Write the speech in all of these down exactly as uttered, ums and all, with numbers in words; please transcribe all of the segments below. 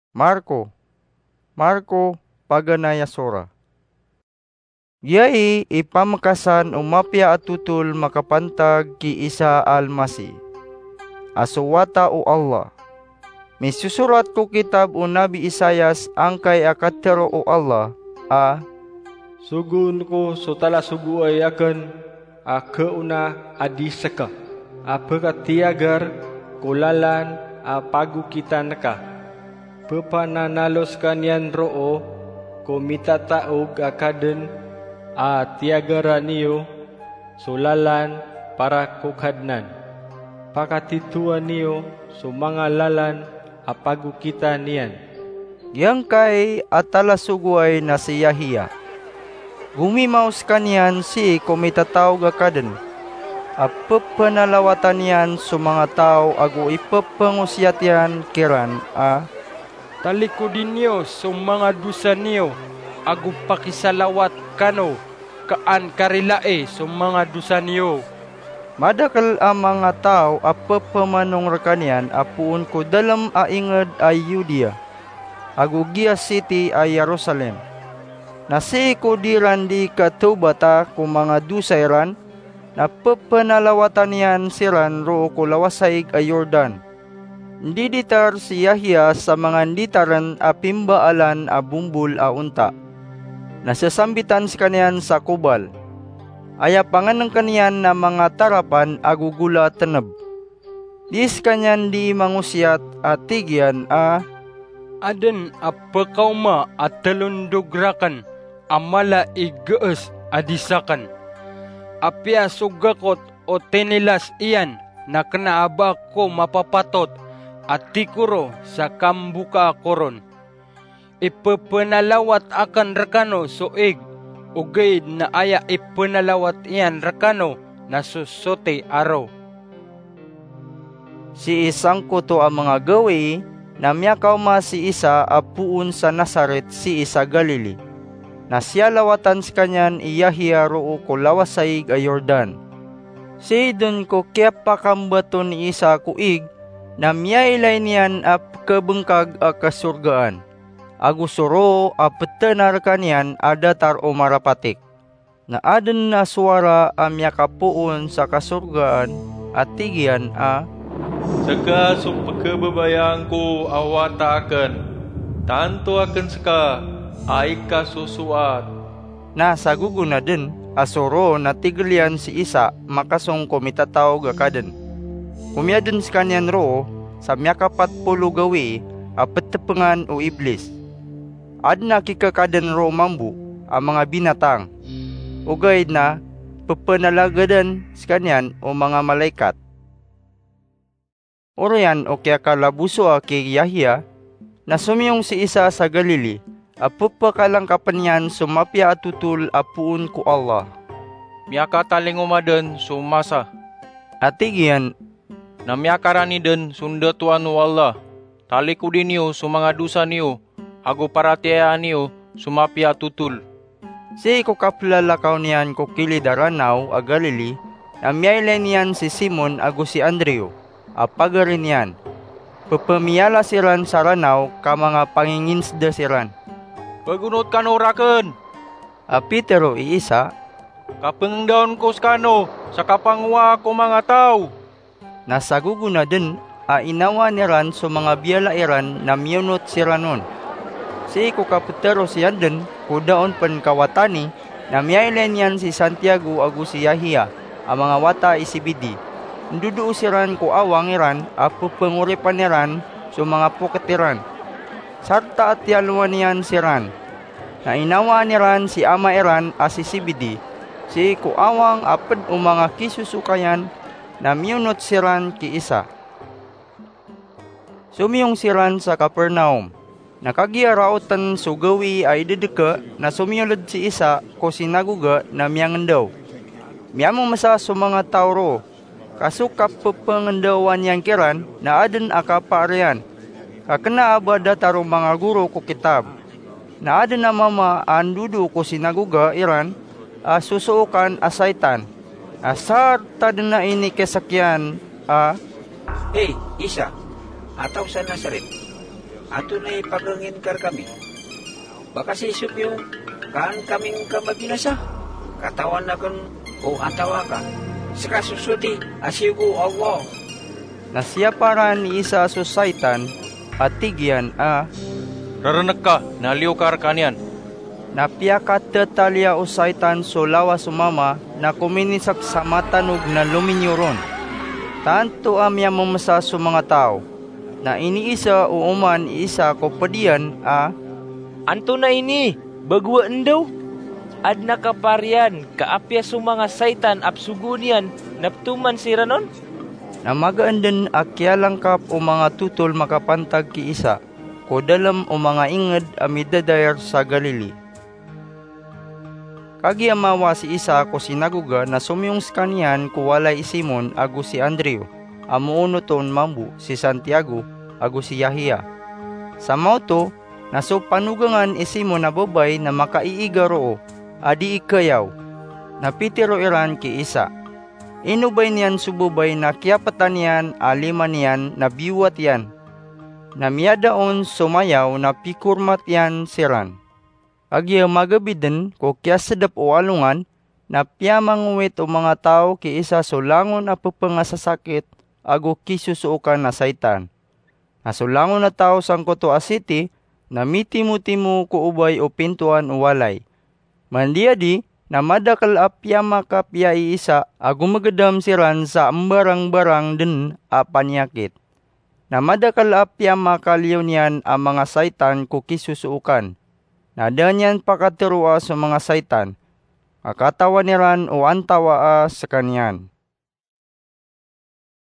Marko. Marko, paganay a sora. Giyai i pamekasan o mapiya a totol makapantag ki Isa a Almasi, a so Wata o Allah. Misosorat ko kitab o Nabi Isaias angkai a katero o Allah a, "Sogoon ko so talasogoay aken a kaona a di seka, a pekatiyagar ko lalan a pagokitan ka. Pepananalo sekaniyan roo ko mitataog a kaden a tiyagaran iyo so lalan para ko Kadnan. Pakatitowan iyo so manga lalan a pagokitan iyan." Giyangkai a talasogoay na si Yahya. Gomimaw sekaniyan sii ko mitataog a kaden a pepenalawatan iyan so manga taw ago ipepengosiyat iyan kiran a, "Talikodi niyo so manga dosa niyo ago pakisalawat kano ka an karilai so manga dosa niyo." Madakel a manga taw a pepemanong rekaniyan a poon ko dalem a inged a Yudea ago giya siti a Jerusalem. Na sii ko di ran di katawbata ko manga dosa iran, na pepenalawatan iyan siran roo ko lawasaig a Jordan. Ndiditar si Yahya sa manga nditaren a pimbaalan a bombol a onta. Na sasambitan sekaniyan sa kobal. Aya pangenengken iyan na manga tarapan ago gola teneb. Di sekaniyan di mangosiyat a tig iyan a, "Aden a pekaoma a telondog raken a mala i gees a di saken. Apiya so gakot o tinilas iyan na kena a ba ako mapapatot a tikoro sa kambokaa ko ron. Ipepenalawat aken rekano so ig, ogaid na aya ipenalawat iyan rekano na so soti a ro." Sii sangkoto a manga gawii na miyakaoma si Isa a poon sa Nazaret sii sa Galili. Na siyalawatan sekaniyan i Yahya roo ko lawasaig a Jordan. Sii den ko kiyapakambaton i Isa ko ig, na miyailay niyan a pekebengkag a kasorgaan, ago so roo a petena rekaniyan a datar o marapatik. Na aden a sowara a miyakapoon sa kasorgaan a tig iyan a, "Seka so pekebabayaan ko a wata aken. Tanto aken seka a ikasosoat." Na sagogonaden a so roo na tigel iyan si Isa makasong ko mitataog a kaden. Komiyaden sekaniyan roo sa miyakapat polo gawii a petepengan o Iblis. Aden a kikekaden roo mambo a manga binatang, ogaid na pepenalagadan sekaniyan o manga malaikat. Oriyan o kiyakalabosoa ki Yahya, na somiyong si Isa sa Galili a pepekalangkapen iyan so mapiya a totol a poon ko Allah. "Miyakatalingoma den so masa," a tig iyan, "na miyakarani den so ndatoan o Allah. Talikodi niyo so manga dosa niyo ago paratiyaya niyo so mapiya a totol." Sii ko kapelalakaw niyan ko kilid a Ranaw a Galili, na miyailay niyan si Simon ago si Andrew a pagari niyan. Pepemiyala siran sa ranaw ka manga panginginseda siran. "Pegonot kano raken," a pitero i Isa, "ka pengendaon ko sekano sa kapangowaa ko manga taw." Na sagogonaden a inawaan iran so manga biyala iran na miyonot siran on. Sii ko kapetero siyan den ko da on pen kawatani, na miyailay niyan si Santiago ago si Yahya a manga wata i Zebedee. Ndodoo siran ko awang iran a pepengoripan iran so manga poket iran, sarta a tiyalowan iyan siran. Na inawaan iran si ama iran a si Zebedee sii ko awang a ped o manga kisosokayan, na miyonot siran ki Isa. Somiyong siran sa Capernaum. Na kagiya raoten so gawii a idedeke, na somiyoled si Isa ko sinagoga na miyangendaw. Miyamemesa so manga taw roo, ka so kapepengendawan iyan kiran na aden a kapaar iyan, ka kena a ba datar o manga goro ko kitab. Na aden a mama a ndodoo ko sinagoga iran a sosookan a saitan, a sarta den a inikesek iyan a, "Hay Isa, a taw sa Nazaret, Antonaa i pagangin ka rkami? Ba ka sii somiyong ka an kami ngka mabinasa? Katawan akn o antawa ka. Ska so soti a siyogo o Allah. Na siyaparan i Isa so saitan, a tig iyan a, "Rarnk ka, na liyo ka rkaniyan." Na piyakatataliya o saitan so lawas o mama, na kominisak sa matanog na lominiyo ron. Tanto a miyamemesa so manga taw. Na iniisa o oman i Isa ko pd iyan a, "Antonaa ini? Bagoa ndaw? Adn a kapar iyan ka apiya so manga saitan a psogoon iyan na ptoman siran on?" Na magaan dn a kiyalangkap o manga totol makapantag ki Isa ko dalm o manga ingd a midadair sa Galili. Kagiya mawa si Isa ko sinagoga na somiyong skaniyan ko walay i Simon ago si Andrew, a moonot on mambo si Santiago ago si Yahya. Sa maoto na so panogangan i Simon a babay na makaiiga roo a dii khayaw. Na pitero iran ki Isa, "Ino ba iniyan so babay na kiyaptan iyan a lima niyan na biyowat iyan?" Na miyada on so mayaw na pikormat iyan siran. Kagiya magabi dn ko kiyasdp o alongan, na piyamangowit o manga taw ki Isa so langon a pphasasakit ago kisosookan a saitan. Na so langon a taw sangkoto a siti na mitimotimo ko obay o pintoan o walay. Mandiyadi na madakl a piyamakapiyai Isa a gomgdam siran sa mbarangbarang dn a paniyakit. Na madakl a piyamakaliyo niyan a manga saitan ko kisosookan. Na da niyan pakatharoa so manga saitan, ka katawan iran o antawa a skaniyan.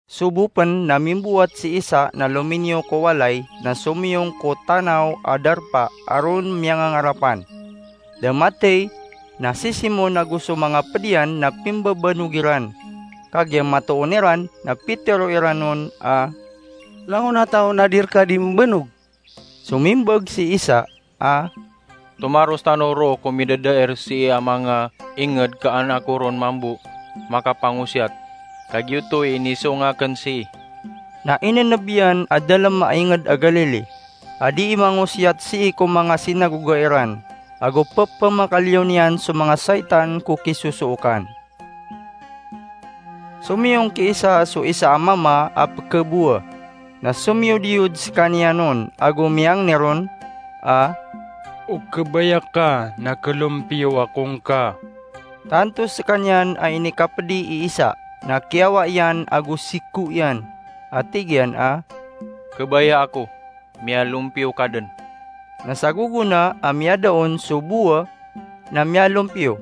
Sobo pn na mimbowat si Isa na lominiyo ko walay na somiyong ko tanaw a darpa a ron miyangangarapan. Da mathay na si Simon ago so manga pd iyan na pimbabanog iran. Kagiya matoon iran na pitero iran on a, "Langon a taw na di rka di mbanog." Somimbag si Isa a, "Tomaros tano roo ko midadair sii a manga ingd ka an ako ron mambo makapangosiyat, ka giyoto i inisong akn sii." Na ineneb iyan a dalem a ingd a Galili, a dii mangosiyat sii ko manga sinagoga iran, ago pepemakaliyo niyan so manga saitan ko kisosookan. Somiyong ki Isa so isa a mama a pekabowa, na somiyodiyod sekaniyan on ago miyangni ron a, "O kebaya ka na kelompiyo ako ngka." Tanto sekaniyan a inikapedi i Isa, na kiyawa iyan ago siko iyan, a tig iyan a, "Kebaya ako, miyalompiyo ka den." Na sa gogona a miyada on so bowa na miyalompiyo,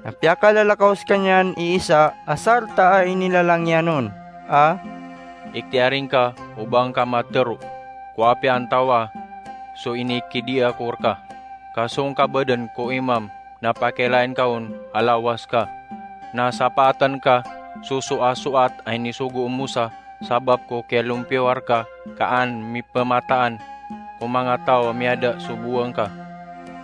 na piyakalalakaw sekaniyan i Isa a sarta a inilalang iyan on a, "Ikhtiyari ngka o ba ngka matero ko apiya antawa so inikidia ko reka, ka so ngka baden ko imam na pakilain ka on a lawas ka, na sapaaten ka so soasoat a inisogo o Mosa sabap ko kiyalompiyo a reka ka an mipemataan ko manga taw a miyada so bowa ngka."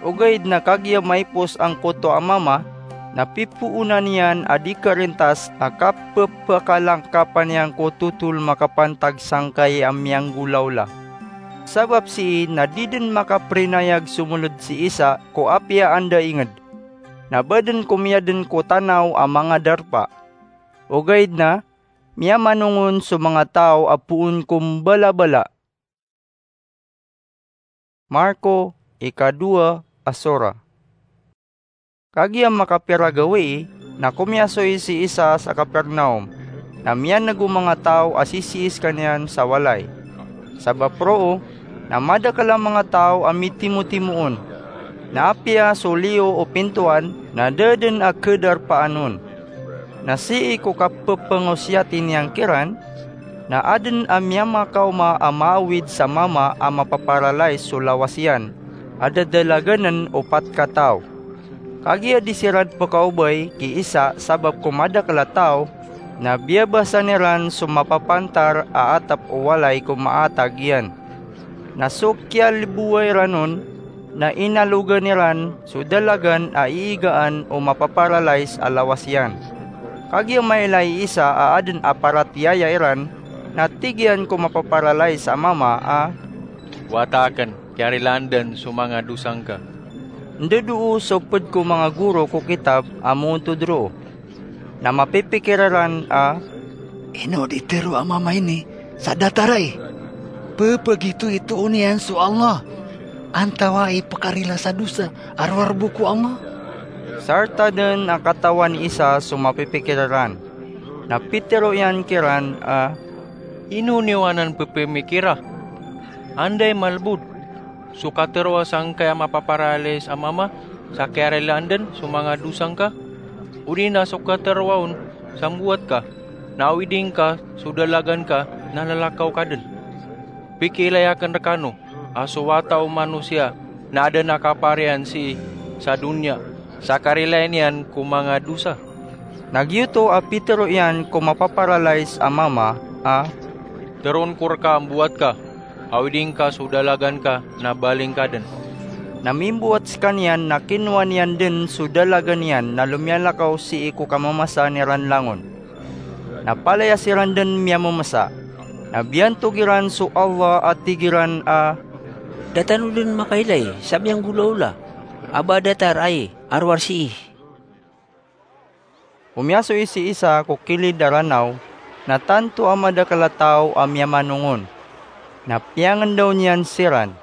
Ogaid na kagiya maipos angkoto a mama, na pipoonan iyan a di karintas a kapepakalangkapan iyan ko totol makapantag sangkai a miyanggolawla. Sabap sii na di den makaperinayag somoled si Isa ko apiya anda inged. Na baden ko miyaden ko tanaw a manga darpa. Ogaid na miyamanongon so manga taw a poon ko mbalabala. Marko, ikadowa a sora. Kagiya makapira gawii, na komiyasoy si Isa sa Capernaum, na miyaneg o manga taw a sisii sekaniyan sa walay. Sabap roo na madakel a manga taw a mitimotimoon, na apiya so liyo o pintoan na da den a kedarpaan on. Na sii ko kapepengosiyati niyan kiran, na aden a miyamakaoma a maawid sa mama a mapaparalais so lawas iyan, a dadalaganen o pat kataw. Kagiya di siran pekaobay ki Isa sabap ko madakel a taw, na biyabasan iran so mapapantar a atep o walay ko maatag iyan. Na so kiyalebowa iran on, na inalogan iran so dalagan a iigaan o mapaparalais a lawas iyan. Kagiya mailay i Isa a aden a paratiyaya iran, na tig iyan ko mapaparalais a mama a, Wata akn, kiyarilaan dn so manga dosa ngka. Ndodoo so pd ko manga goro ko kitab a moontod roo, na mapipikir iran a, "Ino di tero a mama ini sa datar ai? Pphagitoitoon iyan so Allah, antawaa i pkarila sa dosa a rowar bo ko Allah?" Sarta dn a katawan i Isa so mapipikir iran, na pitero iyan kiran a, "Ino niyo anan pphimikira? Anda i malbod, so kateroa sangkai a mapaparalais a mama sa kiyarilaan dn so manga dosa ngka, odi na so kateroa on sa mbowat ka, na awiding ka so dalagan ka na lalakaw ka dn? Pikiilay akn rkano a so wata o manosiya na adn a kaparian sii sa doniya sa karilaan iyan ko manga dosa." Na giyoto a pitero iyan ko mapaparalais a mama a, "Teroon ko rka a mbowat ka, awiding ka so dalagan ka na baling ka dn." Na mimbowat skaniyan na kinowa niyan dn so dalagan iyan na lomiyalakaw sii ko kamamasaan iran langon. Na palaya siran dn miyamamasa. Na biyantog iran so Allah a tig iran a, "Da tano dn makailay sa miyanggolawla a ba datar ai a rowar sii." Komiyasoy si Isa ko kilid a Ranaw, na tanto a madakl a taw a miyamanong on. Na piyangndaw niyan siran.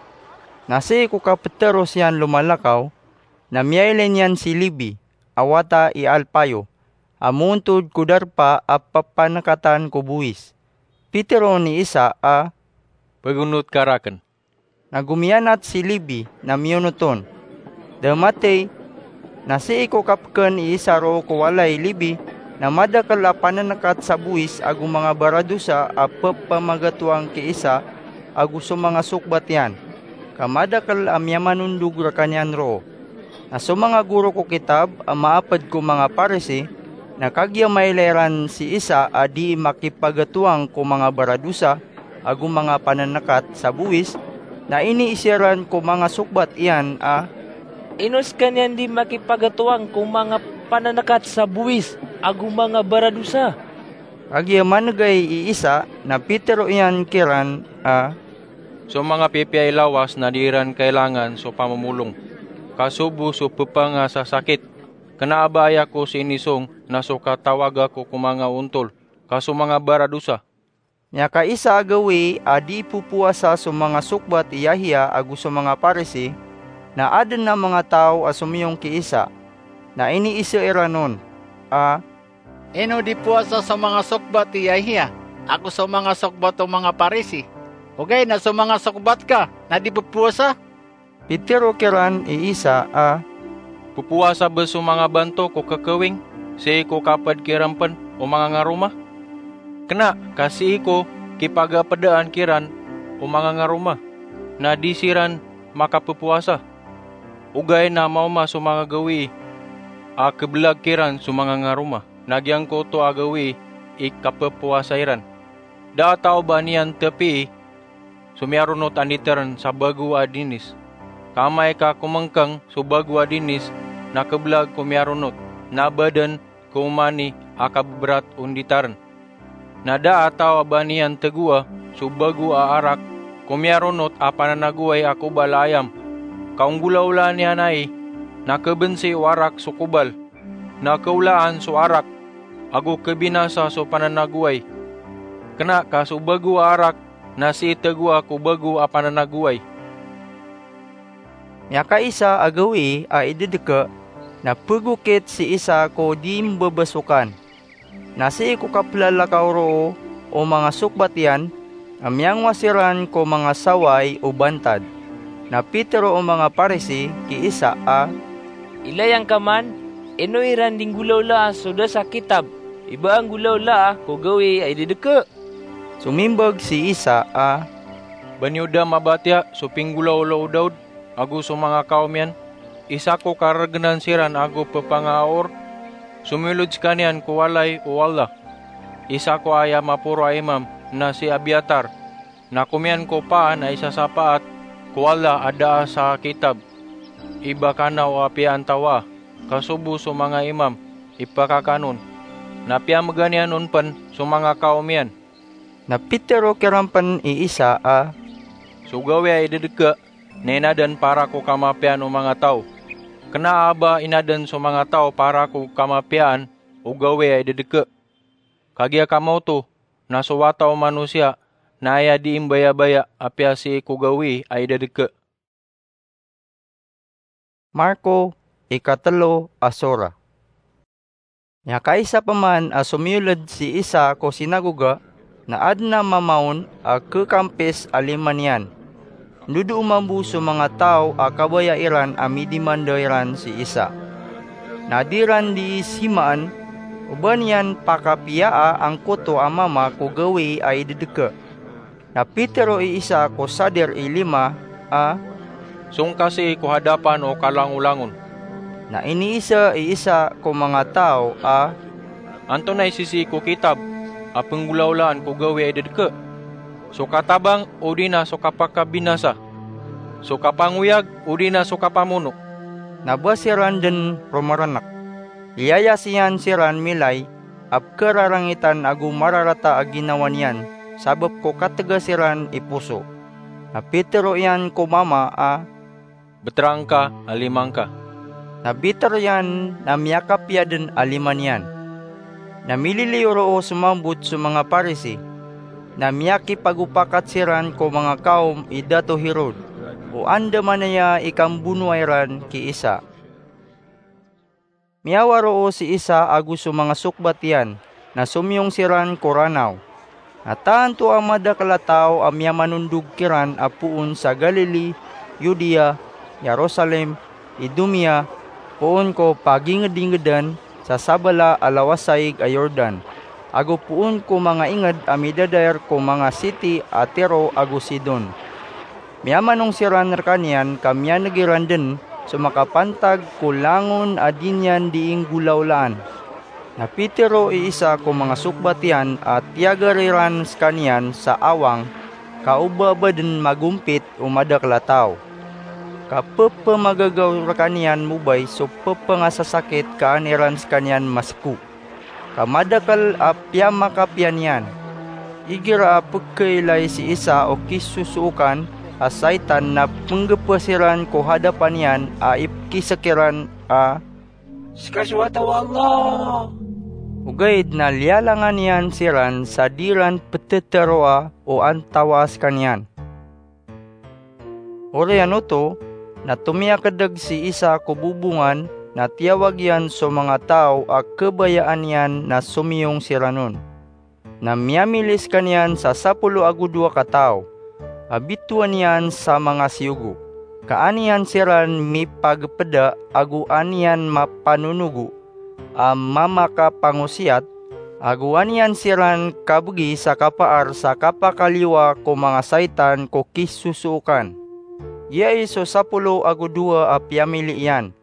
Na sii ko kapteros iyan lomalakaw, na miyailay niyan si Lebi, a wata i Alpayo, a moontod ko darpa a ppanekatan ko bowis. Pitero ni Isa a, "Pegonot ka rakn." Na gomiyanat si Lebi na miyonot on. Da matey, na sii ko kapkn i Isa roo ko walay i Lebi, na madakl a panenekat sa bowis ago manga baradosa a pepamagatoang ki Isa ago so manga sokbat iyan, ka madakl a miyamanondog rkaniyan roo. Na so manga goro ko kitab a maapd ko manga Parisi, na kagiya mailay ran si Isa a dii makipagatoang ko manga baradosa ago manga panenekat sa bowis, na iniiza ran ko manga sokbat iyan a, "Ino skaniyan dii makipagatoang ko manga panenekat sa bowis ago manga baradosa?" Kagiya manegay i Isa, na pitero iyan kiran a, "So manga pipiya i lawas na dii ran kailangan so pamomolong, ka so bo so pepangasasakit. Kena a ba aya ko sinisong na so katawaga ko ko manga ontol, ka so manga baradosa." Miyakaisa a gawii a dii popowasa so manga sokbat i Yahiya ago so manga Parisi, na aden a manga taw a somiyong ki Isa, na iniise iran on a, "Ino di powasa so manga sokbat i Yahiya ago so manga sokbat o manga Parisi, ogaid na so manga sokbat ka na di popowasa?" Pitero kiran i Isa a, "Popowasa bo so manga banto ko kekewing sii ko kaped kiran pen o manga ngaroma? Kena ka sii ko kipagapedaan kiran o manga ngaroma, na di siran makapopowasa. Ogaid na maoma so manga gawii a kebelag kiran so manga ngaroma, na giyangkoto a gawii i kapopowasa iran. Da a taw ba niyan tepii so miyaronot a nditeren sa bago a dinis. Ka amay ka komengkeng so bago a dinis na kebelag ko miyaronot, na baden ko omani a kabeberat o nditaren. Na da a taw a ba niyan tegoa so bago a arak ko miyaronot a pananagoway a kobal a ayam. Ka onggolawlaan iyan ai, na kebensi o arak so kobal, na keolaan so arak, ago kebinasa so pananagoway. Kena ka so bago a arak na sii tegoa ko bago a pananagoway." Miyakaisa a gawii a idedeke, na pegokit si Isa ko dii mbebesokan. Na sii ko kapelalakaw roo o manga sokbat iyan, na miyangowa siran ko manga saway o bantad. Na pitero o manga Parisi ki Isa a, "Ilaya ngka man, ino iran di nggolawlaa so da sa kitab i ba a nggolawlaa ko gawii a idedeke?" Somimbag si Isa a, "Ba niyo da mabatiya so pinggolawla o Daud ago so manga kawm iyan? Isa ko karegenan siran ago pepangaaor, somiyolod sekaniyan ko walay o Allah. Isa ko aya maporo a imam na si Abiatar, na komiyan ko paan a isasapaat ko Allah a da a sa kitab i ba kanaw a piyaantawaa, ka so bo so manga imam i pakakanon, na piyamegan iyan on pen so manga kawm iyan." Na pitero kiran pen i Isa a, So gawii a idedeke na inaden para ko kamapiyaan o manga taw. Kena a ba inaden so manga taw para ko kamapiyaan o gawii a idedeke. Kagiya kamaoto na so wata o manosiya na aya dii mbayabaya apiya sii ko gawii a idedeke. Marko, ikatelo a sora. Miyakaisa peman a somiyoled si isa ko sinagoga, na aden a mama on a kekampis a lima niyan. Ndodoo mambo so manga taw a kabaya iran a midimanda iran si Isa. Na di ran dii simaan, o ba niyan pakapiyaa angkoto a mama ko gawii a idedeke. Na pitero i isa ko sadir i lima a, "Song ka sii ko hadapan o kalangolangon." Na iniisa i isa ko manga taw a, "Antonaa i sisii ko kitab a penggolawlaan ko gawii a idedeke? So katabang odi na so kapakabinasa? So kapangoyag odi na so kapamono?" Na ba siran den romerenek. Liyayas iyan siran milay a pekerarangitan ago mararata a ginawa niyan sabap ko kategas iran i poso. Na pitero iyan ko mama a, "Beterang ka a lima ngka." Na biter iyan na miyakapiya den a lima niyan. Na mililiyo roo somambot so manga Parisi. Na miyakipagopakat siran ko manga kawm i Dato Herod, o andamanaya i kambonoa iran ki Isa. Miyawa roo si Isa ago so manga sokbat iyan, na somiyong siran ko Ranaw. Na tanto a madakel a taw a miyamanondog kiran a poon sa Galili, Yudea, Jerusalem, Idumea, poon ko pagingedingedan sa sabala a lawasaig a Jordan, ago poon ko manga inged a midadaer ko manga siti a Tiro ago Sidon. Miyamanong siran rekaniyan ka miyaneg iran den so makapantag ko langon a di niyan dii nggolawlaan. Na pitero i isa ko manga sokbat iyan a tiyager iran sekaniyan sa awang, ka o ba ba den magompit o madakel a taw. Ka pepemagagaw rekaniyan mobay so pepengasasakit ka an iran sekaniyan maseko. Ka madakel a piyamakapiya niyan. Igira a pekeilay si Isa o kisosookan a saitan na penggepa siran ko hadapan iyan a ipekisek iran a, "Seka so wata o Allah." Ogaid na liyalangan iyan siran sa di ran peteteroa o antawa sekaniyan. Oriyan oto, na tomiyakedeg si Isa ko bobongan na tiyawag iyan so manga taw a kebayaan iyan na somiyong siran on. Na miyamili sekaniyan sa sapolo ago dowa kataw a bitowan iyan sa manga siyogo, ka an iyan siran mipagepeda ago an iyan mapanonogo a mamakapangosiyat, ago an iyan siran kabegi sa kapaar sa kapakaliyowa ko manga saitan ko kisosookan. Giyai so sapolo ago dowa a piyamili iyan: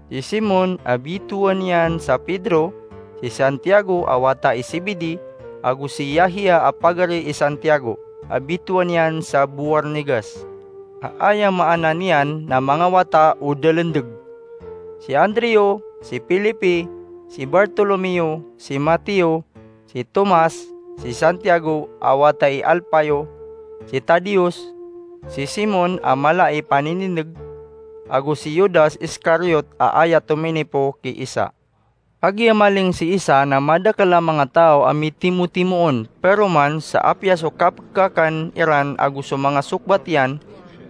si Simon a bitowan iyan sa Pedro, si Santiago a wata i Zebedee, ago si Yahya a pagari i Santiago a bitowan iyan sa Boarnegas, a aya maana niyan na manga wata o dalendeg, si Andreo, si Felipe, si Bartolomeo, si Mateo, si Tomas, si Santiago a wata i Alpayo, si Tadeos, si Simon a mala i paninindeg, ago si Judas Iskariot a aya tominipo ki Isa. Kagiya maling si Isa na madakel a manga taw a mitimotimoon, pero man sa apiya so kapekakan iran ago so manga sokbat iyan,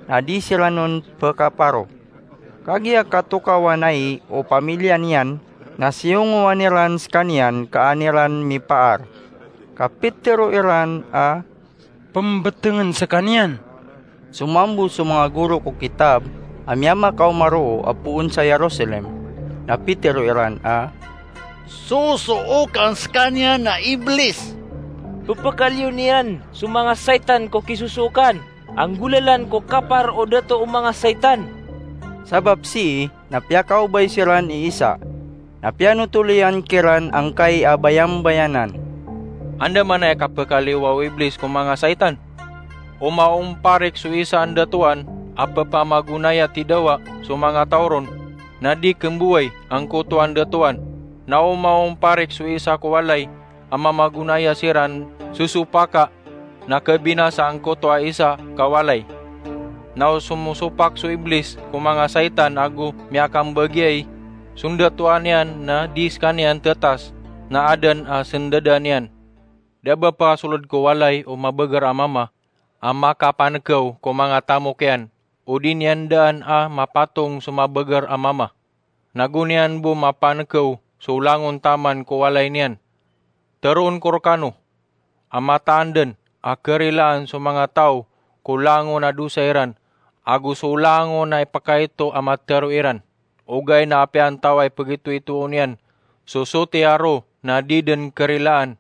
na di siran on pekaparo. Kagiya katokawan ai o pamiliya niyan, na siyongowan iran sekaniyan ka an iran mipaar. Ka pitero iran a, "Pembetengen sekaniyan." Somambot so manga goro ko kitab a miyamakaoma roo a poon sa Jerusalem, na pitero iran a, "Sosookan sekaniyan na Iblis. Pepekaliyo niyan so manga saitan ko kisosookan, anggolalan ko kapar o dato o manga saitan." Sabap sii na piyakaobay siran i Isa, na piyanotol iyan kiran angkai a bayambayanan. Andamanaya kapekaliyowa o Iblis ko manga saitan? O maomparik so isa a ndatoan a pepamagonaya tidawa so manga taw ron, na di kemboway angkoto a ndatoan, na o maomparik so isa ko walay a mamagonaya siran sosopaka, na kebinasa angkoto a isa ka walay. Na o somosopak so Iblis ko manga saitan ago miyakambagiay so ndatoan iyan na di sekaniyan tetas, na aden a sendadan iyan. Da ba pakasoled ko walay o mabeger a mama a makapanekew ko manga tamok iyan, o di niyan daan a mapatong so mabeger a mama. Na go niyan bo mapanekew so langon taman ko walay niyan. Teroon ko rekano a mataan den a kerilaan so manga taw ko langon a dosa iran, ago so langon a ipekaito a matero iran. Ogaid na apiya antaway pegitoitoon iyan so sotiya ro na di den kerilaan,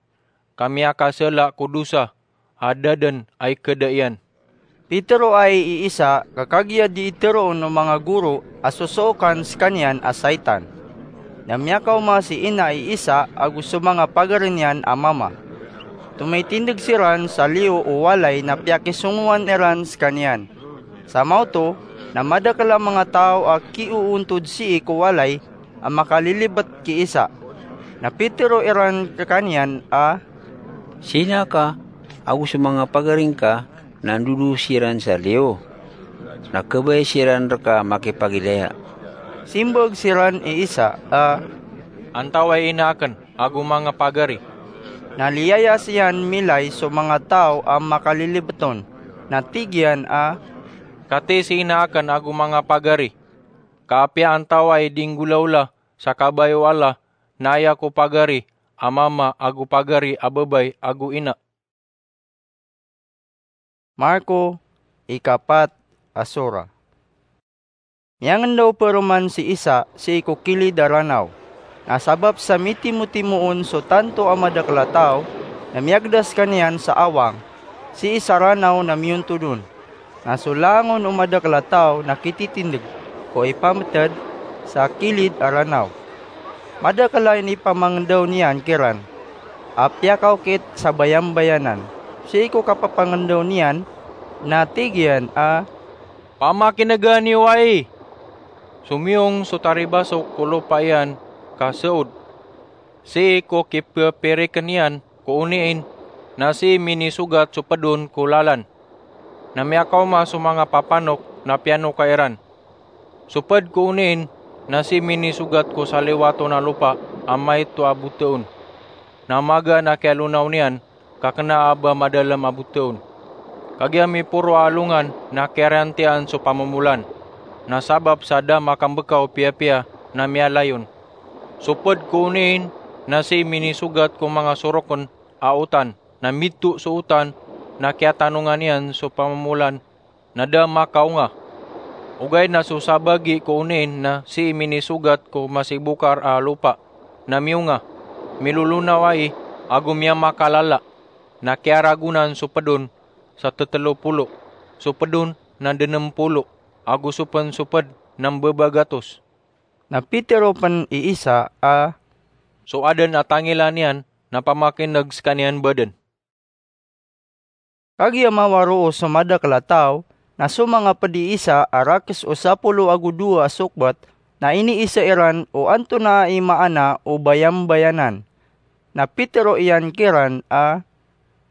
ka miyakasela ko dosa a da den a ikeda iyan. Piteroay i Isa, ka kagiya di iteroon o manga goro a sosookan sekaniyan a saitan. Na miyakaoma si ina i Isa ago so manga pagari niyan a mama. Tomitindeg siran sa liyo o walay na piyakisongowan iran sekaniyan. Sa maoto na madakel a manga taw a kioontod sii ko walay a makalilibet ki Isa. Na pitero iran rekaniyan a, "Si ina ka ago so manga pagari ngka na ndodo siran sa liyo, na kebaya siran reka makipagilaya." Simbag siran i Isa a, "Antaway ina aken ago manga pagari?" Na liyayas iyan milay so manga taw a makalilibet on, na tig iyan a, "Katii si ina aken ago manga pagari, ka apiya antaway di nggolawla sa kabaya o Allah, na aya ko pagari a mama ago pagari a babay ago ina." Marko, ikapat a sura. Miyangendaw peroman si Isa sii ko kilid a ranaw. Na sabap sa mitimotimo on so tanto a madakel a taw, na miyagda sekaniyan sa awang sii sa ranaw na miyontod on. Na so langon o madakel a taw na kititindeg ko ipameted sa kilid a ranaw. Madakel a inipamangendaw niyan kiran a piyakaokit sa bayambayanan. Sii ko kapapangendaw niyan na tig iyan a, "Pamakinega niyo ai! Somiyong so taribasok ko lopa iyan ka saod. Sii ko kipepiriken iyan ko oniin, na sii minisogat so pedon ko lalan. Na miyakaoma so manga papanok na piyanoka iran. So ped ko oniin na sii minisogat ko saliwaton a lopa a maito a boteon. Na magaan a kiyalonaw niyan, ka kena a ba madalem a boteon. Kagiya miporo a alongan na kiyariyantian so pamomolan. Na sabap sa da makambeka o piyapiya na miyalayon. So ped ko oniin na sii minisogat ko manga soroken a otan, na mito so otan na kiyatanongan iyan so pamomolan, na da makaonga. Ogaid na so sabagi ko oniin na sii minisogat ko masibokar a lopa, na miyonga, milolonaw ai, ago miyamakalala. Na kiyaragonan so pedon sa tetelopolo, so pedon na denem polo, ago so pen so ped na mbebagatos." Na pitero pen i Isa a, "So aden a tangila niyan na pamakineg sekaniyan baden." Kagiya mawaroo so madakel a taw, na so manga ped i Isa a rakes o sapolo ago dowa a sokbat, na iniisa iran o antonaa i maana o bayambayanan. Na pitero iyan kiran a,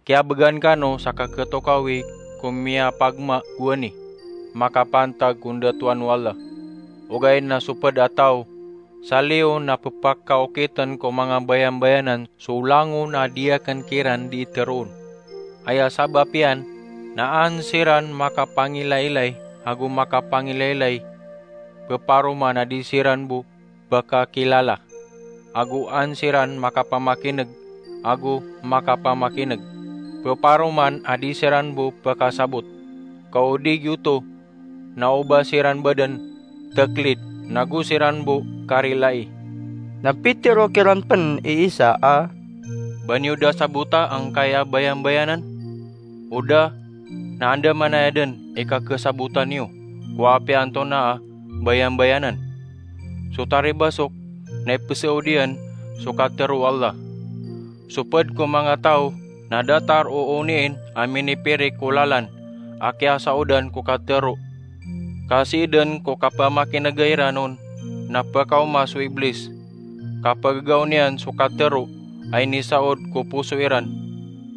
"Kiyabegan kano sa kaketokawi ko miyapagma gowani, makapantag ko ndatoan o Allah. Ogaid na so ped a taw sa liyo na pepakaokiten ko manga bayambayanan so langon a di aken kiran di iteroon. Aya sabap iyan na an siran makapangilailay ago makapangilailay, peparoman a di siran bo pekakilala, ago an siran makapamakineg ago makapamakineg, peparoman a di siran bo pekasabot. Ka o di giyoto, na o ba siran baden teklid, na go siran bo karilai." Na pitero kiran pen i Isa a, "Ba niyo da sabota angkaya bayambayanan? O da na andamanaya den i kakesabota niyo ko apiya antonaa a bayambayanan. So taribasok na ipesaod iyan so katero o Allah. So ped ko manga taw na datar o oniin a minipirik ko lalan a kiyasaodan ko katero. Ka sii den ko kapamakinega iran on na pekaoma so Iblis, ka pegegaw niyan so katero a inisaod ko poso iran.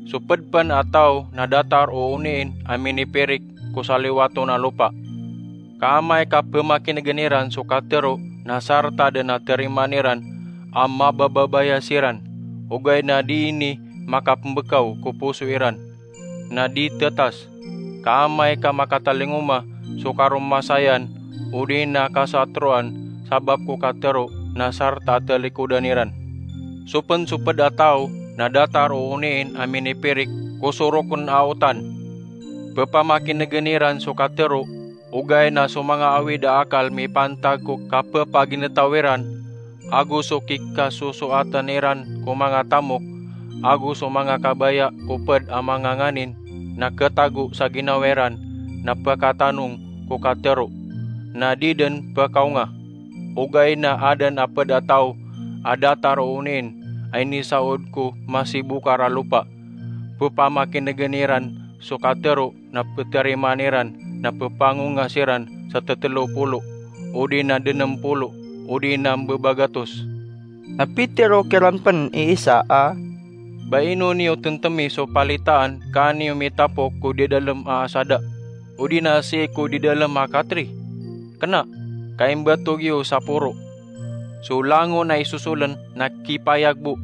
So ped pen a taw na datar o oniin a minipirik ko saliwaton a lopa. Ka amay ka pemakinegen iran so katero na sarta den a terimaan iran a mabababaya siran, ogaid na di ini makapembekaw ko poso iran, na di tetas. Ka amay ka makatalingoma so karomasayan odi na kasatroan sabap ko katero na sarta a talikodan iran. Sopen so ped a taw na datar o oniin a minipirik ko soroken a otan. Pepamakinegen iran so katero, ogaid na so manga awid a akal mipantag ko kapepaginetaw iran, ago so kikasosoatan iran ko manga tamok, ago so manga kabaya ko ped a manga nganin na ketago sa ginawa iran na pekatanong ko katero, na di den pekaonga. Ogaid na aden a ped a taw a datar o oniin a inisaod ko masibokar a lopa. Pepamakinegen iran so katero na peterimaan iran na pepangonga siran sa tetelo polo, odi na denem polo, odi na mbebagatos. Na pitero kiran pen i Isa a, "Ba ino niyo tentemi so palitaan ka niyo mitapok ko didalem a asada, odi na sii ko didalem a katri? Kena, ka imbatog iyo sa poro. So langon a isosolen na kipayag bo,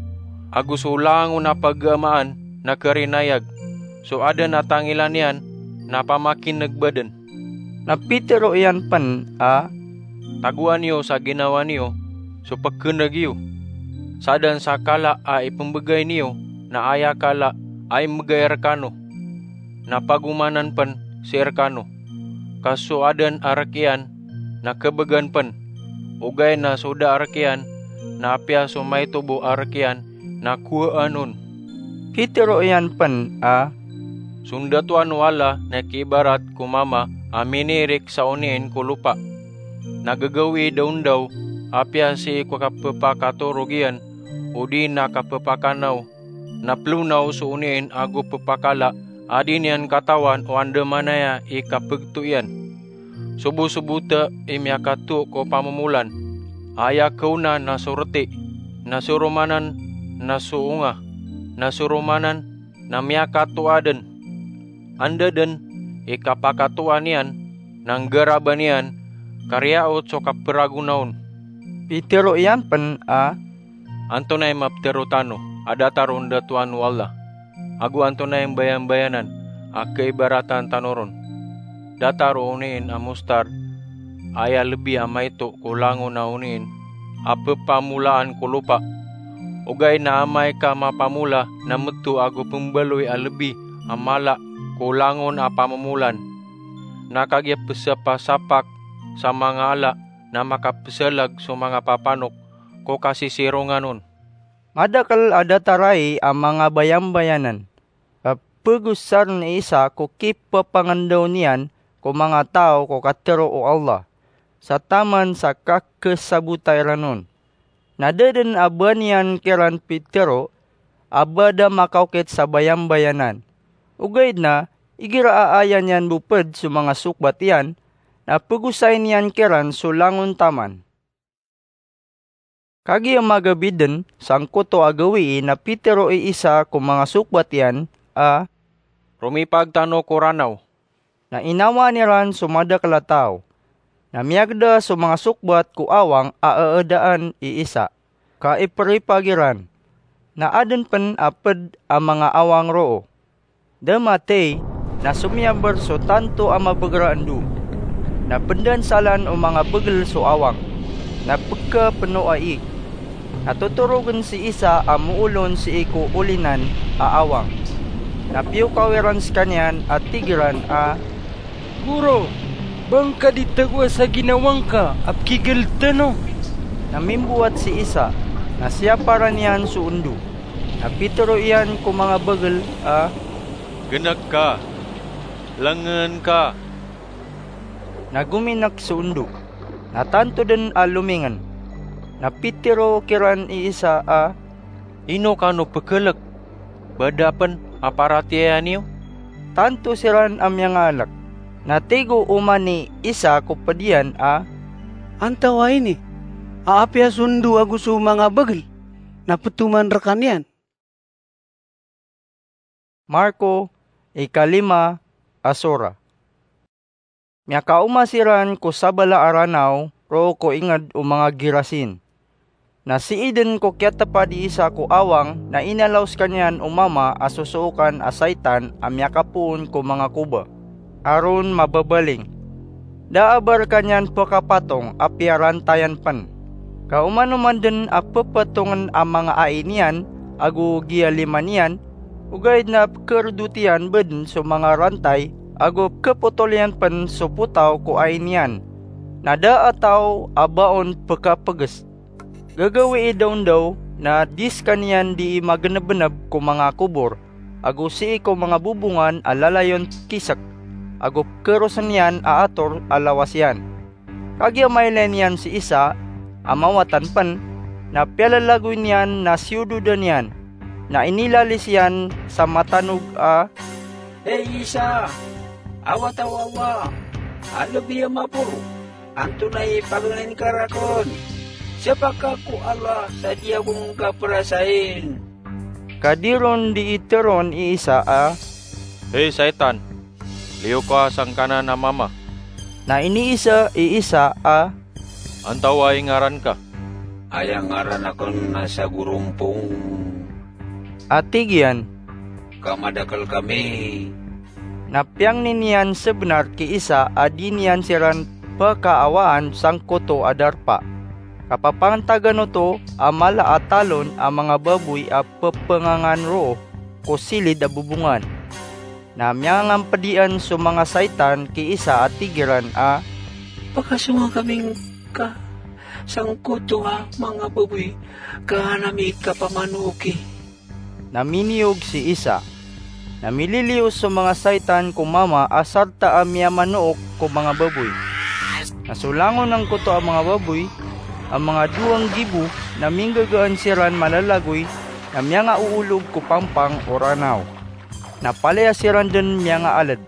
ago so langon a pagamaan na kerinayag. So aden a tangilan iyan na pamakineg baden." Na pitero iyan pen a, "Tagoan iyo sa ginawa niyo so pekeneg iyo. Saden sa kala a ipembegay niyo na aya kala a imbegay rekano, na pagomanan pen sii rekano. Ka so aden a rek iyan na kebegan pen, ogaid na so da a rek iyan na apiya so maito bo a rek iyan na kowaan on." Pitero iyan pen a, "So ndatoan o Allah na kiibarat ko mama a minirik sa oniin ko lopa. Na gagawii da on daw apiya sii ko kapepakatorog iyan, odi na kapepakanaw, na pelonaw so oniin ago pepakala a di niyan katawan o andamanaya i kapegto iyan. Sobosobota i miyakato ko pamomolan. Aya kaona na so reti, na so romanan na so onga, na so romanan na miyakatoa den. Anda den i kapakatoa niyan na nggaraban iyan, ka riyaot so kaperagona on." Pitero iyan pen a, "Antonaa i mapetero tano a datar o ndatoan o Allah? Ago antonaa i mbayambayanan a kaibaratan tano ron? Datar o oniin a mostard, aya lebi a maito ko langon a oniin a pepamolaan ko lopa. Ogaid na amay ka mapamola na meto ago pembaloy a lebi a mala ko langon a pamomolaan, na kagiya pesapasapak sa manga ala na makapesalag so manga papanok ko kasisirongan on." Madakel a datar ai a manga bayambayanan. Pegosaren i Isa ko kipepangendaw niyan ko manga taw ko katero o Allah, sa taman sa kakesabota iran on. Na da den a ba niyan kiran pitero a ba da makaokit sa bayambayanan. Ogaid na igira a aya niyan bo ped so manga sokbat iyan, na pegosayen iyan kiran so langon taman. Kagiya magabi den sangkoto a gawii na pitero i Isa ko manga sokbat iyan a, "Romipag tano ko ranaw." Na inawaan iran so madakel a taw. Na miyagda so manga sokbat ko awang a aadaan i Isa, ka iperipag iran. Na aden pen a ped a manga awang roo. Da matey, na somiyaber so tanto a mabegel a endo. Na pendansalan o manga begel so awang, na pekapeno a iig. Na totorogen si Isa a moolon sii ko olinan a awang. Na piyokaw iran sekaniyan a tig iran a, "Goro, ba ngka di tagoa sa ginawa ngka a pekigeled tano?" Na mimbowat si Isa, na siyaparan iyan so endo. Na pitero iyan ko manga begel a, "Genek ka, lengeen ka." Na gominek so endo, na tanto den a lomingen. Na pitero kiran i Isa a, "Ino kano pekelek? Ba da pen a paratiyaya niyo?" Tanto siran a miyangaalek. Na tig o oman i Isa ko ped iyan a, "Antawaa ini a apiya so endo ago so manga begel na petoman rekaniyan?" Marko, ikalima a sora. Miyakaoma siran ko sabala a Ranaw roo ko inged o manga Gerasin. Na sii den ko kiyatepad i isa ko awang na inalaw sekaniyan o mama a sosookan a saitan a miyakapoon ko manga koba, a ron mababaling. Da a ba rekaniyan pekapatong a piyarantayan pen. Ka oman-oman den a pepetongen a manga ai niyan ago giyalima niyan, ogaid na pekeredot iyan bo den so manga rantay ago pekepotol iyan pen so potaw ko ai niyan. Na da a taw a ba on pekapeges. Gagawii daondaw na di sekaniyan dii magenebeneb ko manga kobor, ago sii ko manga bobongan a lalayon kisek, ago pekerosen iyan a ator a lawas iyan. Kagiya mailay niyan si Isa a mawatan pen, na piyalalagoy niyan na siyododan iyan, na inilalis iyan sa matanog a, "Hay Isa, a wata o Allah a lebi a maporo, antonaa i paganay ngka raken? Siyapa ka ko Allah sa di ako ngka perasain?" Ka di ron dii teroon i Isa a, "Hay saitan, liyo ka sangkanan a mama." Na iniisa i Isa a, "Antawaa i ngaran ka?" "Aya ngaran aken na Sagorompong," a tig iyan, "ka madakel kami." Na piyangni niyan sebenar ki Isa a di niyan siran pekaawaan sangkoto a darpa. Kapapantagan oto a mala a talon a manga baboy a pepengangan roo ko silid a bobongan. Na miyangangampedian so manga saitan ki Isa a tig iran a, "Pakasonga kami ngka sangkoto a manga baboy ka an ami kapamanoki." Na miniyog si Isa. Na mililiyo so manga saitan ko mama a sarta a miyamanook ko manga baboy. Na so langon angkoto a manga baboy a manga dowa nggibo na minggagaan siran malalagoy na miyangaoolog ko pampang o Ranaw. Na palaya siran den miyangaaled.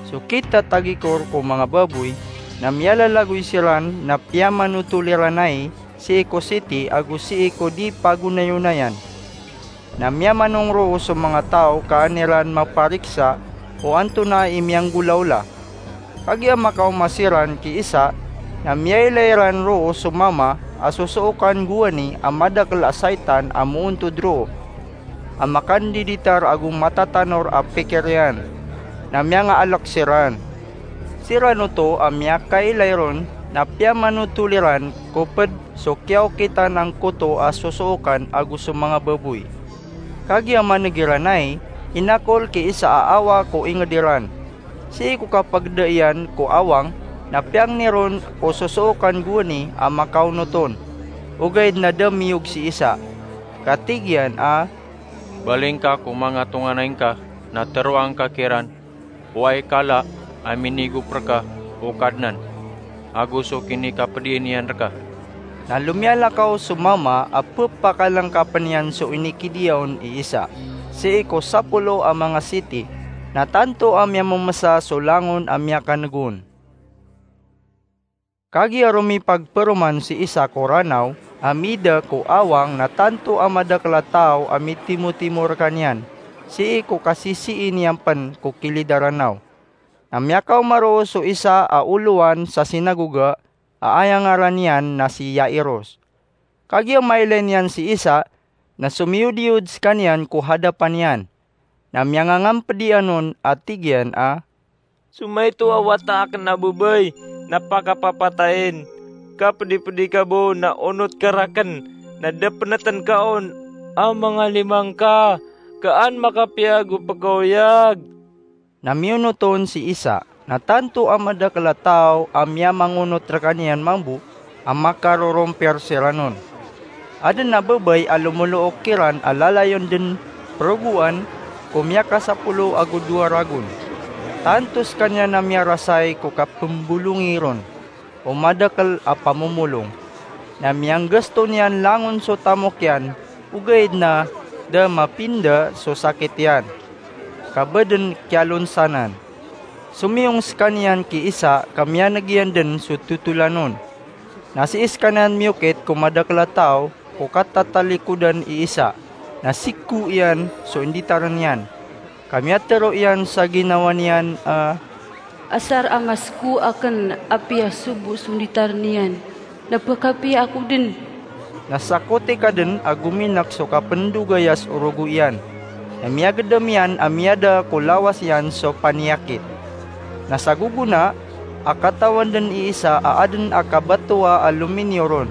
So kitatagikor ko manga baboy na miyalalagoy siran na piyamanotol iran ai sii ko siti ago sii ko di pagonayonayan. Na miyamanong roo so manga taw ka an iran mapariksa o antonaa i miyanggolawla. Kagiya makaoma siran ki Isa, na miyailay ran roo so mama a sosookan gowani a madakel a saitan a moontod roo, a makandiditar ago matatanor a pikir iyan, na miyangaalek siran. Siran oto a miyakailay ron na piyamanotol iran ko ped so kiyaokitan angkoto a sosookan ago so manga baboy. Kagiya maneg iran ai, inakol ki Isa a awa ko inged iran. Sii ko kapageda iyan ko awang, na piyangni ron o sosookan gowani a makaonot on. Ogaid na da miyog si Isa. Ka tig iyan a, "Baling ka ko manga tonganay ngka na teroang ka kiran o aya kala a minigop reka o Kadnan, ago so kinikapedian iyan reka." Na lomiyalakaw so mama a pepakalengkapen iyan so inikidiya on i Isa, sii ko sapolo a manga siti, na tanto a miyamemesa so langon a miyakaneg on. Kagiya romipagperoman si Isa ko Ranaw a mida ko awang na tanto a madakel a taw a mitimotimo rekaniyan, sii ko kasisii niyan pen ko kilid a Ranaw. Na miyakaoma roo so isa a olowan sa sinagoga a aya ngaran iyan na si Jairus. Kagiya mailay niyan si Isa, na somiyodiyod sekaniyan ko hadapan iyan. Na miyangangampedian on a tig iyan a, "So maito a wata aken a babay na pakapapatayen, ka pedipedi ka bo na onot ka raken, na da peneten ka on a manga lima ngka, ka an makapiya ago pekaoyag." Na miyonot on si Isa, na tanto a madakel a taw a miyamangonot rekaniyan mambo a makarorompir siran on. Aden a babay a lomolook kiran a lalayon den perogoan ko miyakasapolo ago dowa ragon. Tanto sekaniyan a miyarasay ko kapembolongi ron o madakel a pamomolong. Na miyanggasto niyan langon so tamok iyan, ogaid na da mapinda so sakit iyan, ka ba den kiyalonsanan. Somiyong sekaniyan ki Isa ka miyaneg iyan den so totolan on. Na sii sekaniyan miyokit ko madakel a taw ko katatalikodan i Isa, na siko iyan so inditaren iyan, ka miyatero iyan sa ginawa niyan a, Asar a ngasko aken a piyasobo so nditar niyan, na pekapiya ako den. Na sakotika den a gominek so kapendogaya so orogo iyan, na miyagedam iyan a miyada ko lawas iyan so paniyakit. Na sa gogona a katawan den i isa a aden a kabatowa a lominiyo ron.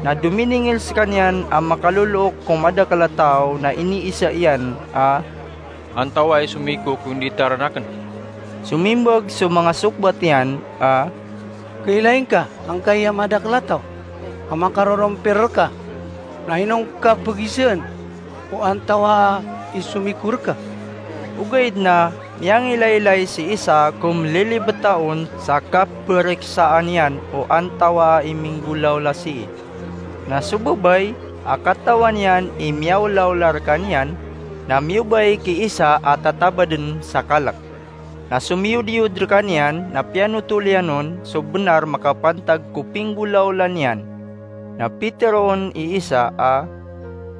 Na dominingil sekaniyan a makalolook ko madakel a taw, na iniisa iyan a, "Antawaa i somiko ko inditaran aken?" Somimbag so manga sokbat iyan a, "Kailay ngka angkai a madakel a taw a makarorompir reka, na ino ngka pegisaan o antawaa i somiko reka?" Ogaid na miyangilaylay si isa ko melilibeta on sa kapereksaan iyan o antawaa i minggolawla sii. Na so babay a katawan iyan i miyaolaola rekaniyan, na miyobay ki isa a tatabaden sa kalek. Na somiyodiyod rekaniyan na piyanotol iyan on so benar makapantag ko pinggolawla niyan. Na piteroon i isa a,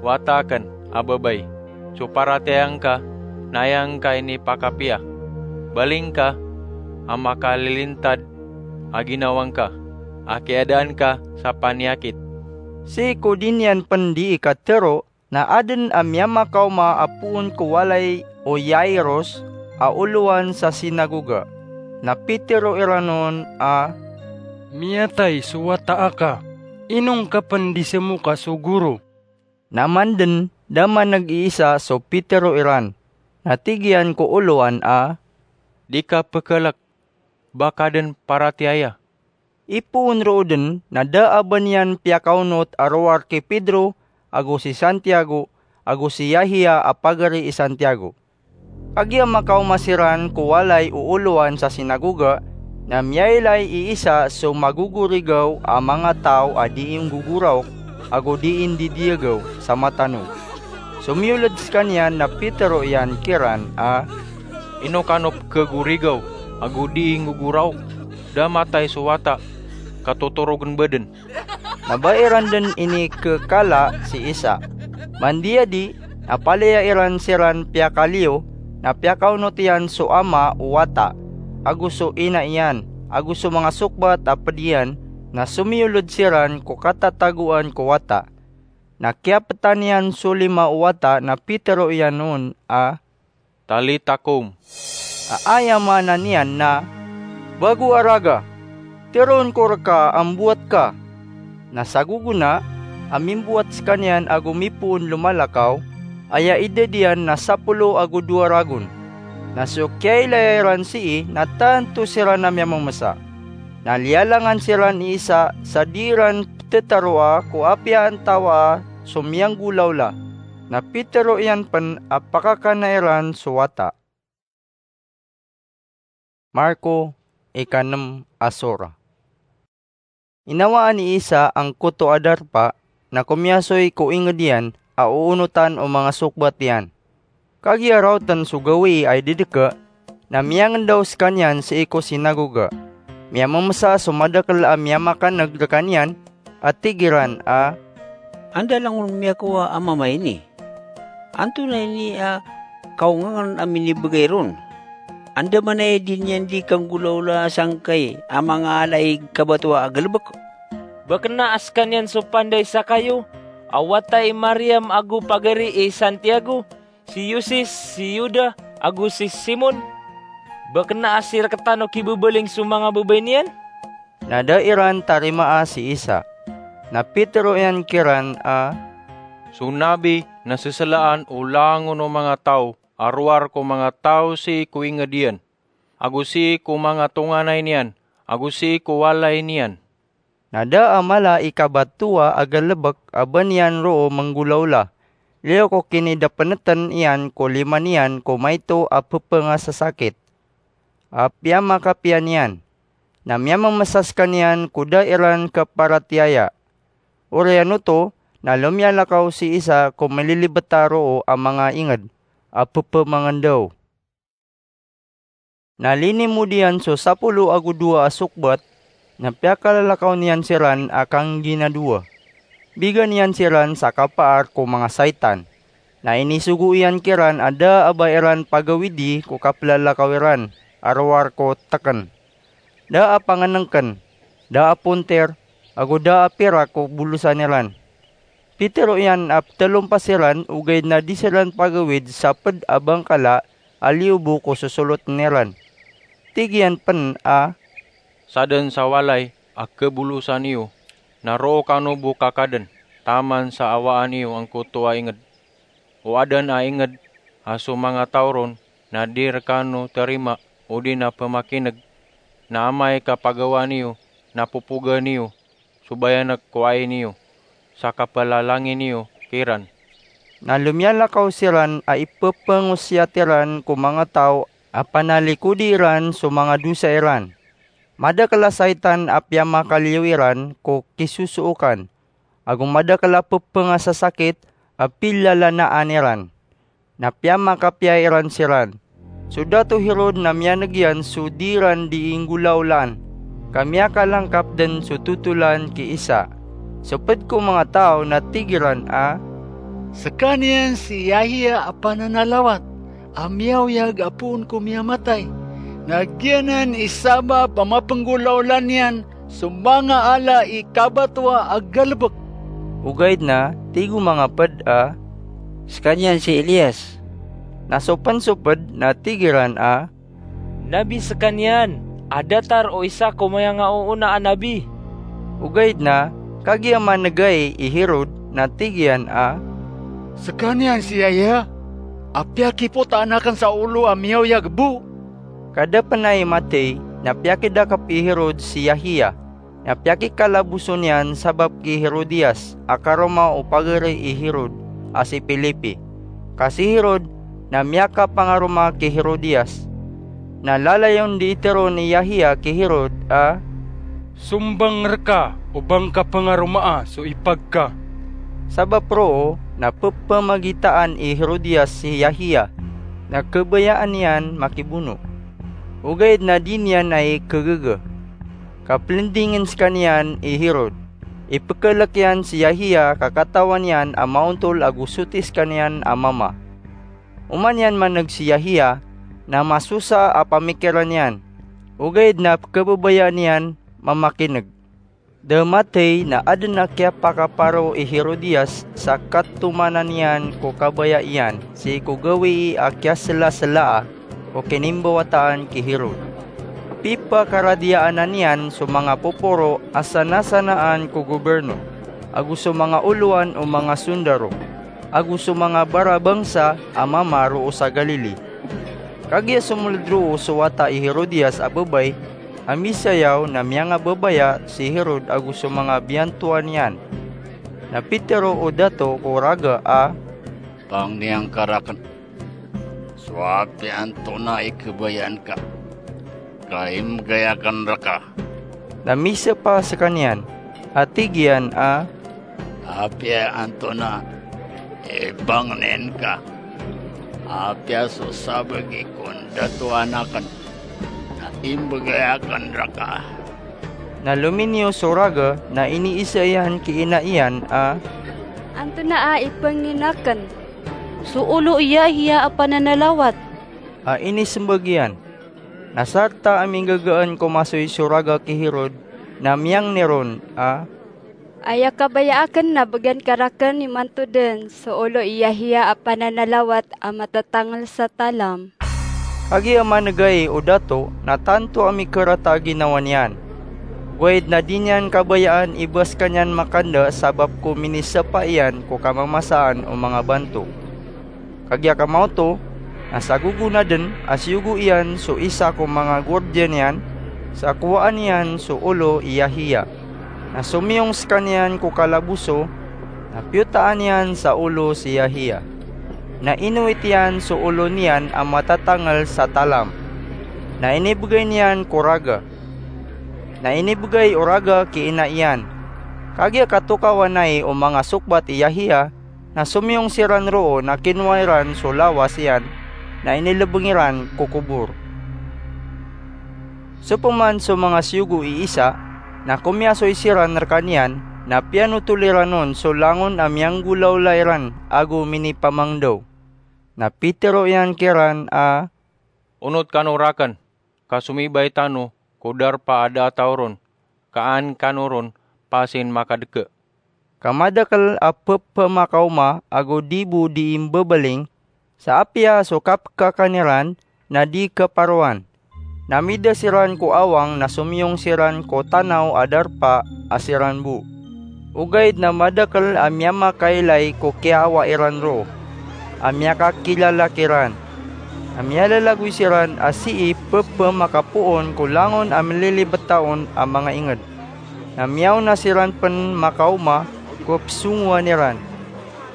"Wata aken a babay, so paratiyaya ngka na aya ngka inipakapiya. Baling ka a makalilintad a ginawa ngka a kiyadaan ka sa paniyakit." Sii ko di niyan pen dii katero, na aden a miyamakaoma a poon ko walay o Jairus a olowan sa sinagoga. Na pitero iran on a, "Miyatay so wata aka. Ino ngka pen di semoka so goro?" Na manden da maneg i isa so pitero iran. Na tig iyan ko olowan a, "Di ka pekelek, ba ka den paratiyaya." Ipoon roo den na da a ba niyan piyakaonot a rowar ki Pedro ago si Santiago ago si Yahya a pagari i Santiago. Kagiya makaoma siran ko walay o olowan sa sinagoga, na miyailay i isa so magogorigaw a manga taw a dii nggogoraok ago dii ndidiyagew sa matanog. Somiyoled sekaniyan na pitero iyan kiran a, "Ino kano pekegorigaw ago dii nggogoraok? Da matay so wata ka totorogen ba den." Na ba iran den inikekala si isa. Mandiyadi, na palaya iran siran piyakaliyo, na piyakaonot iyan so ama o wata, ago so ina iyan, ago so manga sokbat a ped iyan, na somiyoled siran ko katatagoan ko wata. Na kiyapetan iyan so lima o wata na pitero iyan on a, "Talitha koum," a aya maana niyan na, "Bago a raga, teroon ko reka a mboat ka." Na sa gogona a mimboat sekaniyan ago mipoon lomalakaw, aya idad iyan na sapolo ago dowa ragon. Na so kiyailaya iran sii na tanto siran a miyamemesa. Na liyalangan siran i isa sa di iran petetaroa ko apiya antawaa so miyanggolawla. Na pitero iyan pen a pakakana iran so wata. Marko, ikanem a sora. Inawaan i Isa angkoto a darpa na komiyasoy ko inged iyan a oonotan o manga sokbat iyan. Kagiya raoten so gawii a idedeka, na miyangendaw sekaniyan sii ko sinagoga. Miyamemesa so madakel a miyamakaneg rekaniyan, a tig iran a, "Anda langon miyakowa a mama ini? Antonaa ini a kaongangen a minibegay ron? Andamanaya i di niyan di kanggolawla sangkai a manga ala i kabatowa a galebek?" Ba kena a sekaniyan so panda i Sakayo, a wata i Mariam ago pagari i Santiago, si Yosis, si Yuda, ago si Simon? Ba kena a sireketan o kibebaling so manga babay niyan? Na da iran tarimaa si Isa. Na pitero iyan kiran a, "So nabi na seselaan o langon o manga taw a rowar ko manga taw sii ko inged iyan, ago sii ko manga tonganay niyan, ago sii ko walay niyan." Na da a mala i kabatowa a galebek a ba niyan roo menggolawla, liyo ko kinidapeneten iyan ko lima niyan ko maito a pepengasasakit a piyamakapiya niyan. Na miyamemesa sekaniyan ko da iran keparatiyaya. Oriyan oto na lomiyalakaw si Isa ko melilibeta roo a manga inged a pepemangendaw. Na linimod iyan so sapolo ago dowa a sokbat, na piyakalalakaw niyan siran a kangginadowa. Bigan iyan siran sa kapaar ko manga saitan. Na inisogo iyan kiran a da a ba iran pagawidi ko kapelalakaw iran, a rowar ko tekn. Da a pangnngkn, da a pontir, ago da a pirak ko bolosan iran. Pitero iyan a ptelompas iran, ogaid na di siran pagawid sa pd a bangkala a liyo bo ko sosolotn iran. Tig iyan pn a, Sadn sa walay a kebolosan iyo, na roo kano bo kakadn taman sa awaan iyo angkoto a ingd. O adn a ingd a so manga taw ron na di rkano tarima odi na pmakin'g, na amay ka pagawaan iyo na popogan iyo so bayanek ko ai niyo sa kapalalangi niyo kiran. Na lomiyalakaw siran a ipepengosiyat iran ko manga taw a panalikodi iran so manga dosa iran. Madakl a saitan a piyamakaliyo iran ko kisosookan, ago madakl a pepengasasakit a pilalanaan iran. Na piyamakapiya iran siran. So Dato Herod na miyan'g iyan so di ran di inggolaolaan, ka miyakalangkap dn so totolan ki Isa. So pd ko manga taw na tig iran a, Skaniyan si Yahya a pananalawat a miyaoyag a poon ko miyamatay, na giyanan i sabap a mapenggolaola niyan so manga ala i kabatoa a galebek. Ogaid na tig o manga pd a, Skaniyan si Elias. Na so pn so pd na tig iran a, Nabi skaniyan a datar o isa ko mayangaoona a nabi. Ogaid na kagiya man'gay i Herod na tig iyan a, Skaniyan si Yahya a piyakipotaan aken sa olo a miyaoyag bo. Ka da pn ai matey na piyakidakep i Herod si Yahya, na piyakikalaboso niyan sabap ki Herodias a karoma o pagari i Herod a si Felipe. Ka si Herod na miyakapangaroma ki Herodias. Na lalayon di itero ni Yahya ki Herod a, Sombang rka o ba ngka pangaromaa so ipag ka. Sabap roo na pepamagitaan i Herodias si Yahya, na kebayaan iyan makibono. Ogaid na di niyan ai kegege. Ka plndingn skaniyan i Herod. Ipekelek iyan si Yahya ka katawan iyan a maontol ago soti skaniyan a mama. Oman iyan man'g si Yahya, na masosa a pamikiran iyan. Ogaid na kebabayaan iyan mamakin'g. Da matey na adn a kiyapakaparo i Herodias sa katomanan iyan ko kabaya iyan sii ko gawii a kiyaselaselaa o kinimbawataan ki Herod. Pipakaradiyaanan iyan so manga poporo a sanasanaan ko goberno, ago so manga olowan o manga sondaro, ago so manga barabangsa a mama roo sa Galili. Kagiya somold roo so wata i Herodias a babay a misayaw na miyangababaya si Herod ago so manga biyantoan iyan. Na pitero o dato ko raga a, Pangni angka raken so apiya antonaa i kebayaan ka, ka imbgay aken rka. Na misapa skaniyan a tig iyan a, Apiya antonaa i pangnin ka, apiya so sabagi ko ndatoan aken na imbgay aken rka. Na lominiyo so raga na iniisa iyan ki ina iyan a, Antonaa i pangnin aken? So olo i Yahya a pananalawat, a inismbag iyan. Na sarta a minggagaan ko masoy so raga ki Herod na miyangni ron a, Aya kabaya aken na bgan ka raken imanto den so olo i Yahya a pananalawat a matatangl sa talam. Kagiya man'gay o dato na tanto a mikerata a ginawa niyan. Ogaid na di niyan kabayaan i ba skaniyan makanda sabap ko minisapa iyan ko kamamasaan o manga banto. Kagiya kamaoto na sa gogonaden a siyogo iyan so isa ko manga gordiya niyan sa kowaan iyan so olo i Yahya. Na somiyong skaniyan ko kalaboso, na piyotaan iyan sa olo si Yahya. Na inowit iyan so olo niyan a matatangl sa talam. Na inibgay niyan ko raga. Na inibgay o raga ki ina iyan. Kagiya katokawan ai o manga sokbat i Yahya, na somiyong siran roo na kinowa iran so lawas iyan na inilbng iran ko kobor. Sopaman so manga siyogo i Isa, na komiyasoy siran rkaniyan, na piyanotol iran on so langon a miyanggolaola iran ago minipamangdaw. Na pitero iyan kiran a, Onot kano raken. ka somibay tano ko darpa a da a taw ron, ka an kano ron pasin makadke. Ka madakel a pepemakaoma ago di bo di imbebeling, sa apiya so kapekakan iran na di keparoan. Na mida siran ko awang na somiyong siran ko tanaw a darpa a siran bo. Ogaid na madakel a miyamakailay ko kiyaawa iran roo, a miyakakilala kiran. A miyalalagoy siran a sii pepemakapoon ko langon a melilibet taon a manga inged. Na miyaona siran pen makaoma ko pesongowan iran.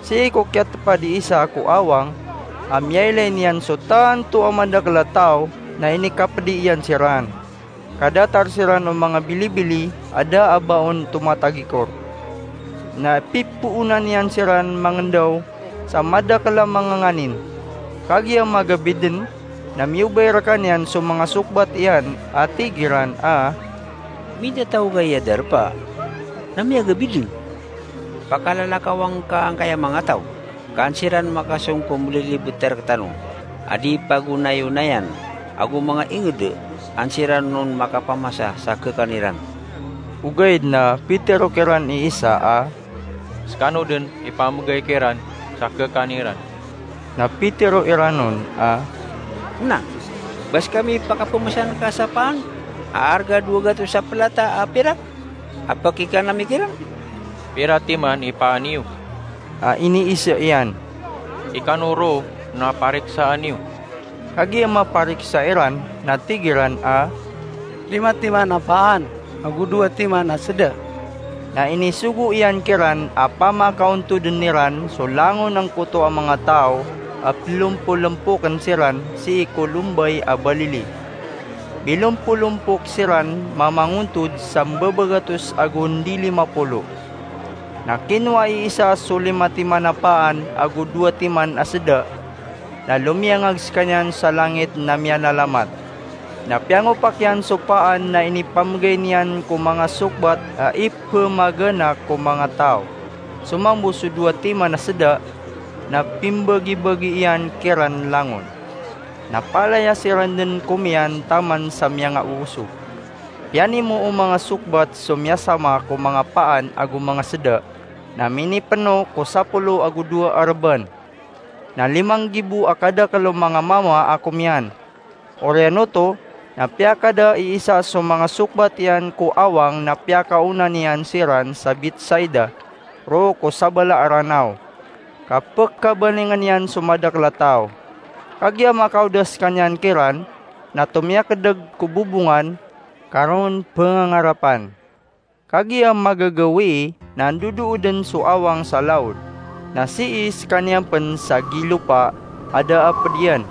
Sii ko kiyatepad i Isa ko awang a miyailay niyan so tanto a madakel a taw na inikapedi iyan siran. Kadatar siran o manga bilibili a da a baon tomatagikor. Na pipoonan iyan siran mangendaw sa madakel a manga nganin. Kagiya magabid den, na miyobay rekaniyan so manga sokbat iyan a tig iran a, "Mida taw gaya darpa na miyagabid den? Pakalalakaw angka angkaya manga taw, ka an siran makasong ko melilibet a rektano a di pagonayonayan, ago manga inged an siran on makapamasa sa kekan iran." Ogaid na pitero kiran i Isa a, "Sekano den ipamegay kiran sa kekan iran." Na pitero iran on a, "Na, ba sekami pakapemasan ka sa paan a arga dowa gatos a pelata a pirak a pekikan ami kiran?" "Pira timan i paan iyo?" a iniisa iyan. "Ikano roo na pariksaan iyo." Kagiya mapariksa iran na tig iran a, "Lima timan a paan ago dowa timan a seda." Na inisogo iyan kiran a pamakaontoden iran so langon angkoto a manga taw a pelompolempoken siran sii ko lombay a balili. Bilompolompok siran mamangontod sa mbabagatos ago ndi lima polo. Na kinowa i Isa so lima timan a paan ago dowa timan a seda, na lomiyangag sekaniyan sa langit na miyanalamat. Na piyangopak iyan so paan na inipamegay niyan ko manga sokbat a ipemagana ko manga taw. So mambo so dowa timan a seda, na pimbagibagi iyan kiran langon. Na palaya siran den komiyan taman sa miyangaosog. Piyanimo o manga sokbat so miyasama ko manga paan ago manga seda, na minipeno ko sapolo ago dowa a reban. Na limang gibo a kadakel o manga mama a komiyan. Oriyan oto, na piyakada i Isa so manga sokbat iyan ko awang na piyakaona niyan siran sa Betsaida, roo ko sabala a ranaw. Ka pekabalingen iyan so madakel a taw. Kagiya makaoda sekaniyan kiran, na tomiyakedeg ko bobongan, ka roo on pengangarapan. Kagiya magagawii na ndodooden so awang sa laod, na sii sekaniyan pen sa gilopa a da a pedian.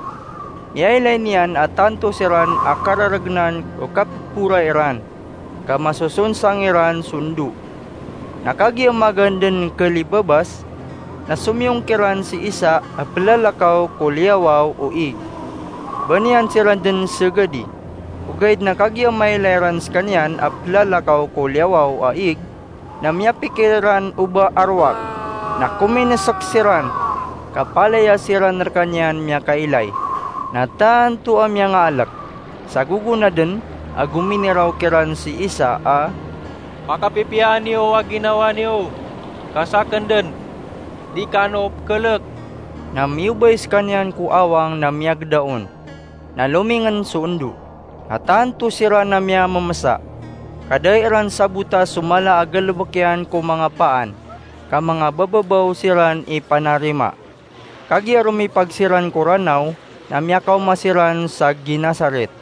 Miyailay niyan a tanto siran a kararegenan o kapepora iran, ka masosonsang iran so ndo. Na kagiya magaan den kelibabas, na somiyong kiran si Isa a pelalakaw ko liyawaw o ig. Ba niyan siran den segedi. Ogaid na kagiya mailay ran sekaniyan a pelalakaw ko liyawaw a ig, na miyapikir iran o ba a rowak, na kominesek siran, ka palaya siran rekaniyan miyakailay. Na tanto a miyangaalek. Sa gogonaden a gominiraw kiran si Isa a, "Pakapipiyaan iyo a ginawa niyo, ka saken den, di kano pekelek." Na miyobay sekaniyan ko awang na miyageda on. Na lomingen so ndo. Na tanto siran a miyamemesa. Ka da iran sabota so mala a galebek iyan ko manga paan, ka manga bababaw siran i panarima. Kagiya romipag siran ko ranaw, na miyakaoma siran sa Genesaret,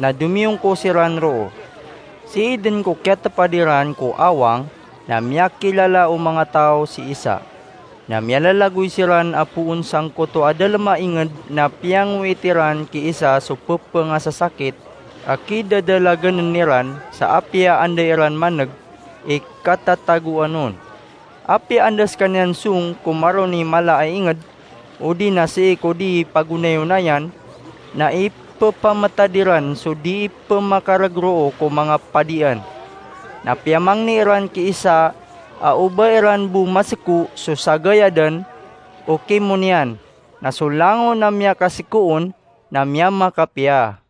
na domiyongko siran roo. Sii den ko kiyatepad iran ko awang, na miyakilala o manga taw si Isa. Na miyalalagoy siran a poon sangkoto a dalem a inged na piyangowit iran ki Isa so pepengasasakit a kidadalaganen iran sa apiya anda iran maneg i katatagoan on. Apiya anda sekaniyan song ko maroni mala a inged, odi na sii ko di pagonayonayan, na ipepametad iran so di pemakaregroo ko manga padian. Na piyamangni iran ki Isa a o ba iran bo maseko so sagayadan o kimo niyan, na so langon a miyakaseko on na miyamakapiya.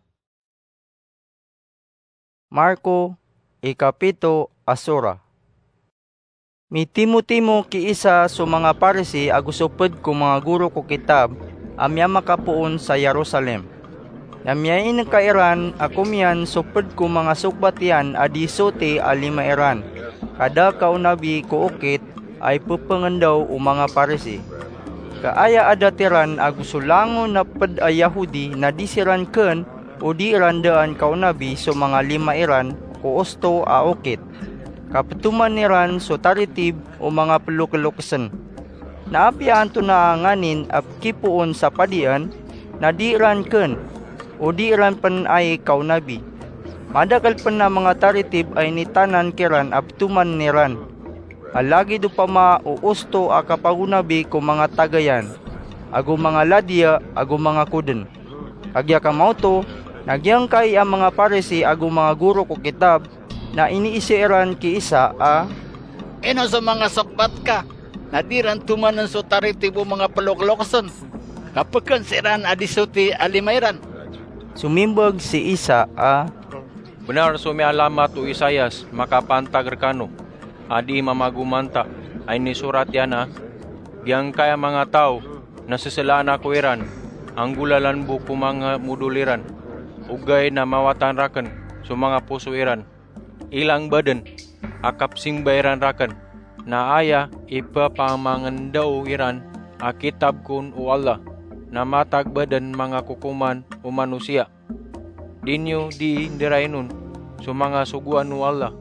Marko, ikapito a sura. Mitimotimo ki Isa so manga Parisi ago so ped ko manga goro ko kitab a miyamakapoon sa Jerusalem. Na miyainengka iran a komiyan so ped ko manga sokbat iyan a di soti a lima iran, ka da kaonabi ko okit a ipepengendaw o manga Parisi. Ka aya adat iran ago so langon a ped a Yahudi na di siran ken o di iran daan kaonabi so manga lima iran ko osto a okit, ka petoman iran so taritib o manga pelokelokesen. Na apiya antonaa nganin a pekipoon sa padian, na di iran ken o di iran pen ai kaonabi. Madakel pen a manga taritib a initanan kiran a petoman iran. A lagid opama o osto a kapagonabi ko manga tagayan, ago manga ladiya, ago manga koden. Kagiya kamaoto, na giyangkai a manga Parisi ago manga goro ko kitab na iniiza iran ki Isa a, "Ino so manga sokbat ka na di ran tomanen so taritib o manga pelokelokesen, ka peken siran a di soti a lima iran?" Somimbag si Isa a, "Benar so miyaalamat o Isaias makapantag rekano, a di mamagomanta, a inisorat iyan a, 'Giyangkai a manga taw na seselaan Ako iran, anggolalan bo ko manga modol iran, ogaid na mawatan raken so manga poso iran. Ilang baden a kapsimba iran raken, na aya ipepamangendaw iran a kitab kon o Allah na matag baden manga kokoman o manosiya.' Di niyo di nderain on so manga sogoan o Allah,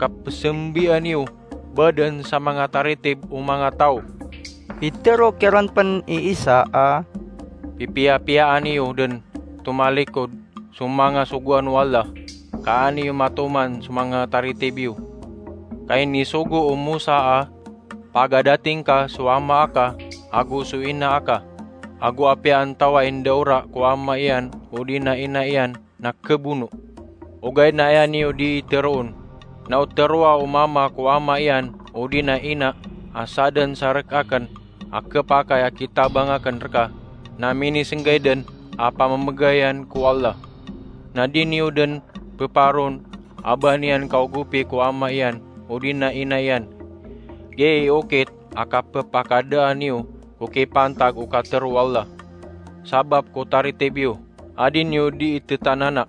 ka pesembian iyo baden sa manga taritib o manga taw." Pitero kiran pen i Isa a, "Pipiyapiyaan iyo den tomalikod so manga sogoan o Allah, ka an iyo matoman so manga taritib iyo. Ka inisogo o Mosa a, 'Pagadating ka so ama aka ago so ina aka, ago apiya antawaa i ndaora ko ama iyan odi na ina iyan na kebono.' Ogaid na aya niyo di teroon, 'Na o teroa o mama ko ama iyan odi na ina a saden sa rek aken a kepakay a kitabang aken reka, na minisenggay den a pamemegayan ko Allah.' Na di niyo den peparon a ba niyan kaogopi ko ama iyan odi na ina iyan. Giya i okit a kapepakadaan iyo ko kipantag o katero o Allah, sabap ko taritib iyo a di niyo di itetanana.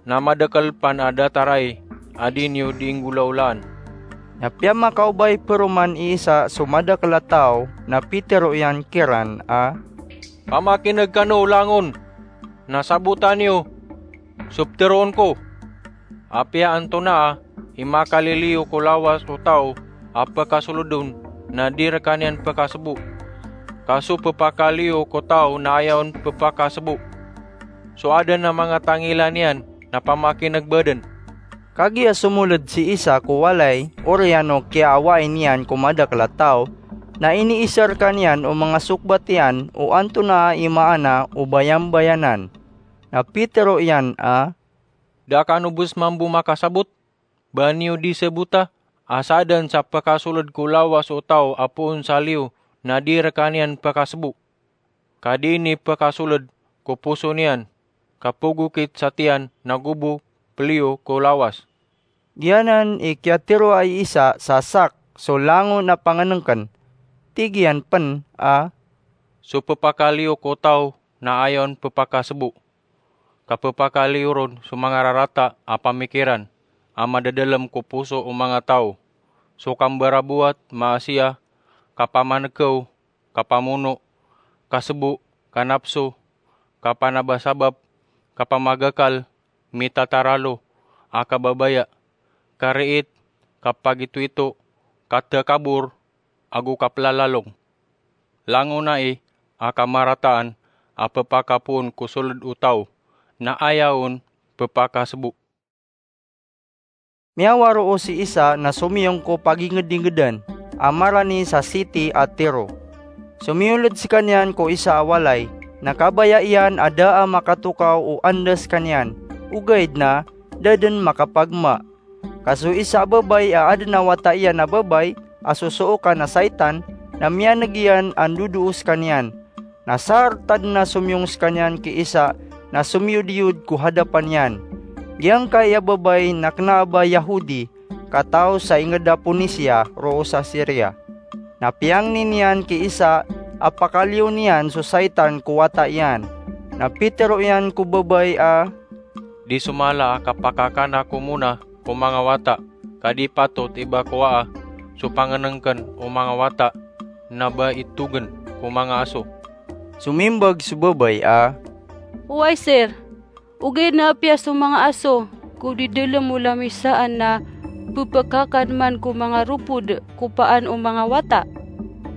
Na madakel pen a datar ai a di niyo di nggolaolaan." Na piyamakaobay peroman i Isa so madakel a taw, na pitero iyan kiran a, "Pamakineg kano langon, na sabotan iyo so peteroon ko. Apiya antonaa i makaliliyo ko lawas o taw a pekasoled on na di rekaniyan pekasebo, ka so pepakaliyo ko taw na aya on pepakasebo. So aden a manga tangila niyan na pamakineg baden." Kagiya somoled si Isa ko walay, oriyan o kiyaawai niyan ko madakel a taw, na iniiza rekaniyan o manga sokbat iyan o antonaa i maana o bayambayanan. Na pitero iyan a, "Da kano bes mambo makasabot? Ba niyo di sabota a saden sa pekasoled ko lawas o taw a poon sa liyo na di rekaniyan pekasebo, ka di ini pekasoled ko poso niyan, ka pegokit sa tiyan nago bo peliyo ko lawas." Giyanan i kiyateroa i Isa sa sak so langon a pangenengken. Tig iyan pen a, "So pepakaliyo ko taw na aya on pepakasebo, ka pepakaliyo ron so manga rarata a pamikiran a madadalem ko poso o manga taw: so kambarabowat, maasiya, kapamanekew, kapamono, kasebo, kanapso, kapanabasabap, kapamagakal, mitataralo a kababaya, kariit, kapagitoito, katakabor, ago kapelalalong. Langon ai a kamarataan a pepakapoon ko soled o taw na aya on pepakasebo." Miyawaroo si Isa na somiyong ko pagingedingedan a marani sa siti a Tiro. Somiyoled sekaniyan ko isa a walay, na kabaya iyan a da a makatokaw o anda sekaniyan, ogaid na da den makapagma. Ka so isa a babay a aden a wata iyan a babay a sosookan a saitan na miyaneg iyan a ndodoo sekaniyan. Na sarta den a somiyong sekaniyan ki Isa na somiyodiyod ko hadapan iyan. Giyangkai a babay na kna a ba Yahudi ka taw sa inged a Ponisia roo sa Siria. Na piyangni niyan ki Isa a pakaliyo niyan so saitan ko wata iyan. Na pitero iyan ko babay a, "Di so mala a kapakakan ako mona ko manga wata, ka di patot i ba kowaa so pangenengken o manga wata na ba itogen ko manga aso." Somimbag so babay a, "Oway, sir, ogaid na apiya so manga aso ko di delem o lamisaan na pepakakan man ko manga ropod ko paan o manga wata."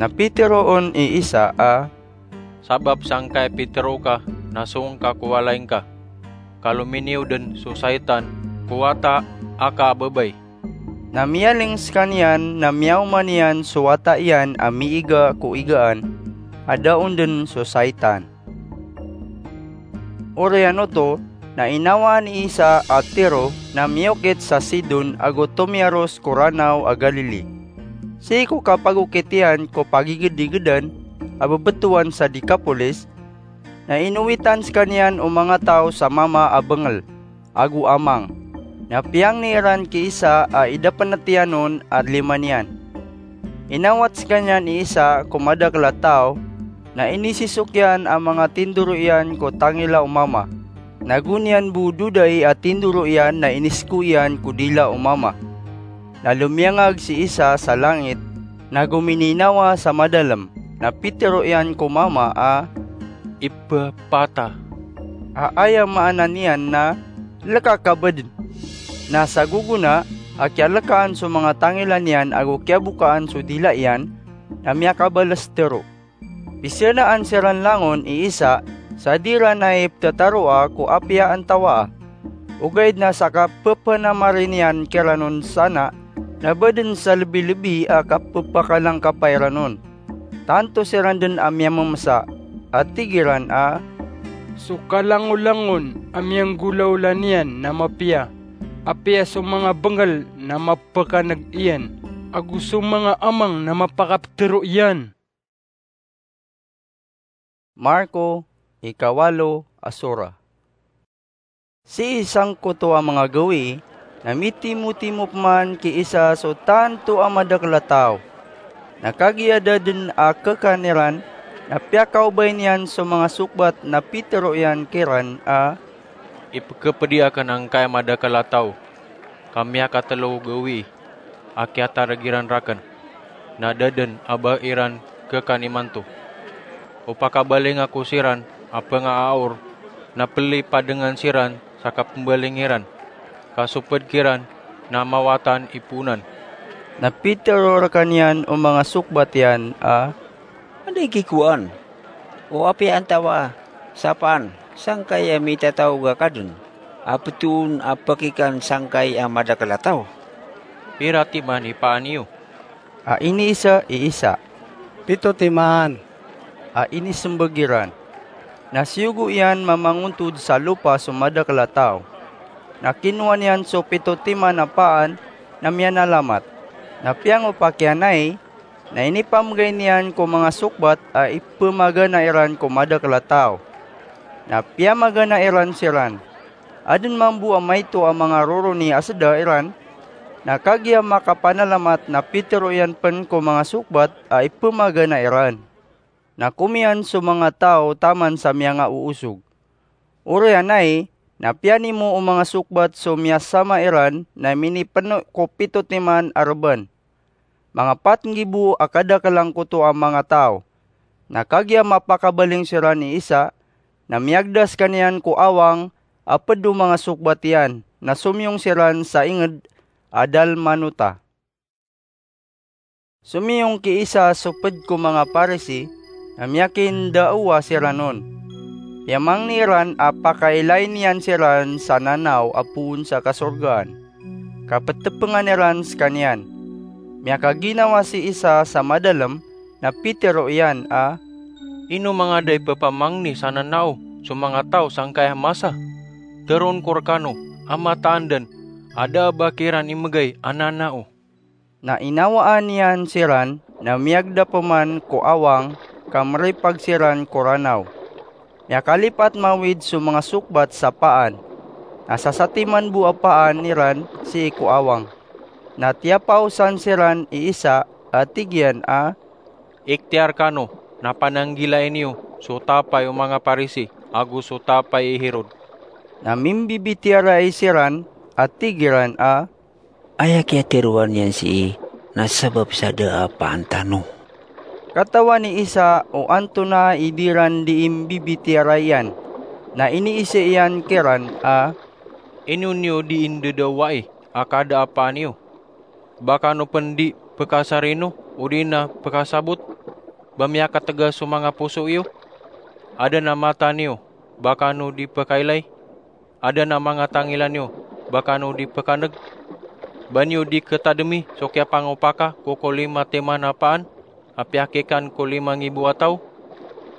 Na pitero on i Isa a, "Sabap sangkai pitero ka na song ka ko walay ngka, ka lominiyo den so saitan ko wata aka a babay." Na miyaling sekaniyan na miyaoma niyan so wata iyan a miiga ko igaan a da on den so saitan. Oriyan oto na inawaan i Isa a Tiro na miyokit sa Sidon ago tomiyaros ko Ranaw a Galili. Sii ko kapagokit iyan ko pagigedigedan a bebetowan sa Decapolis, na inowitan sekaniyan o manga taw sa mama a bengel ago amang. Na piyangni iran ki Isa a idapenet iyan on a lima niyan. Inawat sekaniyan i Isa ko madakel a taw, na inisisok iyan a manga tindoro iyan ko tangila o mama, na go niyan bo dodai a tindoro iyan na inisko iyan ko dila o mama. Na lomiyangag si Isa sa langit, na go mininawa sa madalem, na pitero iyan ko mama a, "Ephphata," a aya maana niyan na, "Leka ka baden." Na sa gogona a kiyalekaan so manga tangila niyan ago kiyabokaan so dila iyan, na miyakabales tero. Pisenaan siran langon i Isa sa di iran ai petetaroa ko apiya antawaa. Ogaid na sa kapepenamari niyan kiran on sana, na ba den sa lebilebi a kapepakalangkapa iran on. Tanto siran den a miyamemesa, a tig iran a, "So kalangolangon a miyanggolaola niyan na mapiya, apiya so manga bengel na mapekaneg iyan, ago so manga amang na mapakapetero iyan." Marko, ikawalo a sura. Sii sangkoto a manga gawii, na mitimotimo peman ki Isa so tanto a madakel a taw. Na kagiya da den a kekan iran, na piyakaobay niyan so manga sokbat na pitero iyan kiran a, "Ipekepedi aken angkai a madakel a taw, ka miyakatelo gawii a kiyatareg iran raken, na da den a ba iran kekan imanto. O pakabaling ako siran a pengaaor, na pelipadengan siran sa kapembaling iran, ka so ped kiran na mawatan i poonan." Na pitero rekaniyan o manga sokbat iyan a, "Anda i kikowaan o apiya antawaa sa paan sangkai a mitataw ka den a petoon a pekikan sangkai a madakel a taw? Pira timan i paan iyo?" A iniisa i Isa, "Pito timan," a inisembag iran. Na siyogo iyan mamangontod sa lopa so madakel a taw. Na kinowa niyan so pito timan a paan na miyanalamat. Na piyangopak iyan ai, na inipamegay niyan ko manga sokbat a ipemagana iran ko madakel a taw. Na piyamagana iran siran. Aden mambo a maito a manga roroni a seda iran, na kagiya makapanalamat na pitero iyan pen ko manga sokbat a ipemagana iran. Na komiyan so manga taw taman sa miyangaoosog. Oriyan ai, na piyanimo o manga sokbat so miyasama iran na minipeno ko pito timan a reban. Manga pat nggibo a kadakel angkoto a manga taw. Na kagiya mapakabaling siran i Isa, na miyagda sekaniyan ko awang a ped o manga sokbat iyan, na somiyong siran sa inged a Dalmanuta. Somiyong ki Isa so ped ko manga Parisi, na miyakindaowa siran on. Piyamangni iran a pakailayin iyan siran sa nanaw a poon sa kasorgaan. Kapetepengan iran sekaniyan. Miyakaginawa si Isa sa madalem, na pitero iyan a, "Ino mangada i pepamangni sa nanao so manga taw sangkai a masa? Teroon ko rekano a mataan den a da a ba kiran imegay a nanao." Na inawaan iyan siran na miyagda peman ko awang ka meripag siran ko ranaw. Miyakalipat mawid so manga sokbat sa paan. Na sasatiman bo a paan iran sii ko awang. Na tiyapaosan siran i Isa a tig iyan a, "Ikhtiyar kano na pananggilai niyo so tapay o manga Parisi ago so tapay i Herod." Na mimbibitiyarai siran a tig iran a, "Aya kiyateroa niyan sii na sabap sa da a paan tano." Katawan i Isa o antonaa i di ran dii mbibitiyarai iyan, na iniiza iyan kiran a, "Ino niyo dii ndadawai a kada a paan iyo? Ba kano pn di pkasarino odi na pkasabot ba miyakategas so manga poso iyo? Aden a mata niyo, ba kano di pkailay? Aden a manga tangila niyo, ba kano di pkaneg? Ba niyo di ktademi so kiyapangopaka ko kolima timan a paan a piyakikan ko lima ngibo a taw?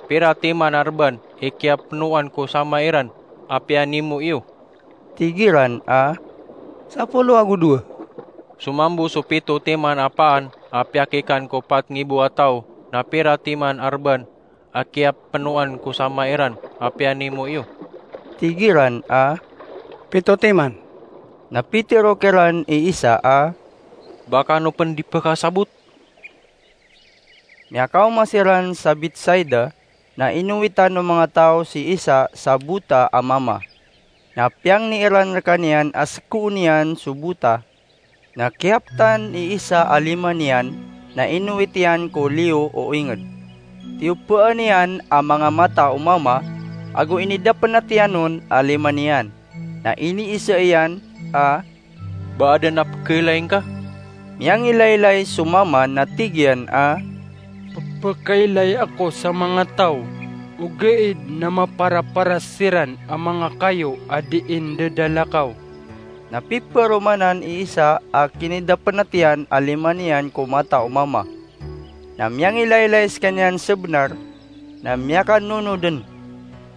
Pira timan a rban i kiyapnoan ko sama iran a piyanimo iyo?" Tig iran a, "Sapolo ago dowa." "Somambo so pito timan a paan a piyakikan ko pat ngibo a taw, na pira timan a rban a kiyapnoan ko sama iran a piyanimo iyo?" Tig iran a, "Pito timan." Na pitero kiran i Isa a, "Ba kano pn di pkasabot?" Miyakaoma siran sa Betsaida, na inowitan o manga taw si Isa sa bota a mama. Na piyangni iran rkaniyan a skoon iyan so bota. Na kiyaptan i Isa a lima niyan, na inowit iyan ko liyo o inged. Tiyopaan iyan a manga mata o mama, ago inidapnat iyan on a lima niyan. Na iniiza iyan a, "Ba aden a pkhailay ngka?" Miyangilaylay so mama na tig iyan a, "Pphakailay ako sa manga taw, ogaid na maparaparas siran a manga kayo a dii ndadalakaw." Na piperomanan i Isa a kinidapnat iyan a lima niyan ko mata o mama. Na miyangilaylay skaniyan sabnar, na miyakanonoden.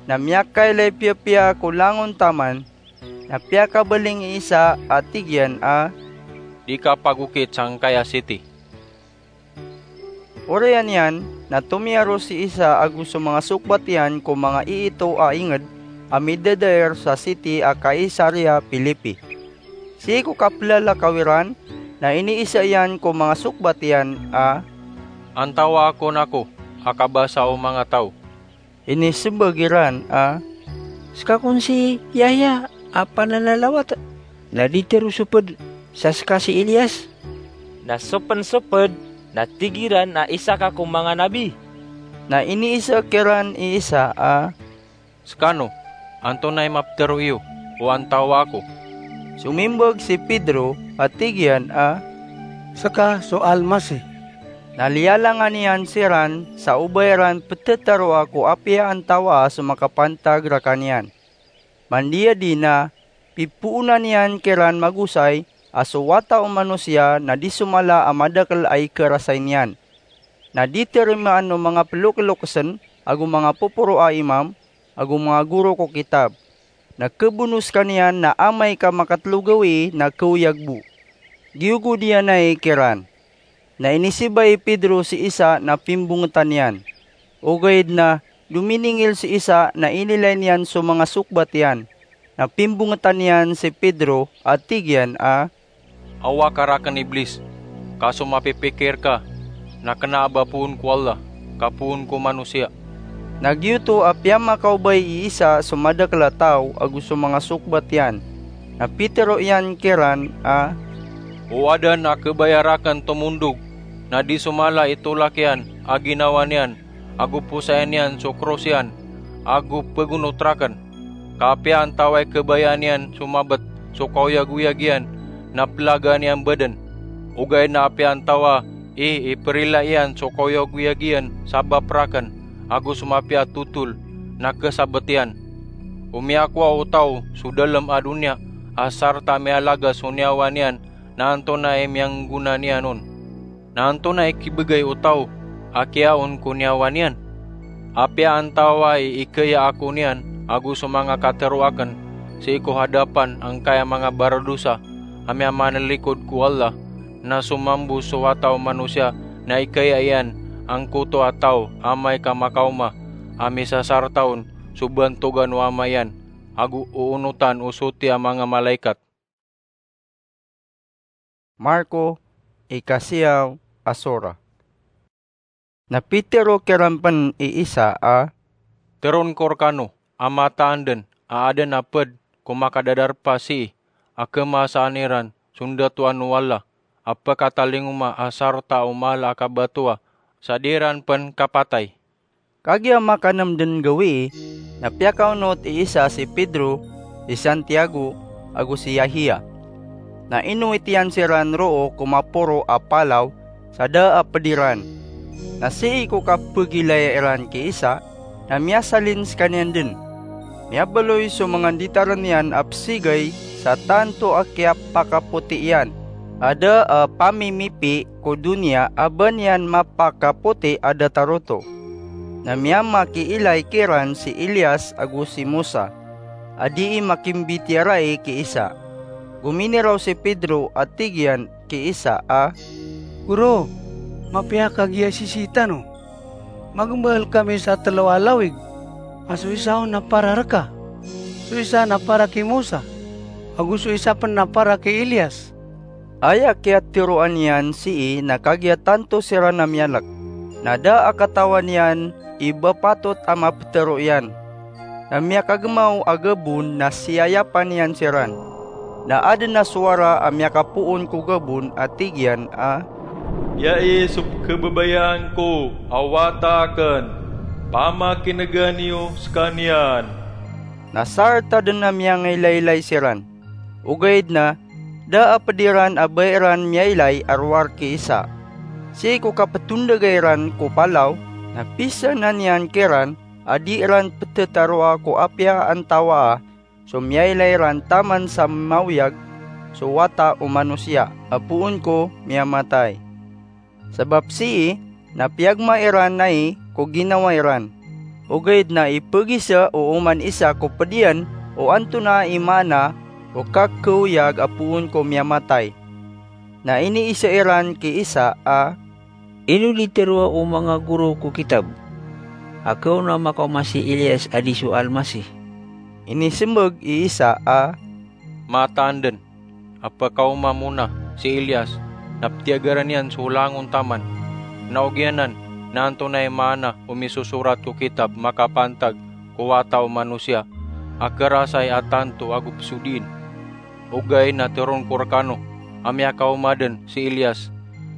Na miyakailay piyapiya ko langon taman, na piyakabaling i Isa a tig iyan a, "Di ka pagokit sangkaya siti." Oriyan iyan na tomiyaro si Isa ago so manga sokbat iyan ko manga iito a inged a midadair sa siti a Caesarea Philippi. Sii ko kaplalakaw iran, na iniiza iyan ko manga sokbat iyan a, "Antawaa kon ako a kabasa o manga taw?" Inisembag iran a, "Seka kon si Yahya a pananalawat, na di tero so ped sa seka si Elias, na so pen so ped na tig iran a isa ka ko manga nabi." Na iniiza kiran i Isa a, "Sekano, antonaa i mapetero iyo o antawaa ko?" Somimbag si Pedro a tig iyan a, "Seka so Almasih." Na liyalangan iyan siran sa o ba iran petetaroa ko apiya antawaa so makapantag rakaniyan. Mandiyadi na pipoonan iyan kiran magosay a so Wata o Manosiya na di somala a madakel a ikarasay niyan, na di terimaan o manga pelokelokesen ago manga poporo a imam ago manga goro ko kitab. Na kebono sekaniyan na amay ka makatelo gawii na kaoyag bo. Giyogod iyan ai kiran. Na inisibay i Pedro si Isa na pimbongetan iyan. Ogaid na dominingil si Isa na inilay niyan so manga sokbat iyan. Na pimbongetan iyan si Pedro a tig iyan a, "Awa ka raken, Iblis, ka so mapipikir ka na kena a ba poon ko Allah ka poon ko manosiya." Na giyoto a piyamakaobay i Isa so madakel a taw ago so manga sokbat iyan. Na pitero iyan kiran a, "O aden a kebaya raken tomondog na di somala i tolak iyan a ginawa niyan ago posayan iyan so kros iyan ago pegonot raken. Ka apiya antawaa i kebayaan iyan so mabet so kaoyagoyag iyan na pelagaan iyan baden, ogaid na apiya antawaa i iperila iyan so kaoyagoyag iyan sabap raken ago so mapiya a totol na kesabet iyan. O miyakowa o taw so dalem a doniya a sarta miyalagas so niyawa niyan, na antonaa i miyanggona niyan on? Na antonaa i kibegay o taw a kiyaon ko niyawa niyan? Apiya antawaa i ikaya ako niyan ago so manga katero aken sii ko hadapan angkaya manga baradosa a miyamanalikod ko Allah, na so mambo so Wata o Manosiya na ikaya iyan angkoto a taw amay ka makaoma a misasarta on so bantogan o Ama iyan ago oonotan o soti a manga malaikat. Marko, ikasiyaw a sora. Na pitero kiran pen i Isa a, "Teroon ko rekano a mataan den a aden a ped ko makadadarpa sii a kemasaan iran so ndatoan o Allah a pekatalingoma a sarta o mala a kabatoa sa di iran pen kapatay." Kagiya makanem den gawii, na piyakaonot i Isa si Pedro, si Santiago, ago si Yahya. Na inowit iyan siran roo ko maporo a palaw sa da a ped iran. Na sii ko kapegilaya iran ki Isa, na miyasalin sekaniyan den. Miyabaloy so manga nditaren iyan a pesigay sa tanto a kiyapakapoti iyan. A da a pamimipi ko doniya a ba niyan mapakapoti a datar oto. Na miyamakiilay kiran si Elias ago si Moses, a dii makimbitiyarai ki Isa. Gominiraw si Pedro a tig iyan ki Isa a, "Goro, mapiya ka giya sisii tano? Magembal kami sa telo a lawig, a so isa on na para reka, so isa na para ki Moses, ago so isa pen na para ki Elias." Aya kiyatiroan iyan sii na kagiya tanto siran a miyalek, na da a katawan iyan i ba patot a mapetero iyan. Na miyakagemaw a gabon na siyayapan iyan siran. Na aden a sowara a miyakapoon ko gabon a tig iyan a, "Iyai so pekebabayaan ko a wata aken. Pamakinegan iyo sekaniyan." Na sarta den a miyangailaylay siran. Ogaid na da a ped iran a ba iran miyailay a rowar ki Isa. Sii ko kapetondega iran ko palaw, na pisanan iyan kiran a di iran petetaroa ko apiya antawaa so miyailay ran taman sa maoyag so Wata o Manosiya a poon ko miyamatay. Sabap sii na piyagma iran ai ko ginawa iran. Ogaid na ipegisa o oman isa ko ped iyan o antonaa i maana o kakeoyag a poon ko miyamatay. Na iniisa iran ki Isa a, "Ino di teroa o manga goro ko kitab, a kaon a makaoma si Elias a di so Almasih?" Inisembag i Isa a, "Mataan den a pekaoma mona si Elias, na petiyagaran iyan so langon taman. Na ogiyanan na antonaa i maana o misosorat ko kitab makapantag ko Wata o Manosiya a kerasay a tanto ago pesodiin? Ogaid na teroon ko rekano a miyakaoma den si Elias,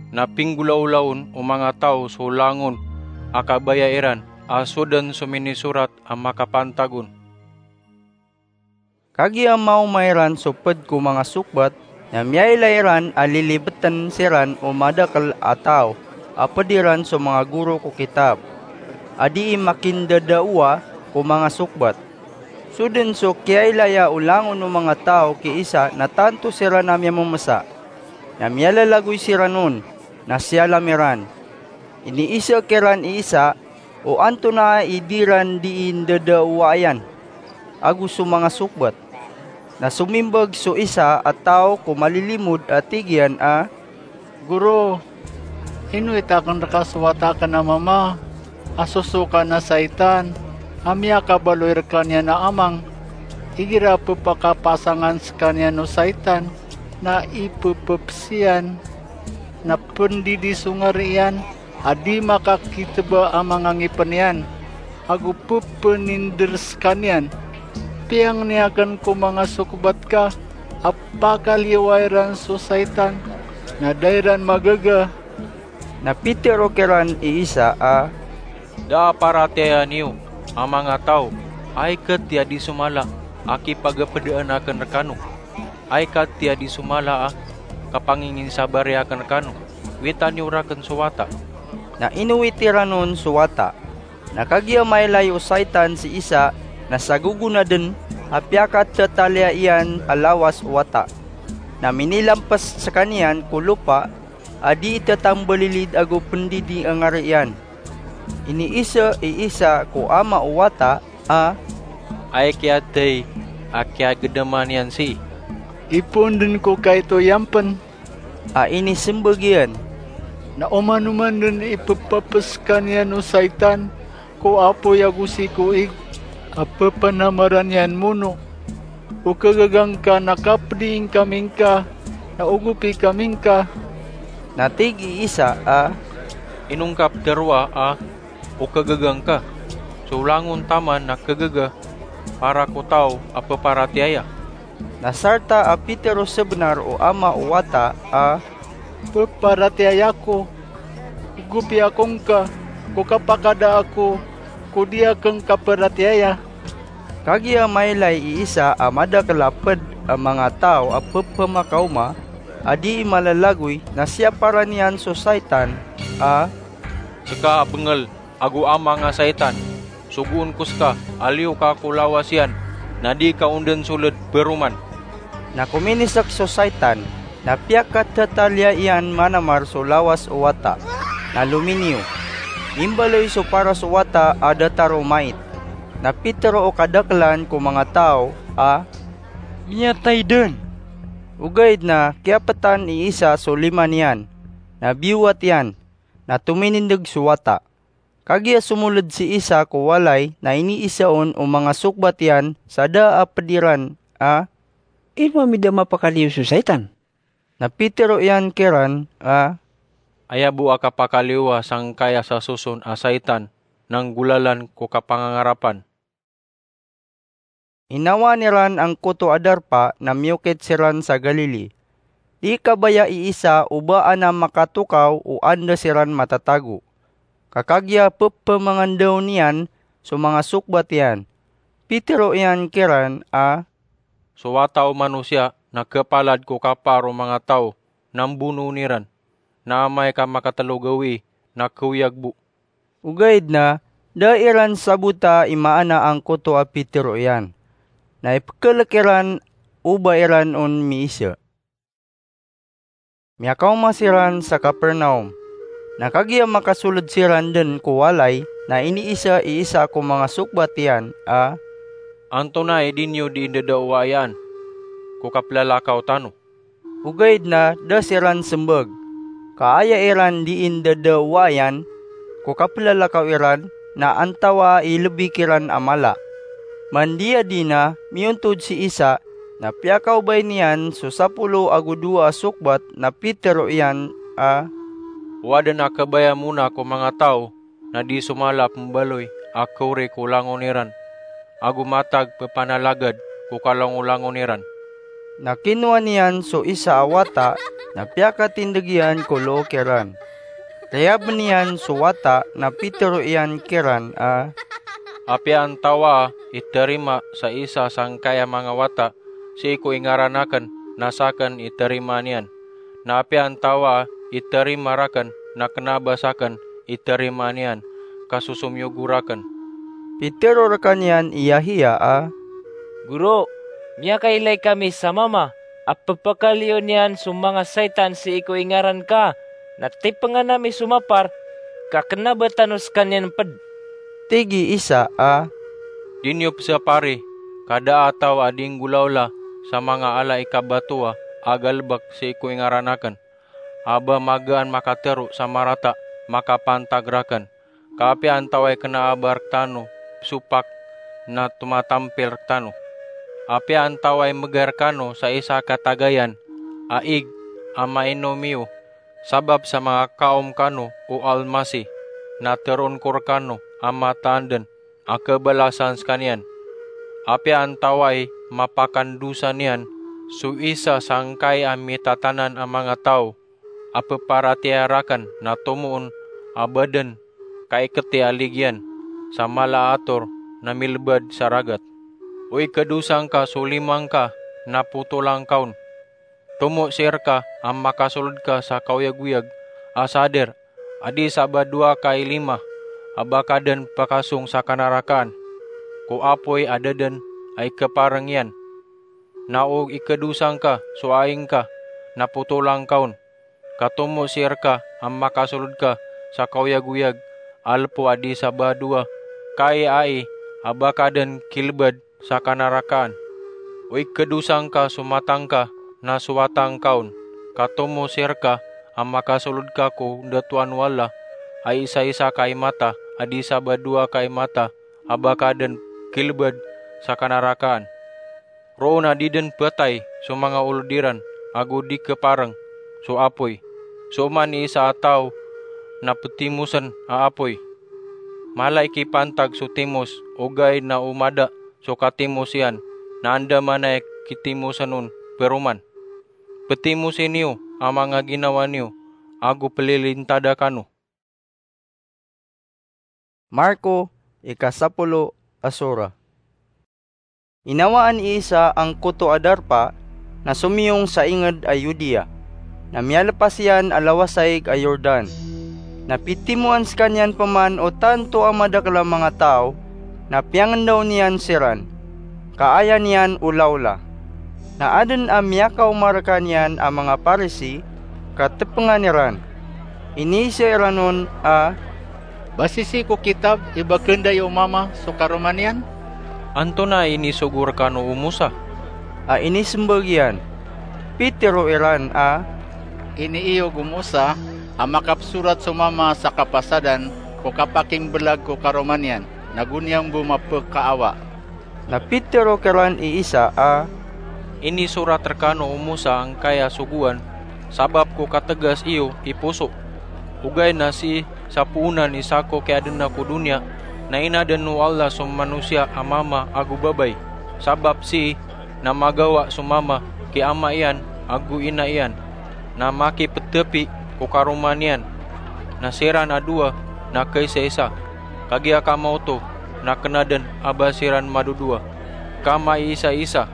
na pinggolaolaon o manga taw so langon a kabaya iran a so den so minisorat a makapantag on." Kagiya maoma iran so ped ko manga sokbat, na miyailay ran a lilibeten siran o madakel a taw a ped iran so manga goro ko kitab a dii makindadaowa ko manga sokbat. So den so kiyailaya o langon o manga taw ki Isa na tanto siran a miyamemesa. Na miyalalagoy siran on, na siyalam iran. Iniisa kiran i Isa o antonaa i di ran dii ndadaowaan ago so manga sokbat. Na somimbag so isa a taw ko malilimod a tig iyan a, "Goro, inowit aken reka so wata aken a mama a sosokan a saitan a miyakabaloy rekaniyan a amang. Igira pepakapasangan sekaniyan o saitan na ipepepes iyan, na pendidi so ngari iyan a di makakiteba a manga ngipen iyan, ago pepeninder sekaniyan. Piyangni aken ko manga sokbat ka a pakaliyowa iran so saitan, na da iran magaga." Na pitero kiran i Isa a, "Da a paratiyaya niyo a manga taw a ikatii a di somala a kipagapedaan aken rekano, a ikatii a di somala a kapanginginsabari aken rekano. Wita niyo raken so wata." Na inowit iran on so wata. Na kagiya mailay o saitan si Isa na sagogonaden a piyakatetaliya iyan a lawas o wata. Na minilampes sekaniyan ko lopa a dii tetambalilid ago pendidi a ngari iyan. Iniisa i Isa ko ama o wata a, "Aya kiyathay a kiyagedaman iyan sii?" "Ipoon den ko kaito iyan pen," a inisembag iyan. "Na oman-oman den ipepepes sekaniyan o saitan ko apoy ago sii ko ig a pepanamaran iyan mono, O kagaga ngka na kapdi ngkami ngka, na ogopi kami ngka. Na tig i isa a, Ino ngka ptharoa a o kagaga ngka? So langon taman na kagaga para ko taw a phaparatiyaya. Na sarta a pitharo sabnar o ama o wata a, Phaparatiyaya ako. Ogopi ako ngka ko kapakada ako ko di akn kaparatiyaya. Kagiya mailay i isa a madakl a pd a manga taw a pphamakaoma a dii malalagoy, na siyaparan iyan so saitan a, Ska a bngl, ago amang a saitan, sogoon ko ska a liyo ka ko lawas iyan, na di ka on dn sold paroman. Na kominisk so saitan, na piyakathataliya iyan manamar so lawas o wata, na lominiyo. Imbaloy so paras o wata a datar o mait. Na pitharo o kadaklan ko manga taw a, Miyatay dn. Ogaid na kiyaptan i isa so lima niyan, na biyowat iyan, na tominindg so wata. Kagiya somold si isa ko walay na iniisa on o manga sokbat iyan sa da a pd iran a, Ino ami da mapakaliyo so saitan? Na pitharo iyan kiran a, Aya bo a kapakaliyowa sangkaya sa soson a saitan na nggolalan ko kapangangarapan. Inawaan iran angkoto a darpa na miyokit siran sa Galili. Di kabaya i isa o ba anan makatokaw o anda siran matatago. Ka kagiya pphamangandaw niyan so manga sokbat iyan, pitharo iyan kiran a, So Wata o Manosiya na khapalad ko kapar o manga taw na mbonoon iran, na amay ka makatlo gawii na khaoyag bo. Ogaid na da iran sabota i maana angkoto a pitharo iyan. Na ipkhalk iran o ba iran on miisa. Miyakaoma siran sa Capernaum. Na kagiya makasold siran dn ko walay, na iniisa i isa ko manga sokbat iyan a, Antonaa i di niyo dii ndadawayaan ko kaplalakaw tano? Ogaid na da siran smbag, ka aya iran dii ndadawayaan ko kaplalakaw iran na antawaa i lbi kiran a mala. Mandiya di na miyontod si isa, na piyakaobay niyan so sapolo ago dowa a sokbat na pitharo iyan a, O adn a kabaya mona ko manga taw na di somala pmbaloy a khawri ko langon iran, ago matag ppanalagad ko kalangolangon iran. Na kinowa niyan so isa a wata na piyakatindg iyan ko loo kiran. Tiyabn iyan so wata na pitharo iyan kiran a, Apiya antawaa i tharima sa isa sangkaya manga wata sii ko ingaran akn na sakn i tharima niyan, na apiya antawaa i tharima rakn na kna a ba sakn i tharima niyan, ka so somiyogo rakn. Pitharo rkaniyan i Yahiya a, Guro, miyakailay kami sa mama a pphakaliyo niyan so manga saitan sii ko ingaran ka, na tipngan ami so mapar, ka kna a ba tano skaniyan pd. Tig i Isa a, Di niyo pzapari, ka da a taw a di nggolawla sa manga ala i kabatowa a galbk sii ko ingaran akn, a ba magaan makatharo sa marata makapantag rakn. Ka apiya antawaa i kna a ba rktano pzopak na tomatampil rktano. Apiya antawaa i mgay rkano sa isa a katagayan a ig a mainom iyo sabap sa manga kaom kano o Almasih, na tharoon ko rkano a mataan dn a kabalasan skaniyan. Apiya antawaa i mapakandosa niyan so isa sangkai a mitatanan a manga taw a pparatiyaya rakn na tomo on a ba dn kaikti a ligiyan sa mala a ator na milbad sa ragat. O ikadosa ngka so lima ngka na potola ngka on. Tomo sii rka a makasold ka sa kaoyagoyag a sadir a di sa ba dowa ka i lima a ba ka dn pakasong sa kanarakaan ko apoy a da dn a ikaparng iyan. Na o ikadosa ngka so ai ngka na potola ngka on. Ka tomo sii rka a makasold ka sa kaoyagoyag a lpo a di sa ba dowa ka i ai a ba ka dn kilbad sa kanarakaan. O ikadosa ngka so mata ngka na sowata ngka on. Ka tomo sii rka a makasold ka ko ndatoan o Allah a isaisa ka i mata a di sa ba dowa ka i mata a ba ka dn kilbad sa kanarakaan. Roo na di dn phatay so manga olod iran, ago di khaparng so apoy. So oman i isa a taw na ptimosen a apoy, mala i kipantag so timos, ogaid na o mada so katimos iyan, na andamanaya i kitimosen on paroman. Ptimosi niyo a manga ginawa niyo, ago plilintada kano. Marko, ikasapolo a sura. Inawaan i Isa angkoto a darpa na somiyong sa ingd a Judea, na miyalpas iyan a lawasaig a Jordan. Na pitimoan skaniyan pman o tanto a madakl a manga taw, na piyangndaw niyan siran, ka aya niyan olaola. Na adn a miyakaoma rkaniyan a manga Parisi, ka tpngan iran. Iniza iran on a, Ba sisii ko kitab i ba khanday o mama so karoma niyan? Antonaa i inisogo rkano o Mosa? A inismbag iyan. Pitiro iran a, Iniiyog o Mosa a makapsorat so mama sa kapasadan ko kapakimblag ko karoma niyan, na go niyan bo mapkaawa. Na pitiro kiran i Isa a, Inisorat rkano o Mosa angkaya sogoan sabap ko katgas iyo i poso. Ogaid na sii sa poonan i sako kiyaadna ko doniya, na inadn o Allah so manosiya a mama ago babay. Sabap sii na magawa so mama ki ama iyan ago ina iyan, na makipthapi ko karoma niyan, na siran a dowa na kaisaisa. Kagiya kamaoto na kna dn a ba siran madodowa, ka maiisaisa.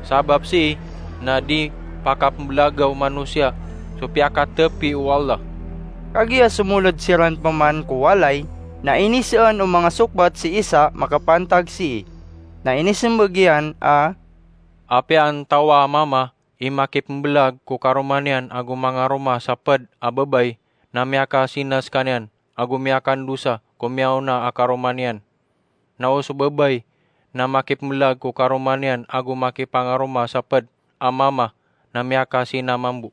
Sabap sii na di pakapmblaga o manosiya so piyakathapi o Allah. Kagiya somoled siran pman ko walay, na inisaan o manga sokbat si Isa makapantag sii. Na inismbag iyan a, Apiya antawaa a mama i makipmblag ko karoma niyan ago mangaroma sa pd a babay, na miyakasina skaniyan ago miyakandosa ko miyaona a karoma niyan. Na o so babay na makipmblag ko karoma niyan ago makipangaroma sa pd a mama, na miyakasina mambo.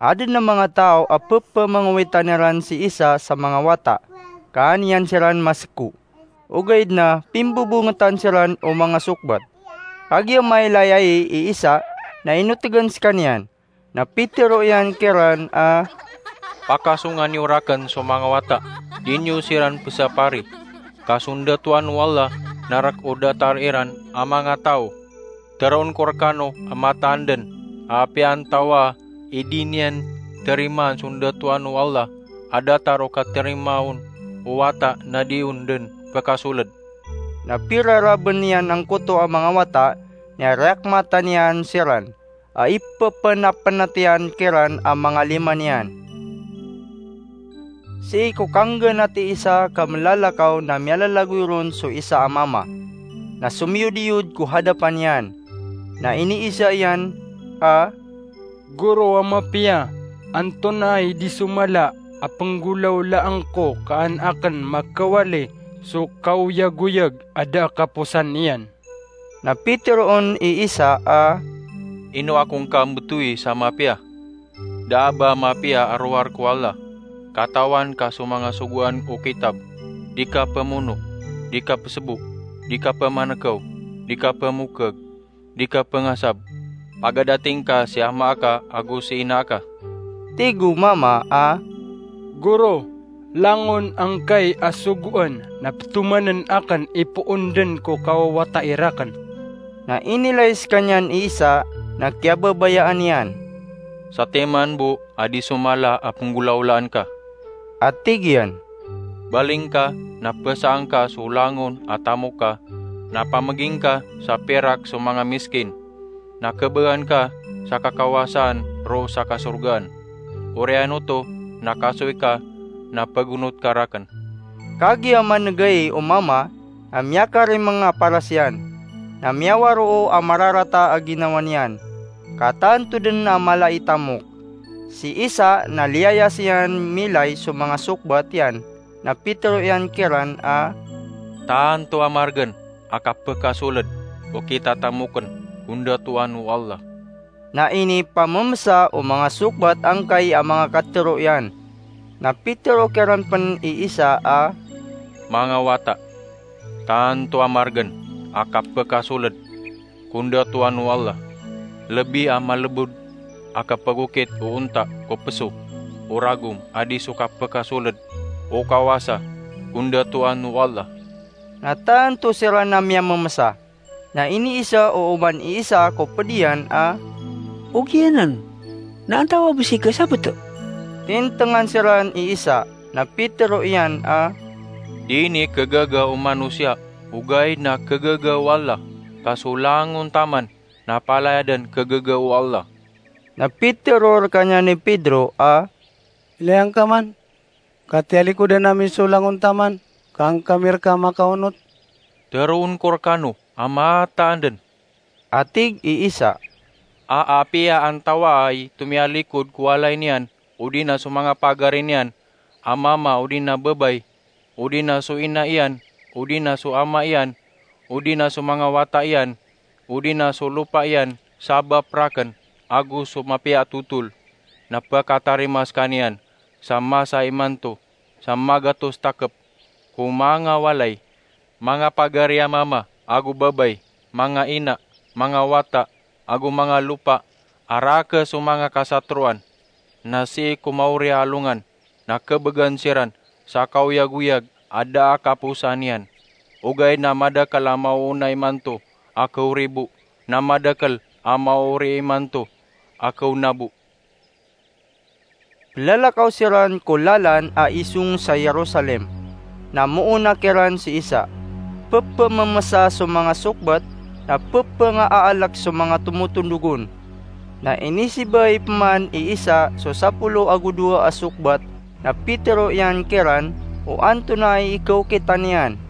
Adn a manga taw a pphamangowitan iran si Isa sa manga wata, ka an iyan siran maseko. Ogaid na pimbobongetan siran o manga sokbat. Kagiya mailay ai i Isa, na inotgan skaniyan. Na pitiro iyan kiran a, Pakasonga niyo rakn so manga wata, di niyo siran pzapari, ka sondatoan o Allah na rk o datar iran a manga taw. Tharoon ko rkano a mataan dn a apiya antawaa i di niyan tarimaan sondatoan o Allah a datar o katarimaa on o wata na di on dn pkasoled. Na pirarabn iyan angkoto a manga wata, na riyakmatan iyan siran a ipphpnapnat iyan kiran a manga lima niyan. Sii ko kanggnat i Isa ka mlalakaw na miyalalagoy ron so isa a mama, na somiyodiyod ko hadapan iyan, na iniiza iyan a, Goro a mapiya, antonaa i di so mala a pnggolawlaan ko ka an akn makawali so kaoyagoyag a da a kaposan iyan? Na pitiro on i Isa a, Ino ako ngka mbtowi sa mapiya? Da a ba mapiya a rowar ko Allah. Katawan ka so manga sogoan o kitab, di ka pmono, di ka psbo, di ka pmankaw, di ka pmokag, di ka pngasab, pagadating ka si ama aka ago si ina aka. Tig o mama a, Goro, langon angkai a sogoan na ptomanen akn i poon dn ko kawawatai rakn. Na inilay skaniyan i Isa na kiyababayaan iyan. Satiman bo a di so mala a pnggolawlaan ka, a tig iyan. Baling ka na psaan ka so langon a tamok ka, na pamging ka sa pirak so manga miskin, na khabagan ka sa kakawasaan roo sa kasorgaan. Oriyan oto na kasoy ka na pagonot ka rakn. Kagiya manegay o mama, na miyakarimeng a paras iyan, na miyawaroo a mararata a ginawa niyan, ka tanto dn a mala i tamok. Si Isa na liyayas iyan milay so manga sokbat iyan, na pitero iyan kiran a, Tanto a margen a kapekasoled o kitatamokn ko ndatoan o Allah. Na inipamemesa o manga sokbat angkai a manga katero iyan. Na pitero kiran pen i Isa a, Manga wata, tanto a margen a kapekasoled ko ndatoan o Allah. Lebi a malebod a kapagokit o onta ko peso, o ragom a di so kapekasoled o kawasa ko ndatoan o Allah." Na tanto siran a miyamemesa. Na iniisa o oman i Isa ko ped iyan a, "Ogiyanan, na antawaa bo sii ka sabeto?" Tintengan siran i Isa, na pitero iyan a, "Di ini kegaga o manosiya, ogaid na kegaga o Allah, ka so langon taman na palaya den kegaga o Allah." Na pitero rekaniyan i Pedro a, "Ilay angka man, ka tiyalikodan ami so langon taman, ka angka mi reka makaonot." "Teroon ko rekano a mataan den," a tig i Isa, "a apiya antawaa i tomiyalikod ko walay niyan, odi na so manga pagari niyan, a mama odi na babay, odi na so ina iyan, odi na so ama iyan, odi na so manga wata iyan, odi na so lopa iyan, sabap raken, ago so mapiya a totol, na pekatarima sekaniyan sa masa imanto sa magatos takep ko manga walay, manga pagari a mama ago babay, manga ina, manga wata, ago manga lopa, a raken so manga kasatroan, na sii ko maori a alongan, na kebegan siran sa kaoyagoyag a da a kaposaan iyan. Ogaid na madakel a maoona imanto a kaoribo, na madakel a maori imanto a kaonabo." Pelalakaw siran ko lalan a isong sa Jerusalem. Na moona kiran si Isa. Pepememesa so manga sokbat, na pepengaalek so manga tomotondog on. Na inisibay peman i Isa so sapolo ago dowa a sokbat, na pitero iyan kiran o antonaa i ikaokita niyan.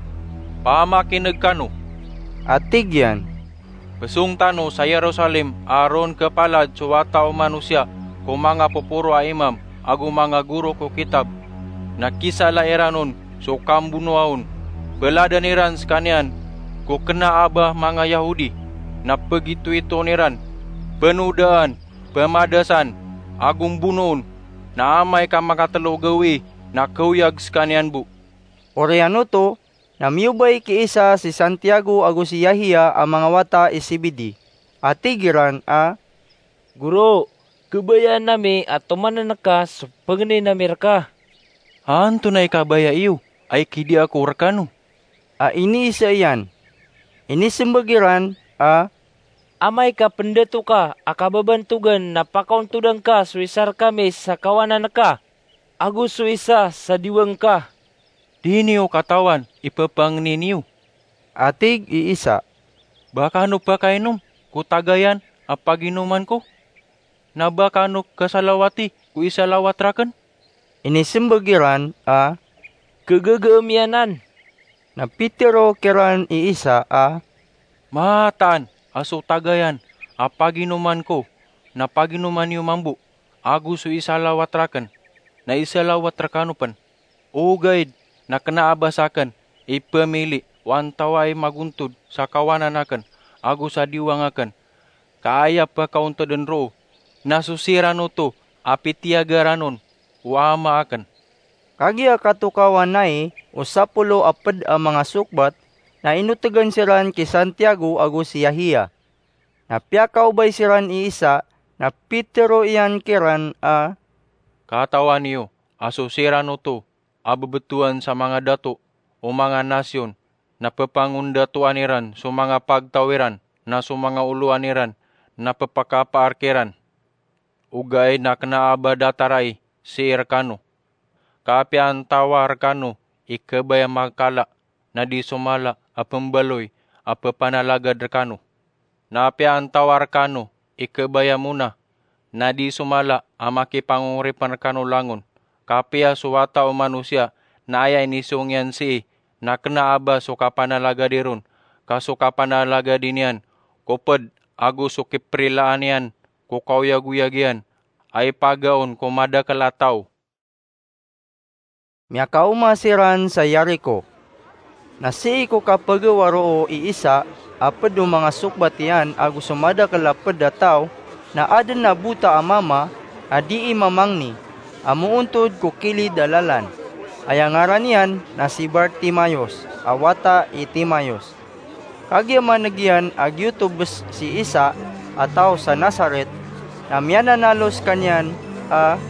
"Pamakineg kano," a tig iyan. "Pesong tano sa Jerusalem a ron kepalad so Wata o Manosiya ko manga poporo a imam ago manga goro ko kitab, na kisala iran on so kambonoa on. Peladan iran sekaniyan ko kena a ba manga Yahudi, na pegitoitoon iran, penodaan, pemadasan, ago mbonoon, na amay ka makatelo gawii na kaoyag sekaniyan bo." Oriyan oto, na miyobay ki Isa si Santiago ago si Yahya a manga wata i Zebedee, a tig iran a, "Goro, kebayaan ami a tomanen ka so pengnin ami reka." "Antonaa i kabaya iyo a ikidia ko rekano?" a iniisa iyan. Inisembag iran a, "Amay ka pendato ka a kababantogan na pakaontodan ka so isa rekami sa kawanan ka, ago so isa sa diwang ka." "Di niyo katawan i pepangnin iyo," a tig i Isa, "ba kano pakainom ko tagayan a paginoman ko, na ba kano kasalawati ko isalawat raken?" Inisembag iran a, "Kegegem iyan anan." Na pitero kiran i Isa a, "Mataan a so tagayan a paginoman ko na paginoman iyo mambo, ago so isalawat raken na isalawat rekano pen. Ogaid na kena a ba saken i pemili o antawaa i magontod sa kawanan aken ago sa diwang aken, ka aya pekaontoden roo na so siran oto a pitiyagaran on o Ama aken." Kagiya katokawan ai o sapolo a ped a manga sokbat, na inotegan siran ki Santiago ago si Yahya. Na piyakaobay siran i Isa, na pitero iyan kiran a, "Katawan iyo a so siran oto a bebetowan sa manga dato o manga nasiyon, na pepangondatoan iran so manga pagtaw iran na so manga olowan iran na pepakapaar kiran. Ogaid na kena a ba datar ai sii rekano. Ka apiya antawaa rekano i kebaya makala, na di so mala a pembaloy a pepanalagad rekano. Na apiya antawaa rekano i kebaya mona, na di so mala a makipangoripen rekano langon. Ka apiya so Wata o Manosiya na aya inisong iyan sii, na kena a ba so kapanalagadi ron, ka so kapanalagadi niyan ko ped, ago so kiperilaan iyan ko kaoyagoyag iyan a ipagaon ko madakel a taw." Miyakaoma siran sa Jericho. Na sii ko kapegawa roo i Isa a ped o manga sokbat iyan ago so madakel a ped a taw, na aden a bota a mama a dii mamangni, a moontod ko kilid a lalan. Aya ngaran iyan na si Bartimaeus, a wata i Timaeus. Kagiya maneg iyan a giyoto bes si Isa a taw sa Nazaret, na miyananalo sekaniyan a,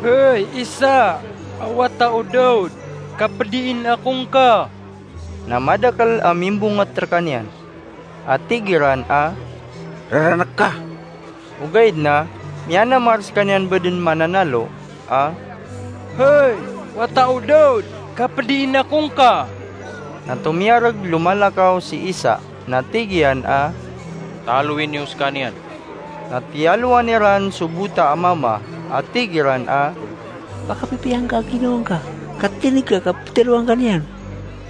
"Hay Isa a wata o Daud, kapediin ako ngka!" Na madakel a mimbonget rekaniyan, a tig iran a, "Raranek ka!" Ogaid na miyanamar sekaniyan bo den mananalo a, "Hay wata o Daud, kapediin ako ngka!" Na tomiyareg lomalakaw si Isa, na tig iyan a, "Talowi niyo sekaniyan." Na tiyalowan iran so bota a mama, a tig iran a, "Pakapipiya ngka a ginawa ngka, ka tineg ka ka petero angka niyan."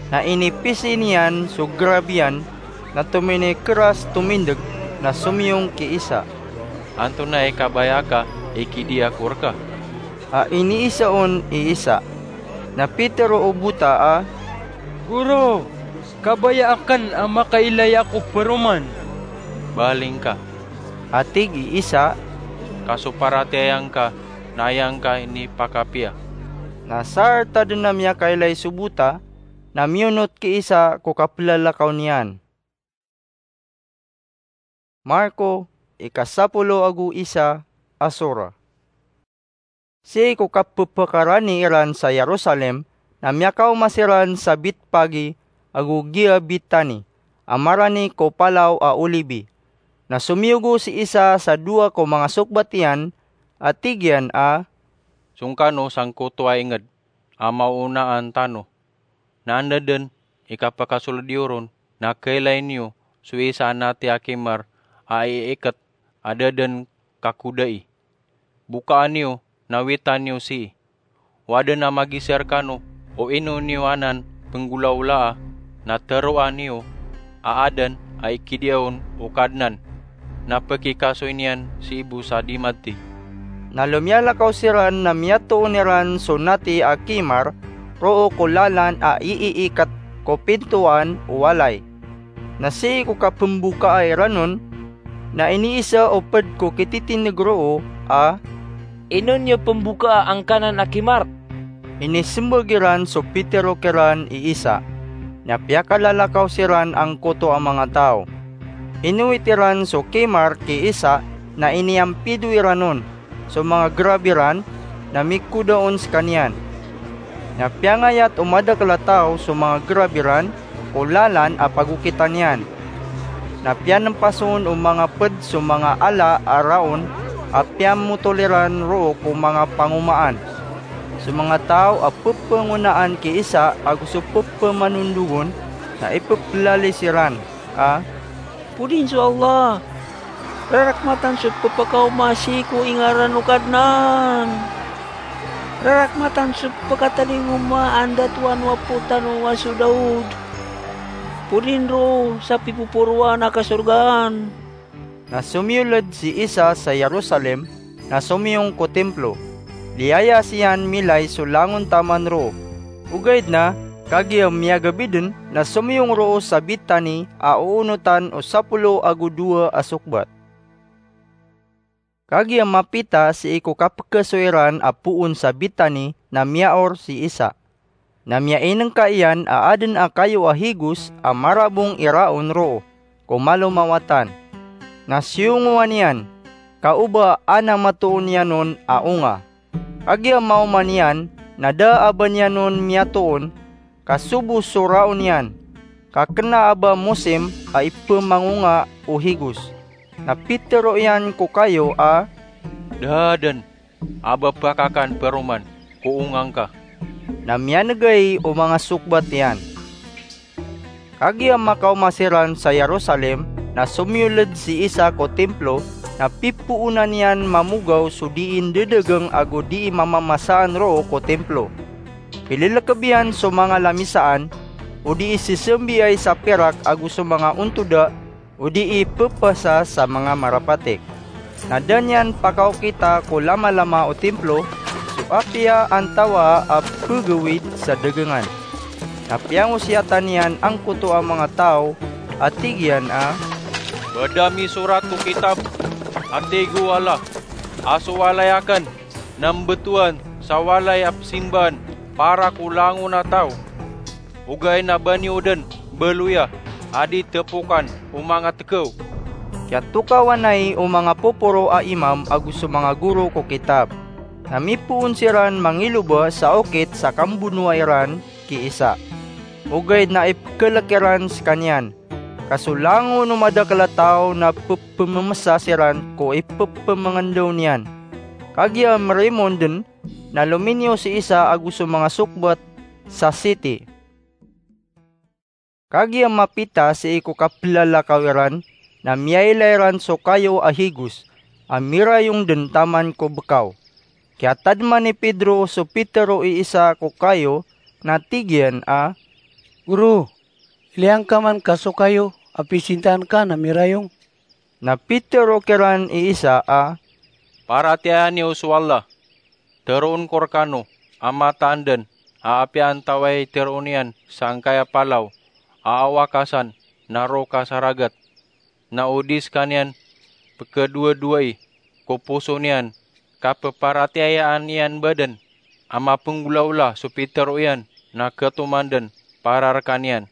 Na inipisi niyan so gerab iyan, na tominikeras tomindeg, na somiyong ki Isa, "Antonaa i kabaya aka i kidiya ko reka?" A iniisa on i Isa. Na pitero o bota a, "Goro, kabaya aken a makailay ako paroman." "Baling ka," a tig i Isa, "ka so paratiyaya ngka na aya ngka inipakapiya." Na saarta den a miyakailay so bota, na miyonot ki Isa ko kapelalakaw niyan. Marko, ikasapolo ago isa a sora. Sii ko kapepekarani iran sa Jerusalem, na miyakaoma siran sa Betpage ago giya Betani, a marani ko Palaw a Olibi. Na somiyogo si Isa sa dowa ko manga sokbat iyan, a tig iyan a, "Songkano sangkoto a inged a maonaan tano, na anda den i kapakasold iyo ron na kailay niyo so isa a nati a kimar a iiket a da den kakodai. Bokaan iyo na witan iyo sii. O aden a magiza rekano o ino niyo anan penggolaolaa, na teroa niyo a aden a ikidiya on o Kadnan, na pekikasoy niyan sii bo sa di mati." Na lomiyalakaw siran na miyatoon iran so nati a kimar roo ko lalan a iiiket ko pintoan o walay. Na sii ko kapembokaa iran on, na iniisa o ped ko kititineg roo a, "Ino niyo pembokaa angkanan a kimar?" Inisembag iran so pitero kiran i Isa, na piyakalalakaw siran angkoto a manga taw. Inowit iran so kimar ki Isa, na iniyampido iran on. So manga gerab iran na mikoda on sekaniyan. Na piyangayat o madakel a taw so manga gerab iran ko lalan a pagokitan iyan. Na piyanempas on o manga ped so manga ala a raon a piyamotol iran roo ko manga pangomaan. So manga taw a pepengonaan ki Isa ago so pepemanondogon na ipepelalis iran a, "Podin so Allah! Rarakmatan so pepakaoma sii ko ingaran o Kadnan! Rarakmatan so pekatalingoma a ndatoan o apo tano a so Daud! Podin roo sa pipoporoan a kasorgaan!" Na somiyoled si Isa sa Jerusalem, na somiyong ko Templo. Liyayas iyan milay so langon taman roo. Ogaid na, kagiya miyagabi den, na somiyong roo sa Betani a oonotan o sapolo ago dowa a sokbat. Kagiya mapita sii ko kapekeso iran a poon sa Betani na miyaor si Isa. Na miyainengka iyan a aden a kayo a higos a marabong iraon roo ko malomawatan. Na siyongowan iyan, ka oba a na matoon iyan on a onga. Kagiya maoma niyan na da a ba niyan on miyatoon, ka sobo so raon iyan, ka kena a ba mosim a ipemangonga o higos. Na pitero iyan ko kayo a, "Da den a ba pakakan paroman ko onga ngka." Na miyanegay o manga sokbat iyan. Kagiya makaoma siran sa Jerusalem, na somiyoled si Isa ko Templo, na pipoonan iyan mamogaw so dii ndedegeng ago dii mamamasaan roo ko Templo. Pilelekeb iyan so manga lamisaan, o dii sesembiay sa pirak ago so manga ontoda, o dii pepasa sa manga marapatik. Na da niyan pakaokita ko lamalama o Templo so apiya antawaa a pegawid sa degengan. Na piyangosiyatan iyan angkoto a manga taw a tig iyan a, "Ba da misorat ko kitab a tig o Allah a so walay aken na mbetowan sa walay a pesimbaan para ko langon a taw? Ogaid na ba niyo den baloya a di tepokan o manga tekaw. Kiyatokawan ai o manga poporo a imam ago so manga goro ko kitab. Na mipoon siran mangiloba sa okit sa kambonoa iran ki Isa. Ogaid na ipekelek iran sekaniyan. Ka so langon o madakel a taw na pepememesa siran ko ipepemengendaw niyan. Kagiya merimon den na lominiyo si Isa ago so manga sokbat sa siti. Kagiya mapita sii ko kapelalakaw iran na miyailay ran so kayo a higos a mirayong den taman ko bekaw. Kiyatadman i Pedro so pitero i Isa ko kayo na tig iyan a, "Goro, ilay angka man ka so kayo a pisintaan ka na mirayong." Na pitero kiran i Isa a, "Paratiyayaan iyo so Allah. Teroon ko rekano a mataan den a apiya antawaa i teroon iyan sangkaya palaw a awakasan na roo ka sa ragat, na o di sekaniyan pekedowadowai ko poso niyan ka peparatiyayaan iyan ba den a mapenggolawla so pitero iyan na ketoman den para rekaniyan.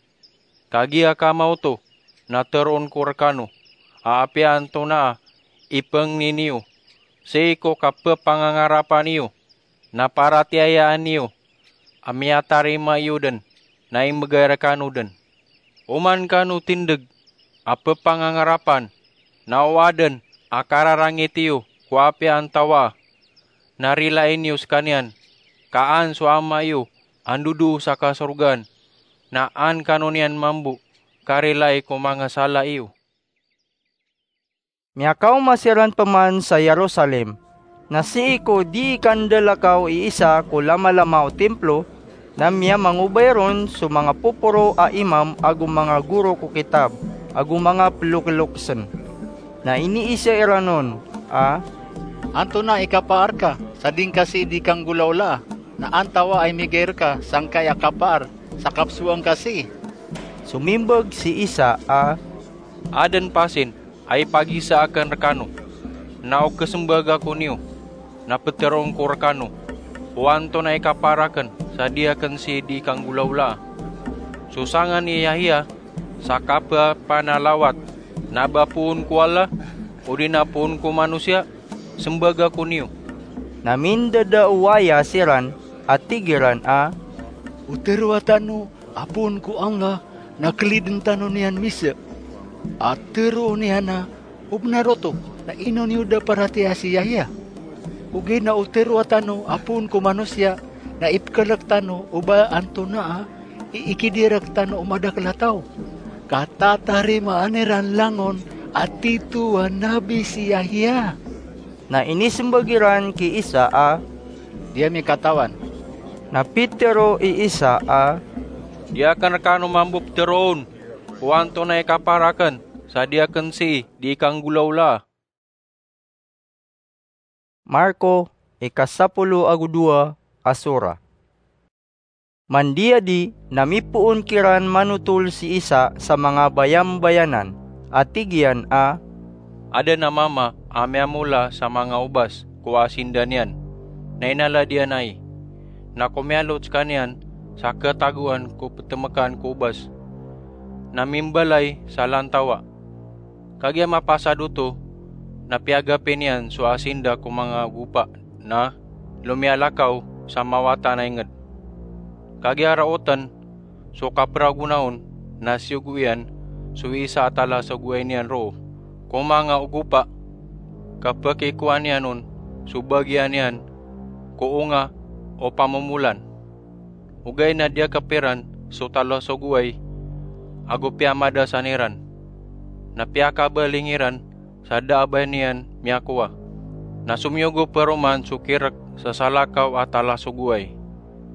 Kagiya ka maoto na teroon ko rekano a apiya antonaa i pengni niyo sii ko kapepangangarapan iyo, na paratiyayaan iyo a miyatarima iyo den na imbegay rekano den. Oman kano tindeg a pepangangarapan, na o aden a kararangit iyo ko apiya antawaa, na rilai niyo sekaniyan ka an so Ama iyo a ndodoo sa kasorgaan na an kano niyan mambo karilai ko manga sala iyo." Miyakaoma siran peman sa Jerusalem. Na sii ko dii kandalakaw i Isa ko lamalama o timplo, na miyamangobay ron so manga poporo a imam ago manga goro ko kitab ago manga pelokilokesen. Na iniisa iran on a, "Antonaa i kapaar ka sa di ngka sii dii kanggolawlaa, na antawaa i migay reka sangkaya kapaar sa kapsowa ngka sii?" Somimbag si Isa a, "Aden pasin a ipagiza aken rekano, na o kesembag ako niyo, na peteroon ko rekano o antonaa i kapaar aken sa di aken sii dii kanggolawlaa. So sangan i Yahya sa kapepanalawat, na ba poon ko Allah, odi na poon ko manosiya? Sembag ako niyo." Na mindadaowaya siran a tig iran a, "O teroa tano a poon ko Allah na keliden tano niyan misa. A teroon iyan a o benar oto, na ino niyo da paratiyaya si Yahya? Ogaid na o teroa tano a poon ko manosiya na ipekelek tano o ba antonaa i ikidirek tano o madakel a taw. Ka tatarimaan iran langon a tito a nabi si Yahya." Na inisembag iran ki Isa a, "Di ami katawan." Na pitero i Isa a, "Di aken rekano mambo peteroon o antonaa i kapaar aken sa di aken sii dii kanggolawlaa." Marko, ikasapolo ago dowa a sura. Mandiyadi na mipoon kiran manotol si Isa sa manga bayambayanan, a tig iyan a, "Aden a mama a miyamola sa manga obas ko asinda niyan, na inalad iyan ai. Na komialot sekaniyan sa ketagoan ko petemekan ko obas, na mimbalay sa lantawa. Kagiya mapasad oto, na piyagapi niyan so asinda ko manga ogopa, na lomiyalakaw sa mawatan a inged. Kagiya raoten so kaperagon on, na siyogo iyan so isa a talasogoay niyan roo ko manga ogopa, ka pekikowa niyan on so bagian iyan ko onga o pamomolan. Ogaid na diyakep iran so talasogoay ago piyamadasan iran, na piyakabaling iran sa da a ba niyan miyakowa. Na somiyogo paroman so kirek sa salakaw a talasogoay,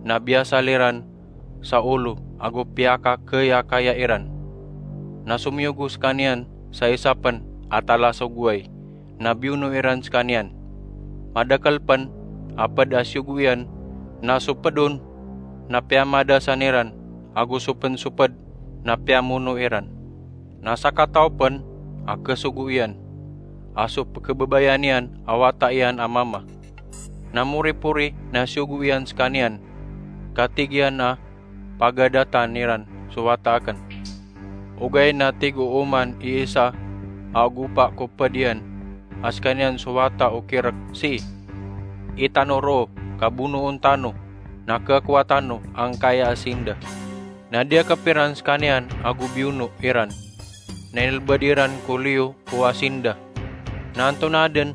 na biyasal iran sa olo ago piyakakayakaya iran. Na somiyogo sekaniyan sa isa pen a talasogoay, na biyono iran sekaniyan. Madakel pen a ped a siyogo iyan, na so ped on na piyamadasan iran, ago so pen so ped na piyamono iran. Na sakataw pen a kesogo iyan, a so pekebabayaan iyan a wata iyan a mama. Na moripori na siyogo iyan sekaniyan, ka tig iyan a pagadatan iran so wata aken. Ogaid na tig o oman i isa a gopa ko pd iyan a skaniyan so wata o kirk sii, "Itano roo, ka bonoon tano, na kakowa tano angkaya a sinda." Na diyakp iran skaniyan ago biyono iran. Na inlbad iran ko liyo o asinda. Na antonaa dn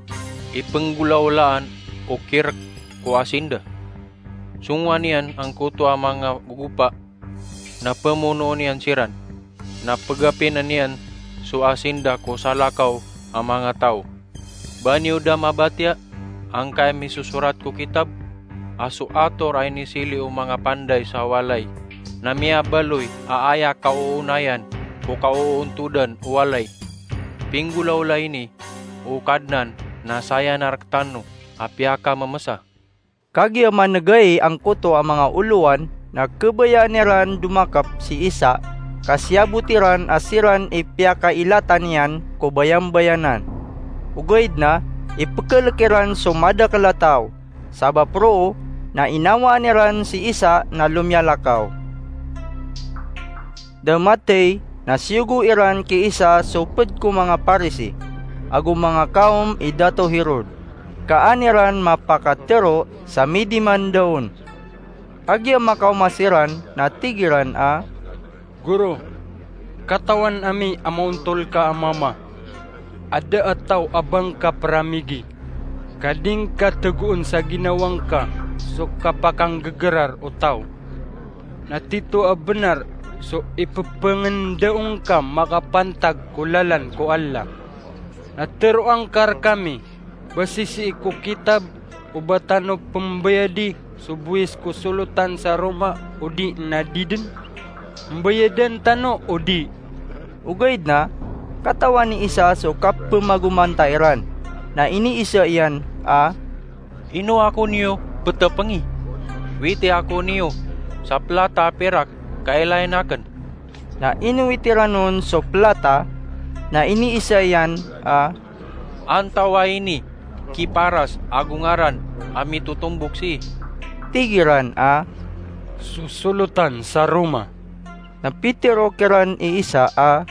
i pnggolaolaan o kirk ko asinda? Songowan iyan angkoto a manga gogopa, na pmonoon iyan siran. Na pgapinn iyan so asinda ko salakaw a manga taw. Ba niyo da mabatiya angkaya misosorat ko kitab, a so ator a inisili o manga panday sa walay na miyabaloy a aya kaoonayan ko kaoontodan o walay? Pinggolaola ini, O Kadnan, na saya na rktano a piyakammmsa. Kagiya manegay angkoto a manga olowan, na khabayaan iran domakp si Isa, ka siyabot iran a siran i piyakailatan iyan ko bayambayanan. Ogaid na ipkhalk iran so madakl a taw, sabap roo na inawaan iran si Isa na lomiyalakaw. Da mathay na siyogo iran ki Isa so pd ko manga Parisi ago manga kawm i Dato Herod, ka an iran mapakatharo sa midiman da on. Kagiya makaoma siran na tig iran a, "Goro, katawan ami a maontol ka a mama. Ada a taw a ba ngka pramigi, ka di ngka tegoon sa ginawa ngka so kapakanggegrar o taw. Na tito a bnar so ipepengndao ngka makapantag ko lalan ko Allah. Na teroa ngka rkami ba sisii ko kitab o ba tano pembayadi so bowis ko solotan sa roma odi na di den? Mbayadan tano odi?" Ogaid na katawan i Isa so kapemagomanta iran, na iniisa iyan a, "Ino ako niyo petepengi? Witi ako niyo sa plata a pirak ka ilain aken." Na inowit iran on so plata, na iniisa iyan a, "Antawaa ini ki paras ago ngaran a mitotombok sii?" Tig iran a, "So solotan sa roma." Na pitero kiran i Isa a,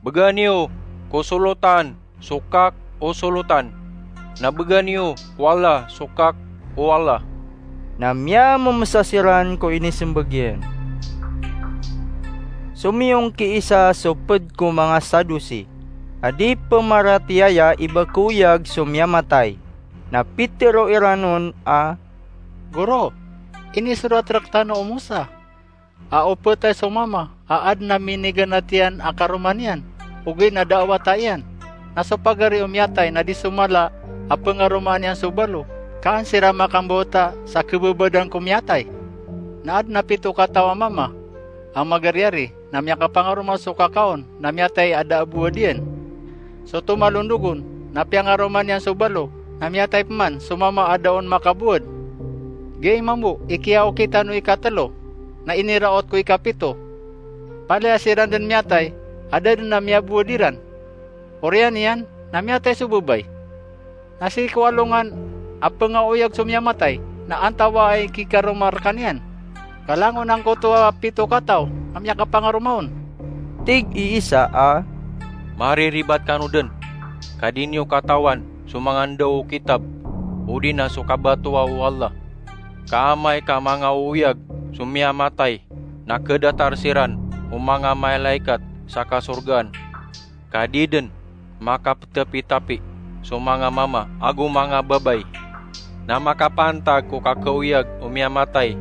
"Bgan iyo ko solotan so kak o solotan, na bgan iyo ko Allah so kak o Allah." Na miyammmsa siran ko inismbag iyan. Somiyong ki Isa so pd ko manga Sadusi, a di pmaratiyaya i ba koyag so miyamatay. Na pitero iran on a, "Goro, inisorat rktano o Mosa a o phatay so mama a adn a miniganat iyan a karoma niyan, ogaid na da a wata iyan, na so pagari o miyatay na di so mala a pngaromaan iyan so balo, ka an siran makambawata sa khababadan ko miyatay. Na adn a pito kataw a mama a magariyari, na miyakapangaroma so kakaon na miyatay a da a bowad iyan. So tomalondog on na piyangaroma niyan so balo, na miyatay pman so mama a da on makabowad. Giyai mambo i kiyaokit tano ikatlo, na iniraot ko ikapito. Palaya siran den miyatay a da den a miyabowad iran. Oriyan iyan na miyatay so babay. Na sii ko alongan a pngaoyag so miyamatay, na antawaa i kikaroma rkaniyan? Ka langon angkoto a pito kataw a miyakapangaroma on." Tig i Isa a, "Mariribat kano den, ka di niyo katawan so manga ndao o kitab, odi na so kabatoa o Allah. Ka amay ka mangaoyag so miyamatay, na khadatar siran o manga malaikat sa kasorgaan. Ka di den makaptapitapi so manga mama ago manga babay. Na makapantag ko kakaoyag o miyamatay,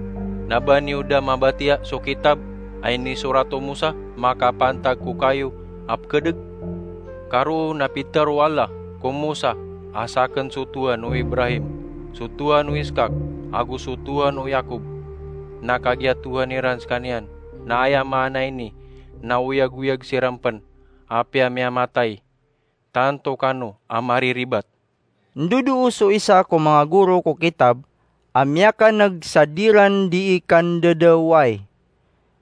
na ba niyo da mabatiya so kitab a inisorat o Mosa makapantag ko kayo a pkhadg? Ka roo na pitaro o Allah ko Mosa a sakn so Tohan o Ibrahim, so Tohan o Iskak, ago so Tohan o Yakob. Na kagiya Tohan iran skaniyan, na aya maana ini na oyagoyag siran pn, apiya miyamatay, tanto kano a mariribat." Ndodoo so isa ko manga goro ko kitab a miyakan'g sa diran dii kandadawai.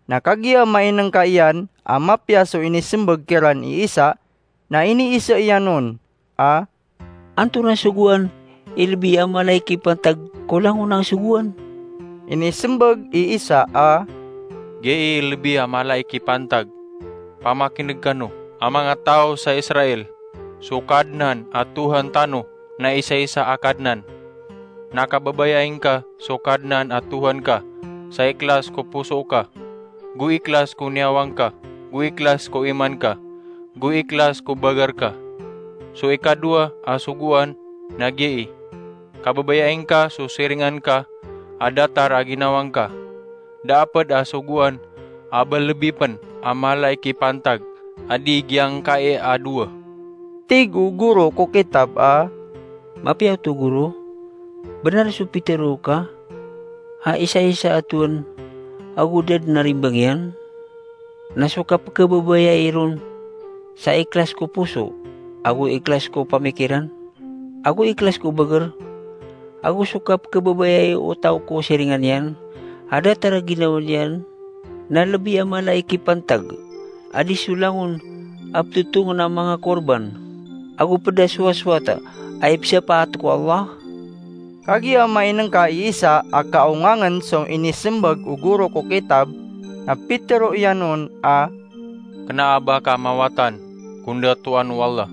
Na kagiya mainngka iyan a mapiya so inismbag kiran i Isa, na iniisa iyan on a, "Antonaa i sogoan i lbi a mala i kipantag ko langon a sogoan?" Inismbag i Isa a, "Giyai lbi a mala i kipantag pamakineg kano a manga taw sa Israel, so Kadnan a Tohan tano na isaisa a Kadnan. Na kababayai ngka so Kadnan a Tohan ka sa iklas ko poso ka, go iklas ko niyawa ngka, go iklas ko iman ka, go iklas ko bagar ka. So ikadowa a sogoan na giyai: kababayai ngka so siringan ka a datar a ginawa ngka. Da a pd a sogoan a ba lbi pn a mala i kipantag a di giyangkai a dowa. Tig o goro ko kitab a, "Mapiya oto, Goro? Bnar so pitharo ka a isaisa a tohan ago da dn a rimbang iyan, na so kapkhababayai ron sa iklas ko poso, ago iklas ko pamikiran, ago iklas ko bagar, ago so kapkhababayai o taw ko siringan iyan a datar a ginawa niyan, na lbi a mala i kipantag a di so langon a ptotongn a manga korban, ago pd a sowasowat a ipsapaat ko Allah?" Kagiya mainngka i Isa a kaongangen so inismbag o goro ko kitab, na pitharo iyan on a, "Kna a ba ka mawatan ko ndatoan o Allah."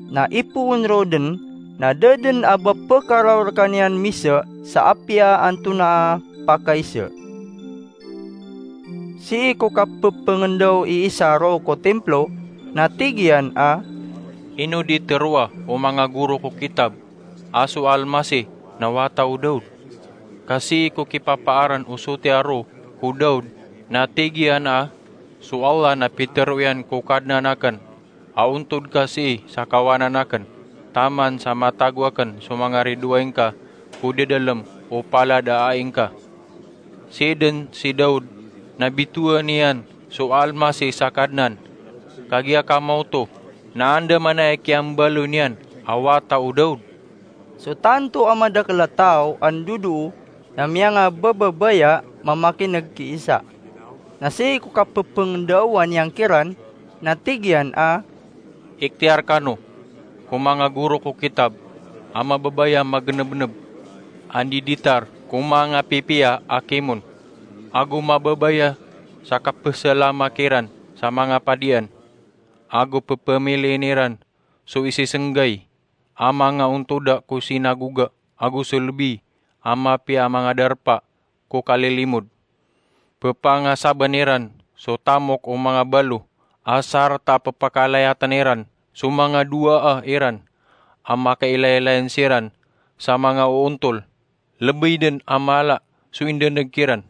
Na ipoon roo dn, na da dn a ba pkaraw rkaniyan misa sa apiya antonaa a pakaisa. Sii ko kapphpngndaw i Isa roo ko timplo, na tig iyan a, "Ino di tharoa o manga goro ko kitab a so Almasih na wata o Daud? Ka sii ko kipapaaran o sotiya roo ko Daud, na tig iyan a, 'So Allah na pitharo iyan ko Kadnan akn a ontod ka sii sa kawanan akn, taman sa matago akn so manga ridoay ngka ko dadalm o palad a ai ngka.' Sii dn si Daud na bitowan iyan so Almasih sa Kadnan. Kagiya ka maoto, na andamanaya i kiyambaloy niyan a wata o Daud?" So tanto a madakl a taw a ndodoo na miyangabababaya mamakineg ki Isa. Na sii ko kapphpngndao niyan kiran, na tig iyan a, "Iktiyar kano ko manga goro ko kitab a mababaya magnbnb a ndiditar ko manga pipiya a kimon, ago mababaya sa kapsalama kiran sa manga padian, ago pphamiliin iran so isisnggay a manga ontoda ko sinagoga ago so lbi a mapiya a manga darpa ko kalilimod. Ppangasaban iran so tamok o manga balo a sarta pphakalayatan iran so manga dowaa iran a makailaylayan siran sa manga oontol, lbi dn a mala so indaneg kiran."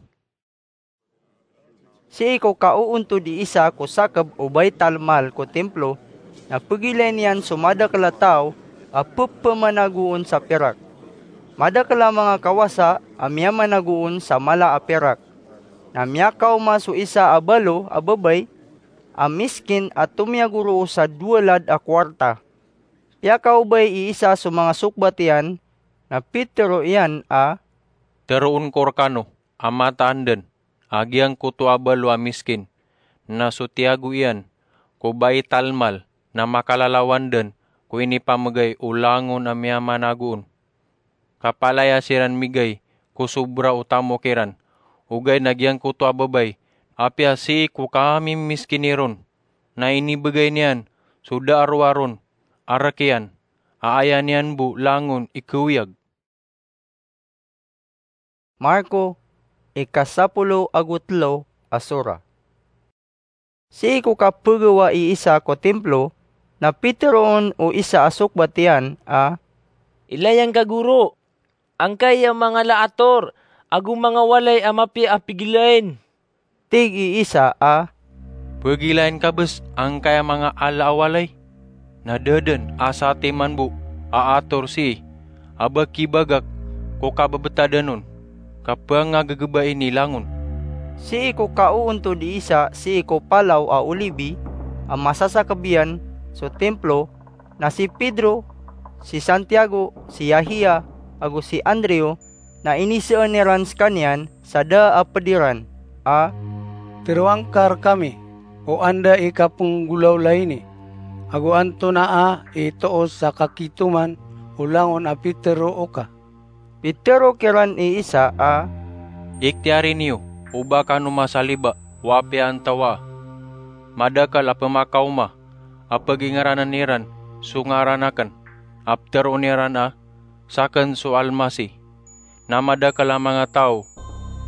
Sii ko kaoontod i Isa ko sakb o Baitalmal ko timplo, na pgilayn iyan so madakl a taw a pphmanagoon sa pirak. Madakl a manga kawasa a miyamanagoon sa mala a pirak. Na miyakaoma so isa a balo a babay a miskin a tomiyagoroo sa dowa lad a kowarta. Piyakaobay i Isa so manga sokbat iyan, na pitharo iyan a, "Tharoon ko rkano a mataan dn a giyangkoto a balo a miskin na so tiyago iyan ko Baitalmal na makalalawan dn ko inipamgay o langon a miyamanagoon. Kapalaya siran migay ko sobra o tamok iran, ogaid na giyangkoto a babay, apiya sii ko kamimiskini ron, na inibgay niyan so da a roa ron a rk iyan a aya niyan bo langon i khaoyag." Marko, ikasapolo ago tlo a sora. Sii ko kapgawa i Isa ko timplo, na pitharo on o isa a sokbat iyan a, "Ilay angka, Goro, angkaya manga laator ago manga walay a mapiya a pgilayn." Tig i Isa a, "Pgilayn ka bs angkaya manga ala a walay? Na da dn a satiman bo a ator sii a ba kibagak ko kababtadan on, ka pangagggbain i langon." Sii ko kaoontod i Isa sii ko Palaw a Olibi a masasakb iyan so timplo, na si Pedro, si Santiago, si Yahia, ago si Andrew, na inisaan iran skaniyan sa da a pd iran a, "Tharoa ngka rkami o anda i kapenggolawla ini, ago antonaa i toos sa kakitoman o langon a pitharo oka?" Pitharo kiran i Isa a, "Iktiyari niyo o ba kano masaliba o apiya antawaa." Madakl a pmakaoma a pgingranan iran so ngaran akn a ptharoon iran a sakn so Almasih. Na madakl a manga taw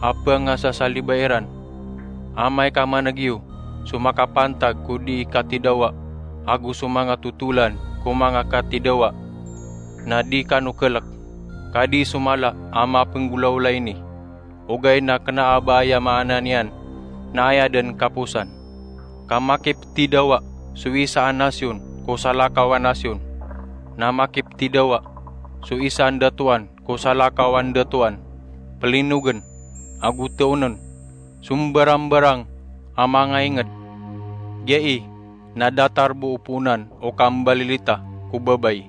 a pngasasaliba iran. Amay ka man'g iyo so makapantag ko dii katidawa, ago so manga totolan ko manga katidawa, na di kano klk, ka di so mala a mapnggolawla ini. Ogaid na kna a ba aya maana niyan na aya dn kaposan. Ka makiptidawa so isa a nasyon ko salakaw a nasyon, na makiptidawa so isa a ndatoan ko salakaw a ndatoan, plinogn ago thaonn so mbarangbarang a manga ingd. Giyai na datar bo o poonan o kambalilita ko babay.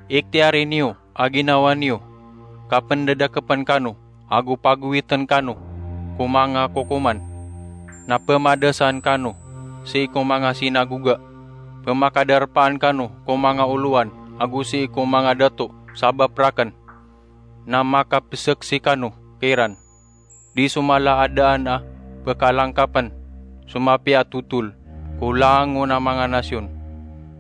Iktiyari niyo a ginawa niyo, ka pndadakpn kano ago pagowitn kano ko manga kokoman, na pmadasaan kano sii ko manga sinagoga, pmakadarpaan kano ko manga olowan ago sii ko manga dato sabap rakn, na makapsaksi kano kiran. Di so mala a daan a pkalangkapn so mapiya a totol ko langon a manga nasyon.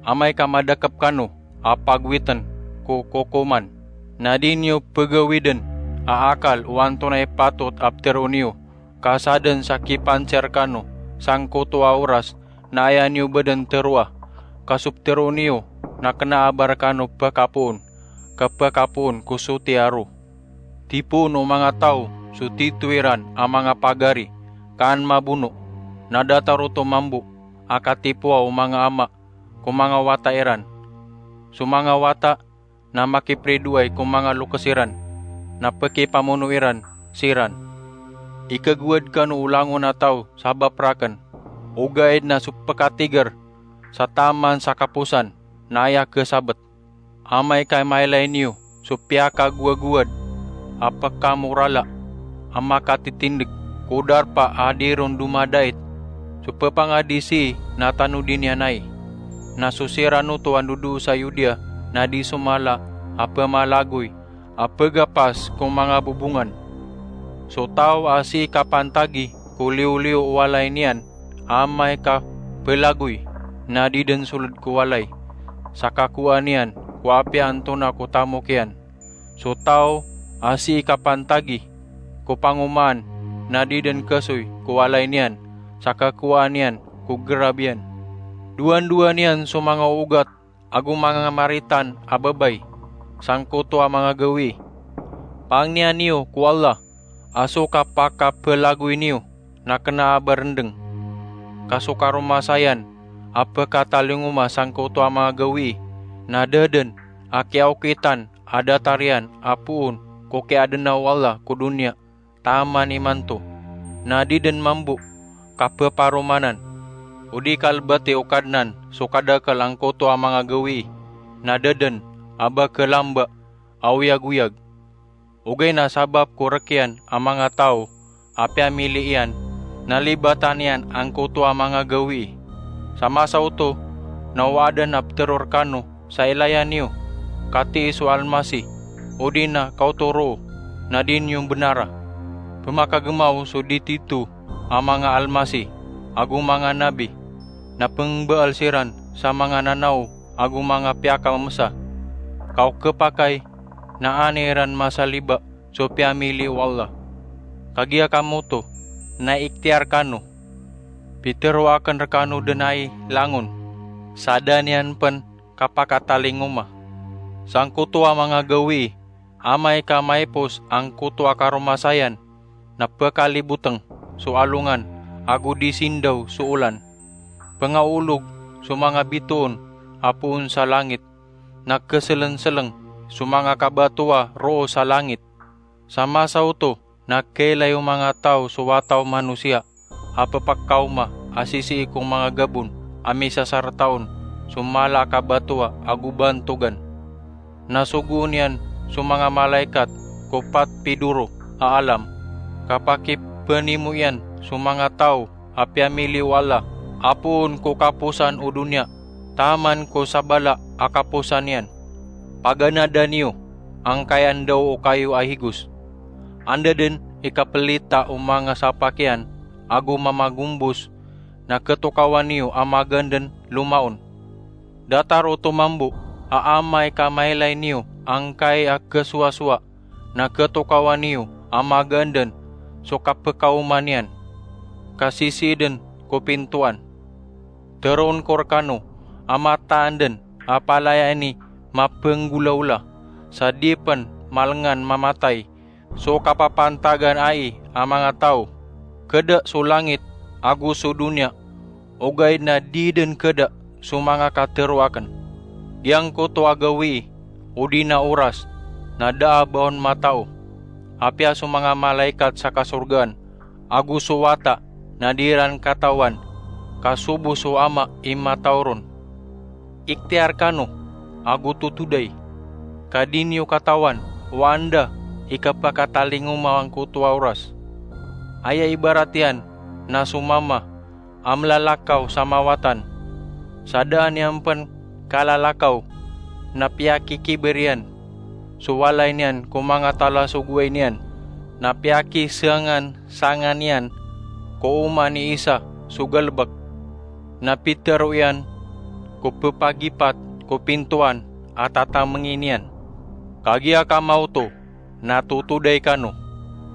Amay ka madakp kano a pagowitn ko kokoman, na di niyo pgawidn a akal o antonaa i patot a ptharoon iyo, ka sadn sa kipansiar kano sangkoto a oras na aya niyo ba dn tharoa. Ka so ptharoon iyo na kna a ba rkano pkapoon, ka pkapoon ko soti a ro. Tipoon o manga taw so tito iran a manga pagari, ka an mabono, na datar oto mambo a katipoa o manga ama ko manga wata iran. So manga wata na makipridoay ko manga lokes iran, na pkipamono iran siran. Ikagowad kano o langon a taw sabap rakn, ogaid na so pkatigr sa taman sa kaposan na aya khasabt. Amay ka mailay niyo so piyakagowagowad a pkamorala a makatitindg ko darpa a di ron domadait, so pphangadi sii na tanodi niyan ai. Na so siran oto a ndodoo sa Yudea na di so mala a pmalagoy a pgapas ko manga bobongan. So taw a sii kapantagi ko liyoliyo o walay niyan, amay ka plagoy, na di dn sold ko walay sa kakowaan iyan ko apiya antonaa ko tamok iyan. So taw a sii kapantagi ko pangomaan, na di dn kasoy ko walay niyan sa kakowaan iyan ko grab iyan. Dowandowa niyan so manga ogat ago manga maritan a babay sangkoto a manga gawii. Pangnia niyo ko Allah a so kapakaplagoy niyo na kna a ba rndng. Ka so karomasayan a pkatalingoma sangkoto a manga gawii na da dn a kiyaokitan a datar iyan a poon ko kiyaadna o Allah ko doniya taman imanto, na di dn mambo kappharomanan. O di kalbati o Kadnan so kadakl angkoto a manga gawii, na da dn a ba khalamba a oyagoyag. Ogaid na sabap ko rk iyan a manga taw a piyamili iyan, na libatan iyan angkoto a manga gawii. Sa masa oto na o aden a ptero rkano sa ilaya niyo, katii so Almasih, odi na kaoto roo na di niyo mbnara. Pmakagmaw so di tito a manga almasih ago manga nabi, na pngbaal siran sa manga nanaw ago manga piyakamamsa. Ka o khapakay na an iran masaliba so piyamili o Allah. Kagiya kamo oto na iktiyar kano, pitero akn rkano dn ai langon, sa da niyan pn kapakatalingoma. Sangkoto a manga gawii, amay ka maipos angkoto a karomasayan, na pkalibotng so alongan ago di sindaw so olan. Pngaolog so manga bitoon a poon sa langit, na khaslnslng so manga kabatoa roo sa langit. Sa masa oto na khailay o manga taw so wata o manosiya a pphakaoma a sisii ko manga gabon a misasarta on so mala a kabatoa ago bantogan. Na sogoon iyan so manga malaikat ko pat pidoro a alam, ka pakipanimo iyan so manga taw a piyamili o Allah a poon ko kaposan o doniya taman ko sabala a kaposan iyan. Paganada niyo angkaya ndaw o kayo a higos. Anda dn i kaplita o manga sapak iyan ago mamagombos na khatokawan iyo a magandn lomaon. Datar oto mambo a amay ka mailay niyo angkai a khasowasowa, na khatokawan iyo a magandn so kapkaoma niyan, ka sisiidn ko pintoan. Tharoon ko rkano a mataan dn a palaya ini mapnggolaola, sa di pn malngan mamatay so kapapantagan ai a manga taw. Khada so langit ago so doniya, ogaid na di dn khada so manga katharo akn. Giyangkoto a gawii odi na oras na da a ba on matao, apiya so manga malaikat sa kasorgaan ago so wata na di iran katawan, ka sobo so Ama i matao ron. Ikhtiyar kano ago totoday, ka di niyo katawan o anda i kapakatalingoma angkoto a oras. Aya ibarat iyan na so mama a mlalakaw sa mawatan, sa da niyan pn kalalakaw, na piyakikibir iyan so walay niyan ko manga talasogoway niyan, na piyakisangansangan iyan ko oman i isa so galbk, na pitharo iyan ko ppagipat ko pintoan a tatamngi niyan. Kagiya kamaoto na totoday kano,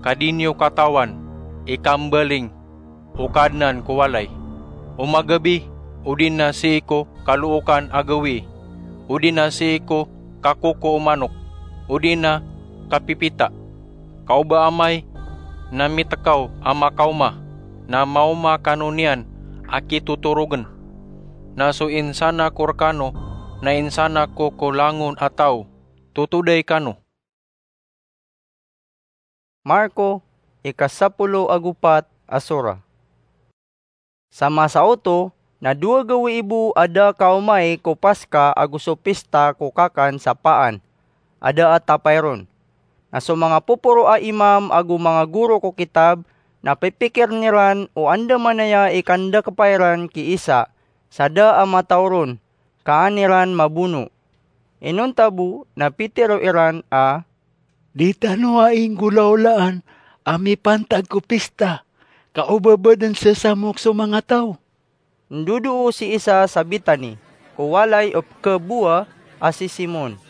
ka di niyo katawan i kambaling o Kadnan ko walay. O magabi, odi na sii ko kalookan a gawii, odi na sii ko kakoko o manok, odi na kapipita, ka o ba amay na mitkaw a makaoma, na maoma kano niyan a kitotorogn. Na so insana ko rkano na insana ko ko langon a taw. Totoday kano. Marko, ikasapolo ago pat a sora. Sa masa oto, na dowa gawii bo a da kaomay ko Paska ago so pista ko kakan sa paan a da a tapay ron. Na so manga poporo a imam ago manga goro ko kitab na pipikirn iran o andamanaya i kandakpa iran ki Isa sa da a mataw ron, ka an iran mabono. Inonta bo na pitharo iran a, "Di tano ai nggolaolaan a mipantag ko pista, ka o ba badn sesamok so manga taw?" Ndodoo si Isa sa Betani, ko walay o pkhabowa a si Simon.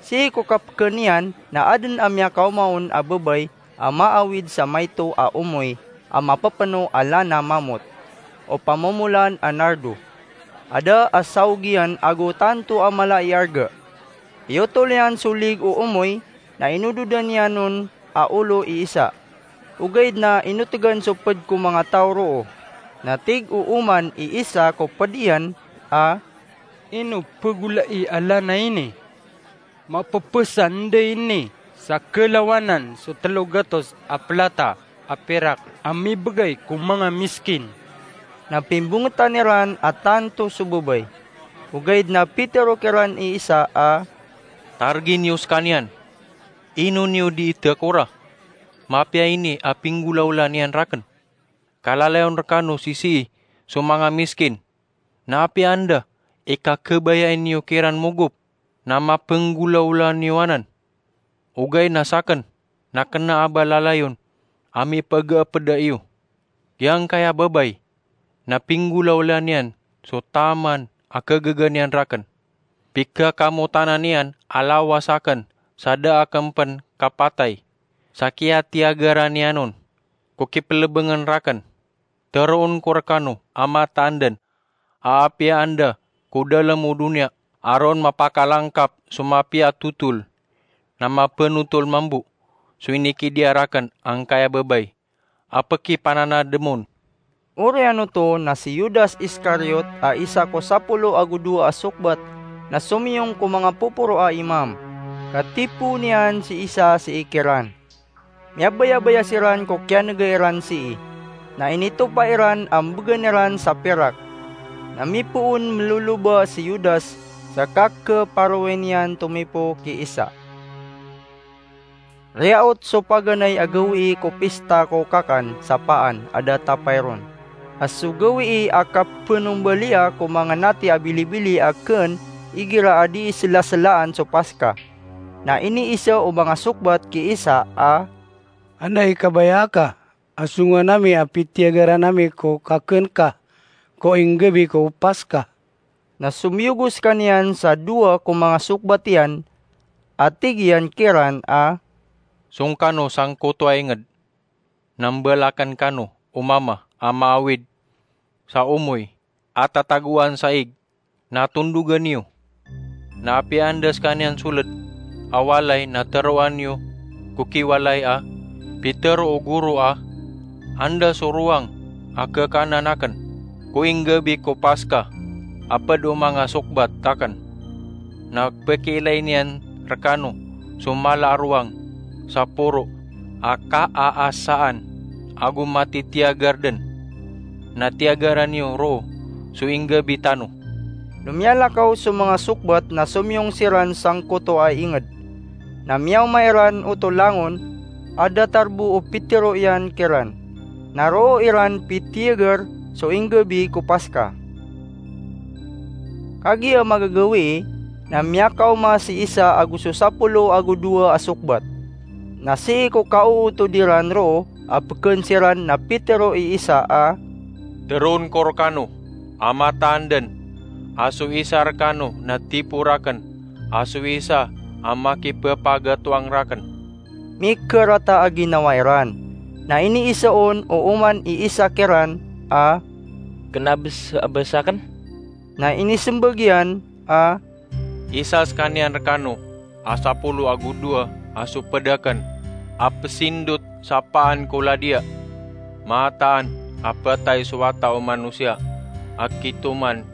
Sii ko kapkhan iyan na adn a miyakaoma on a babay a maawid sa maito a omoy a mapepeno a lana mamot, o pamomolan a nardo, a da a saog iyan ago tanto a mala i arga. Iyotol iyan so lig o omoy, na inododan iyan on a olo i Isa. Ogaid na inotgan so pd ko manga taw roo. Na tig o oman i Isa ko pd iyan a, "Ino pegolai a lana ini? Mapepesan dn ini sa kelawanan so telo gatos a plata a pirak a mibegay ko manga miskin." Na pimbongetan iran a tanto so babay. Ogaid na pitharo kiran i Isa a, "Targi niyo skaniyan. Ino niyo di itakora? Mapiya ini a pinggolaola niyan rakn. Kalalayon rekano sisii so manga miskin. Na apiya anda i kakhabayai niyo kiran mogop, na mapenggolaola niyo anan. Ogaid na sakn na kena a ba lalayon a mipagaapeda iyo." Giyangkaya babay na pinggolaola niyan so taman a khagaga niyan rakn. Pikakamotanan iyan a lawas akn sa da akn pen kapatay, sa kiyatiyagaran iyan on ko kipelebengen rakn. Teroon ko rekano a mataan den a apiya anda ko dalem o doniya a ron mapakalangkap so mapiya a totol, na mapenotol mambo so inikidiya raken angkaya babay a pekipananadem on. Oriyan oto na si Judas Iscariot a isa ko sapolo ago dowa a sokbat na somiyong ko manga poporo a imam, ka tipoon iyan si Isa sii kiran. Miyabayabaya siran ko kiyanega iran sii, na initopa iran a mbegan iran sa pirak. Na mipoon meloloba si Judas sa kakeparowen iyan tomipo ki Isa. Riyaot so paganay a gawii ko pista ko kakan sa paan a da tapay ron. A so gawii a kapenombalia ko manga nati a bilibili a ken igira a dii selaselaan so Paska. Na iniisa o manga sokbat ki Isa a, "Anday kabaya ka a songowan ami a pitiyagaran ami ko kaken ka ko inggabi ko Paska." Na somiyogo skaniyan sa dowa ko manga sokbat iyan, a tig iyan kiran a, "Song kano sangkoto a inged, na mbalaken kano o mama a maawid sa omoy a tatagoan sa ig, na tondogan iyo. Na apiya anda skaniyan soled a walay na teroan iyo ko kiwalay a pitero o goro a, 'Anda so rowang a kekanan aken ko inggabi ko Paska a ped o manga sokbat aken?' Na pekiilay niyan rekano so mala a rowang sa poro a kaaasaan ago matitiyagar den, na tiyagaran iyo roo so inggabi tano." No miyalakaw so manga sokbat na somiyong siran sangkoto a inged. Na miyaoma iran oto langon a datar bo o pitero iyan kiran. Na roo iran pitiyagar so inggabi ko Paska. Kagiya magagawii, na miyakaoma si Isa ago so sapolo ago dowa a sokbat. Na sii ko kaootod iran roo a peken siran na pitero i Isa a, "Teroon ko rekano a mataan den a so isa rekano na tipo raken, a so isa a makipepagatoang raken." Mikerata a ginawa iran. Na iniisa on o oman i Isa kiran a, "Kena bes-, bes aken?" Na inisembag iyan a, "Isa skaniyan rekano a sapolo ago dowa a soped aken a pesindot sa paan ko ladiya. Mataan a petay so Wata o Manosiya a kitoman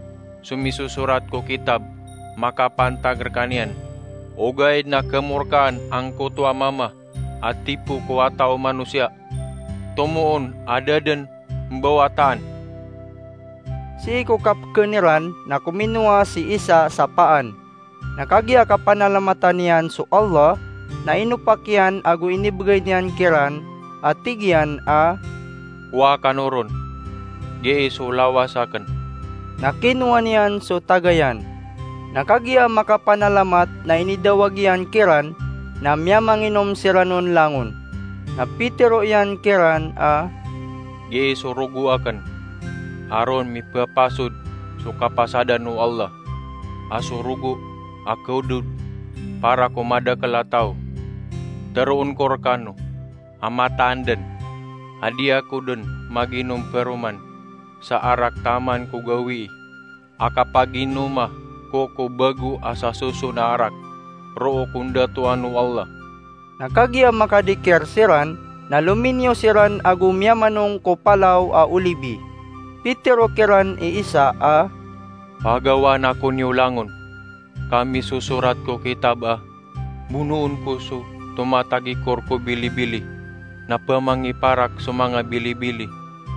so misosorat ko kitab makapantag rekaniyan. Ogaid na kemorkaan angkoto a mama a tipo ko Wata o Manosiya. Tomoon a da den mbawataan." Sii ko kapeken iran na kominowa si Isa sa paan. Na kagiya kapanalamatan iyan so Allah, na inopak iyan ago inibegay niyan kiran a tig iyan a, "Kowa kano ron, giyai so lawas aken." Na kinowa niyan so tagayan. Na kagiya makapanalamat na inidawag iyan kiran, na miyamanginom siran on langon. Na pitero iyan kiran a, "Giyai so rogo aken a ron mipepasod so kapasadan o Allah, a so rogo a kaodod para ko madakel a taw. Teroon ko rekano a mataan den a di ako den maginom peroman sa arak taman ko gawii a kapaginoma ko ko bago a sasoson a arak roo ko ndatoan o Allah." Na kagiya makadikir siran, na lominiyo siran ago miyamanong ko Palaw a Olibi. Pitero kiran i Isa a, "Pagawaan ako niyo langon ka misosorat ko kitab a bonoon ko so tomatagikor ko bilibili, na pemangiparak so manga bilibili.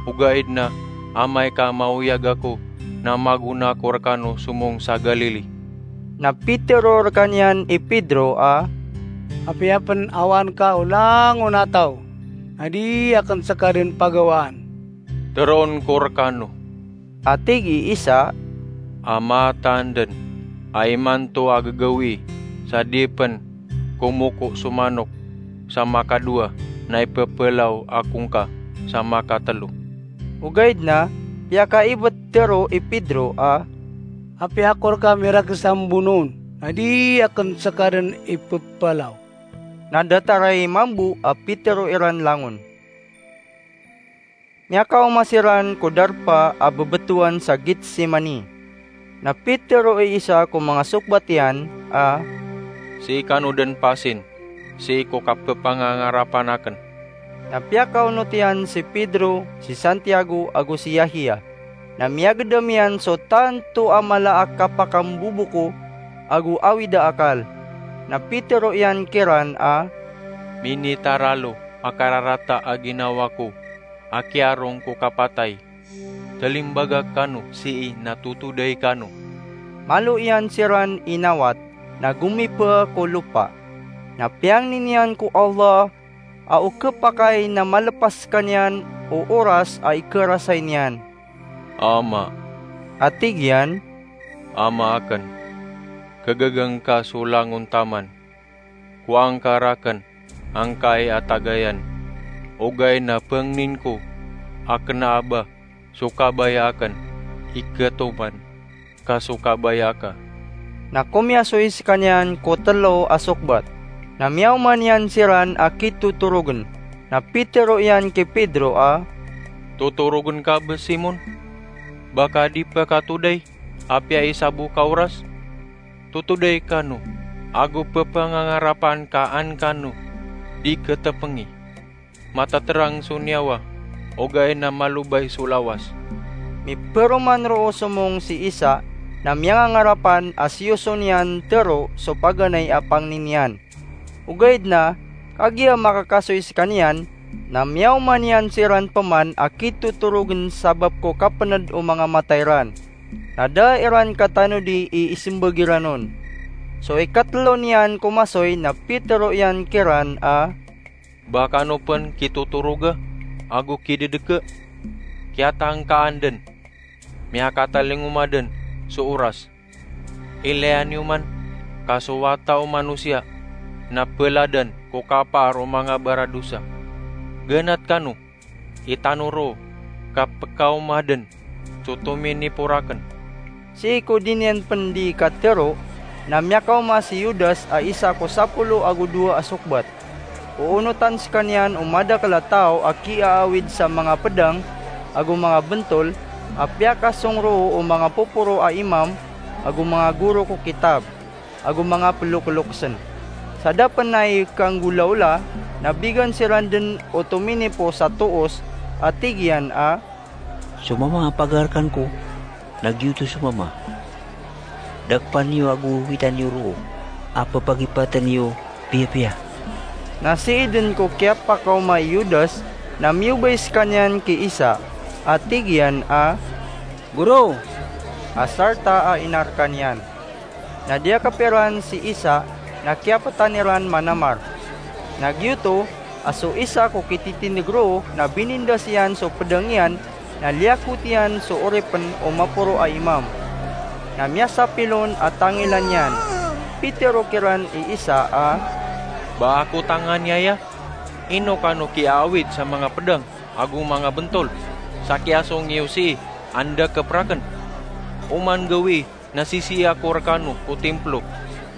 Ogaid na amay ka maoyag ako, na magona ako rekano somong sa Galili." Na pitero rekaniyan i Pedro a, "Apiya pen awaan ka o langon a taw, na di aken seka den pagawaan." "Teroon ko rekano," a tig i Isa, "a mataan den a imanto a gagawii sa di pen komoko so manok sa makadowa na ipepelaw ako ngka sa makatelo." Ogaid na piyakaibetero i Pedro a, "Apiya ako reka mirakes a mbonoon, na di aken seka den ipepelaw." Na datar i mambo a pitero iran langon. Miyakaoma siran ko darpa a bebetowan sa Getsemani. Na pitero i Isa ko manga sokbat iyan a, "Sii kano den pasin sii ko kapepangangarapan aken." Na piyakaonot iyan si Pedro, si Santiago, ago si Yahya. Na miyagedam iyan so tanto a mala a kapakamboboko ago awid a akal. Na pitero iyan kiran a, "Minitaralo a kararata a ginawa ko a kiyarong ko kapatay. Talimbagak kano sii na totoday kano." Malo iyan siran inawat, na gomipa ko lopa. Na piyangni niyan ko Allah a o kepakay na malepas sekaniyan o oras a ikerasay niyan. "Ama," a tig iyan, "Ama aken, kegaga ngka so langon taman. Kowaa ngka raken angkai a tagayan. Ogaid na pengnin ko a kena a ba so kabaya aken, ikatoman ka so kabaya ka." Na komiyasoy skaniyan ko tlo a sokbat. Na miyaoma niyan siran a kitotorogn. Na pitero iyan ki Pedro a, "Totorogn ka bs, Simon? Ba ka di pkatoday, apiya isa bo ka oras? Totoday kano, ago pphangangarapan ka an kano di ktpngi. Matatrang so niyawa, ogaid na malobay so lawas." Miperoman roo somong si Isa, na miyangangarapan a siyoson iyan tero so paganay a pangni niyan. Ogaid na, kagiya makakasoy skaniyan, na miyaoma niyan siran pman a kitotorogn sabap ko kapnd o manga mata iran. Na da iran katanodi i ismbag iran on. So ikatlo niyan ko masoy na pitero iyan kiran a, "Ba kano pn kitotoroga ago kidedeka? Kiyatangkaan dn, miyakatalingoma dn so oras. Ilaya niyo man, ka so Wata o Manosiya na pladan ko kapaar o manga baradosa. Ganat kano, itano roo, ka pkaoma dn so tominipor akn." Sii ko di niyan pn di katero, na miyakaoma si Judas a isa ko sapolo ago dowa a sokbat. Oonotan skaniyan o madakl a taw a kiaawid sa manga pdang ago manga bntol a piyakasong roo o manga poporo a imam ago manga goro ko kitab ago manga ploklokesn. Sa da pn a ikanggolaola, na bigan siran dn o tominipos a toos a tig iyan a, "So mama a pagarkan ko, na giyoto so mama. Dakpa niyo ago wita niyo roo a pphagipatn iyo piyapiya." Na sii dn ko kiyapakaoma i Judas, na miyobay skaniyan ki Isa a tig iyan a, "Goro!" A sarta a inarkan iyan. Na diyakp iran si Isa, na kiyaptan iran manamar. Na giyoto a so isa ko kititindg roo na binindas iyan so pdang iyan, na liyakot iyan so oripn o maporo a imam. Na miyasapil on a tangilan iyan. Pitero kiran i Isa a, "Ba ako tangan iyaya? Ino kano kiaawid sa manga pdang ago manga bntol, sa kiyasong iyo sii a ndakp rakn? Oman gawii na sisii ako rkano ko timplo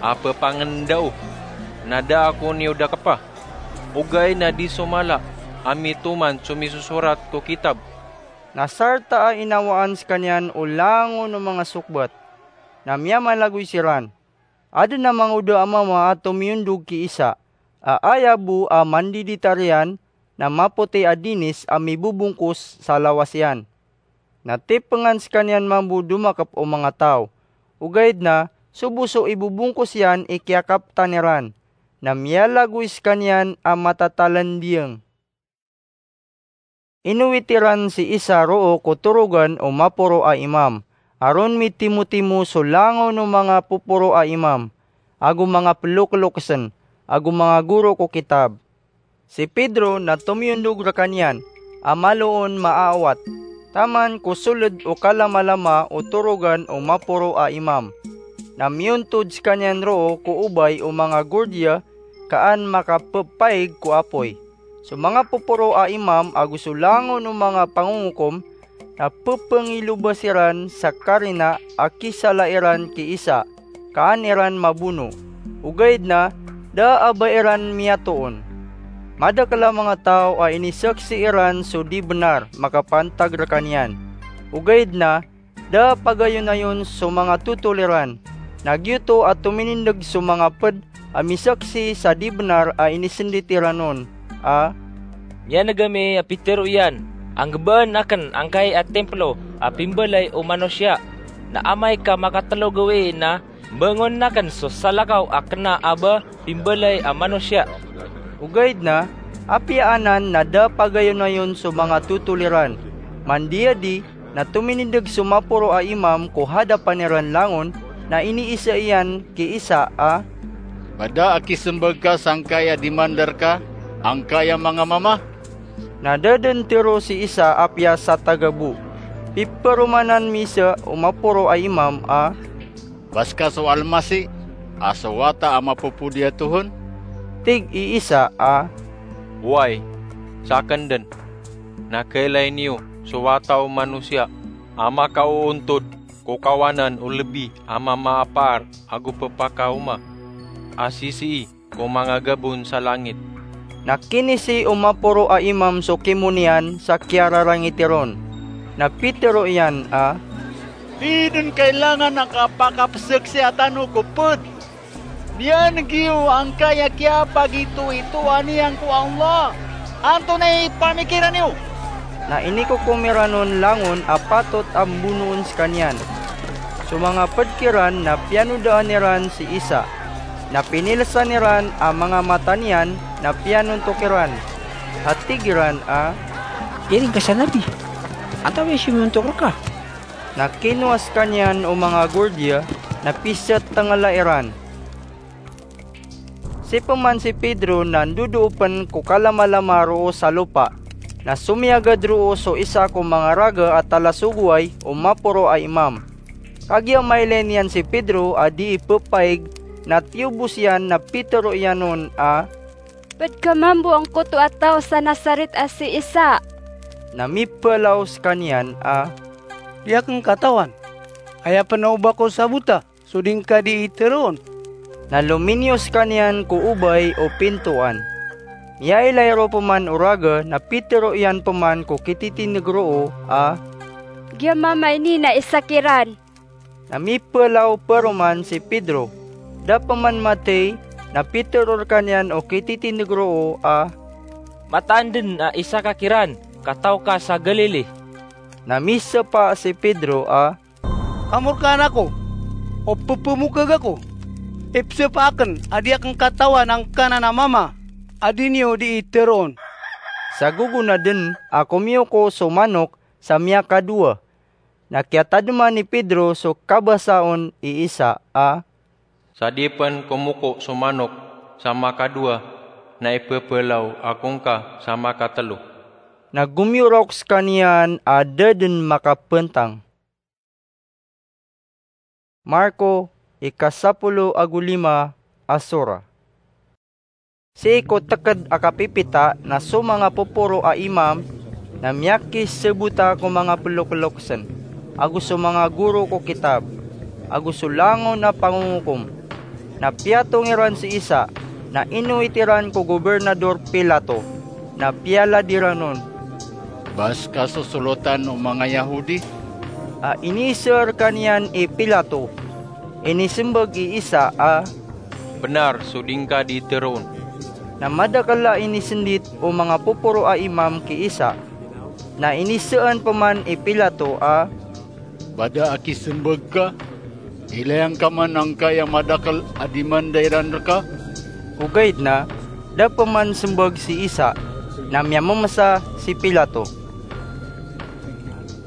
a pphangndao, na da ako niyo dakpa, ogaid na di so mala a mitoman so misosorat ko kitab." Na sarta a inawaan skaniyan o langon o manga sokbat, na miyamalagoy siran. Adn a mangoda a mama a tomiyondog ki Isa, a aya bo a mandiditariyan na mapoti a dinis a mibobongkos sa lawas iyan. Na tipngan skaniyan mambo domakp o manga taw. Ogaid na, so bo so ibobongkos iyan i kiyakaptan iran, na miyalagoy skaniyan a matatalandiyang. Inowit iran si Isa roo ko torogan o maporo a imam, a ron mitimotimo so langon o manga poporo a imam, ago manga ploklokesn, ago manga goro ko kitab. Si Pedro na tomiyondog rkaniyan, a malo on maaawat, taman ko soled o kalamalama o torogan o maporo a imam. Na miyontod skaniyan roo ko obay o manga gordiya, ka an makappaig ko apoy. So manga poporo a imam ago so langon o manga pangongokom na pphangilobas iran sa karina a kisala iran ki Isa, ka an iran mabono. Ogaid na, da a ba iran miyatoon. Madakl a manga taw a inisaksi iran so di bnar makapantag rkaniyan. Ogaid na, da pagayonayon so manga totol iran. Na giyoto a tominindg so manga pd a misaksi sa di bnar a inisndit iran on a, "Miyaneg ami a pitero iyan a nggbaan akn angkai a timplo a pimbalay o manosiya, na amay ka makatlo gawii na mbangonan akn so salakaw a kna a ba pimbalay a manosiya." Ogaid na, apiya anan na da pagayonayon so manga totol iran. Mandiyadi, na tominindg so maporo a imam ko hadapan iran langon, na iniisa iyan ki Isa a, "Ba da a kismbag ka sangkai a di mandar ka angkai a manga mama?" Na da dn tero si Isa apiya sa taga bo. Piperomanan mi sa o maporo a imam a, "Ba ska so Almasi, a so Wata a mapopodi a tohon?" Tig i Isa a, "Oway, sakn dn, na kailay niyo so Wata o Manosiya a makaoontod ko kawanan o lbi a mamaapar ago pphakaoma a sisii ko manga gabon sa langit. Na kinisi o maporo a imam so kimo niyan sa kiyararangiti ron, na pitharo iyan a, "Di dn kailangan a kapakapzaksiya tano ko pd. Niyan giyo angkaya kiyapagitoitoa niyan ko Allah. Antonaa i pamikiran iyo?" Na inikokom iran on langon a patot a mbonoon skaniyan. So manga pd kiran na piyanodaan iran si Isa. Na pinilsan iran a manga mata niyan na piyanontok iran. A tig iran a, "Iring ka sa nabi. Antaa i siyonontok rka?" Na kinowa skaniyan o manga gordiya na pizatanggala iran. Sii pman si Pedro na ndodoo pn ko kalamalama roo sa lopa, na somiyagad roo so isa ko manga raga a talasogoway o maporo a imam. Kagiya mailay niyan si Pedro a dii ppaig, na tiyobos iyan na pitharo iyan on a, "Pd ka mambo angkoto a taw sa Nazaret a si Isa." Na mipalaw skaniyan a, "Di akn katawan. Aya pn a oba ko sabota so di ngka dii tharoon." Na lominiyo skaniyan ko obay o pintoan. Miyailay roo pman o raga na pitharo iyan pman ko kititindg roo a, "Giya mama ini na isa kiran." Na mipalaw paroman si Pedro. Da pman mathay na pitharo rkaniyan o kititindg roo a, "Mataan dn a isa ka kiran ka taw ka sa Galili." Na misapa si Pedro a, "Kamorkaan ako o pphamokag ako. Ipzapa akn a di akn katawan angkanan a mama a di niyo dii tharoon." Sa gogona dn a komiyoko so manok sa miyakadowa. Na kiyatadma ni Pedro so kabasa on i Isa a, "Sa di pn komoko so manok sa makadowa na ipphlaw ako ngka sa makatlo." Na gomiyorok skaniyan a da dn makapntang. Marko, ikasapolo ago lima a sura. Sii ko tgd a kapipita na so manga poporo a imam na miyakisbota ko manga ploklokn, ago so manga goro ko kitab, ago so langon a pangongokom. Na piyatong iran si Isa, na inowit iran ko Gobernador Pilato, na piyalad iran on, "Ba ska so solotan o manga Yahudi?" A iniiza rkaniyan i Pilato. Inismbag i Isa a, "Bnar so di ngka dii tharoon." Na madakl a inisndit o manga poporo a imam ki Isa. Na inizaan pman i Pilato a, "Ba da a kismbag ka? Ilay angka man angkaya madakl a dimanda iran rka." Ogaid na da pman smbag si Isa, na miyamamsa si Pilato.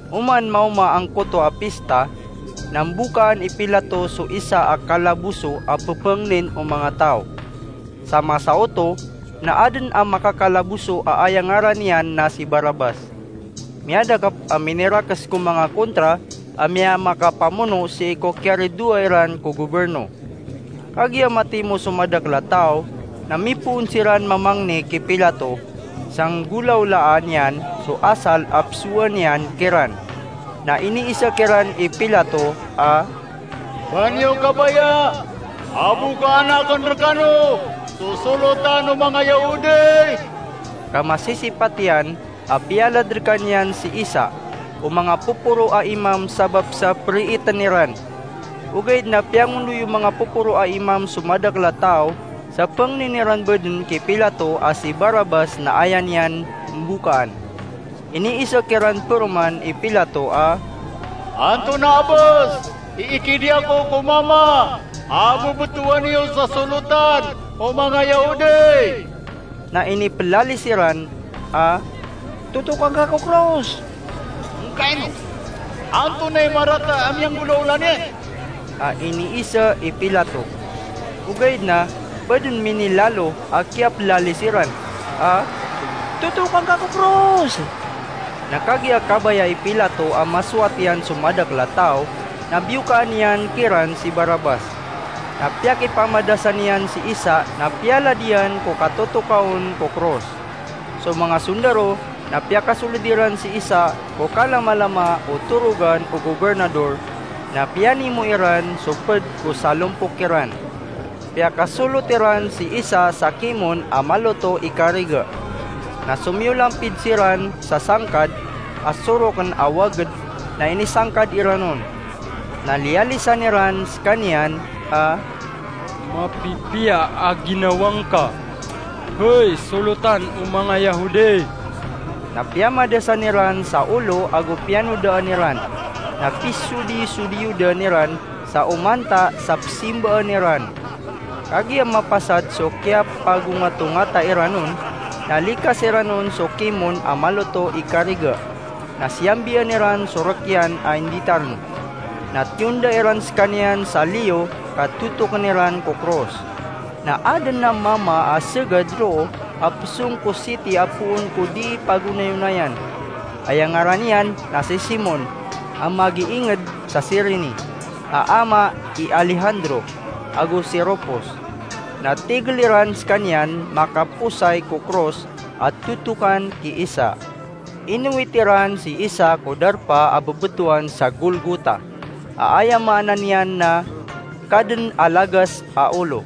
Oman maoma angkoto a pista, na mbokaan i Pilato so isa a kalaboso a pphangnin o manga taw. Sa masa oto na adn a makakalaboso a aya ngaran iyan na si Barabas. Miyadakp a minirakes ko manga kontra a miyamakapamono sii ko kiyaridoay ran ko goberno. Kagiya matimo so madakl a taw, na mipoon siran mamangni ki Pilato, sa nggolawlaan iyan so asal a pzowaan iyan kiran. Na iniisa kiran i Pilato a, "Ba niyo kabaya a bokaan akn rkano so solotan o manga Yahudi?" Ka masisipat iyan a piyalad rkaniyan si Isa o manga poporo a imam sabap sa priitn iran. Ogaid na piyangondoy o manga poporo a imam so madakl a taw sa pangnin iran badn ki Pilato a si Barabas na aya niyan mbokaan. Iniisa kiran paroman i Pilato a, "Antonaa bs i ikidiya ko ko mama a bobtowan iyo sa solotan o manga Yahudi?" Na iniplalis iran a, "Totokan ka ko kros." "Ngkaino? Antonaa i marata a miyanggolawla niyan?" a iniisa i Pilato. Ogaid na badn minilalo a kiyaplalis iran a, "Totokan ka ko kros." Na kagiya kabaya i Pilato a masowat iyan so madakl a taw, na biyokaan iyan kiran si Barabas. Na piyakipamadasan iyan si Isa na piyalad iyan ko katotokaon ko kros. So manga sondaro Na piyakasolod iran si Isa ko kalamalama o torogan o gobernador, na piyanimo iran so ped ko salompok iran. Piyakasolot iran si Isa sa kimon a maloto i kariga. Na somiyolampid siran sa sangkad a soroken a waged, na inisangkad iran on. Na liyalisan iran sekaniyan a, "Mapipiya a ginawa ngka, hay solotan o manga Yahudi!" Na piyamadasan iran sa olo ago piyanodaan iran, na pisodisodiyodan iran sa omanta sa pesimbaan iran. Kagiya mapasad so kiyapagongatongata iran on, na likas iran on so kimon a maloto i kariga, na siyambian iran so rek iyan a inditaren. Na tiyonda iran sekaniyan sa liyo ka totoken iran ko kros. Na aden a mama a segad roo a pesong ko siti a poon ko dii pagonayonayan. Aya ngaran iyan na si Simon, a magiinged sa Cirini, a ama i Alejandro, ago si Rufos. Na tigel iran sekaniyan makaposay ko kros a totokan ki Isa. Inowit iran si Isa ko darpa a bebetowan sa Golgota, a aya maana niyan na Kaden a Lagas a Olo.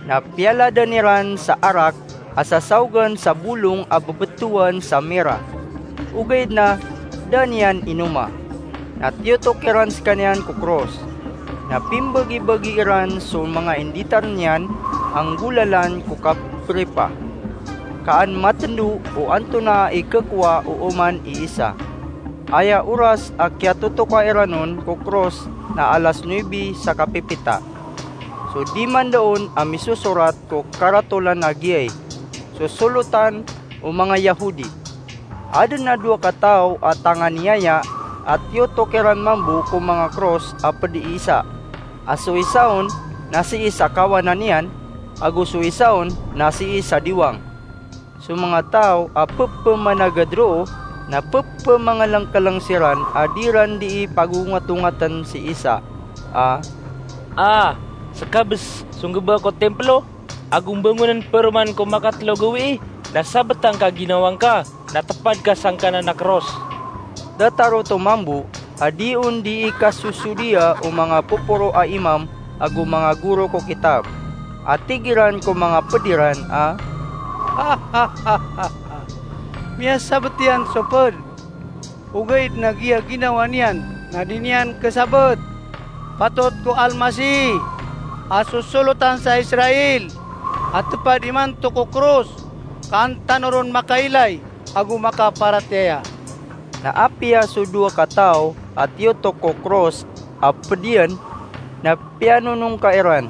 Na piyaladan iran sa arak a sasaogan sa bolong a bebetowan sa mira, ogaid na da niyan inoma. Na tiyotok iran sekaniyan ko kros. Na pimbagibagi iran so manga inditaren iyan a nggolalan ko kapripa, ka an matendo o antonaa i kekowa o oman i Isa. Aya oras a kiyatotoka iran on ko kros na alas nuebe sa kapipita. So diman da on a misosorat ko karatolan a giyai, "Sosolotan o manga Yahudi." Aden a dowa kataw a tanganiyaya a tiyotok iran mambo ko manga kros a ped i Isa, a so isa on na sii sa kawanan iyan, ago so isa on na sii sa diwang. So manga taw a pepemanagad roo na pepemangelengkeleng siran a di ran dii pagongatongaten si Isa a, "A, sekabes so nggeba ko timplo ago mbangonen peroman ko makatelo gawii, na sabeta ngka ginawa ngka na tepad ka sangkanan a kros." Datar oto mambo a di on dii kasosodiya o manga poporo a imam ago manga goro ko kitab, a tig iran ko manga ped iran a, "Miyasabet iyan so ped, ogaid na giya ginawa niyan na di niyan kesabet. Patot ko Almasih a sosolotan sa Israel a tepad imanto ko kros, ka an tano ron makailay ago makaparatiyaya." Na apiya so dowa kataw a tiyotok ko kros a ped iyan na piyanonongka iran.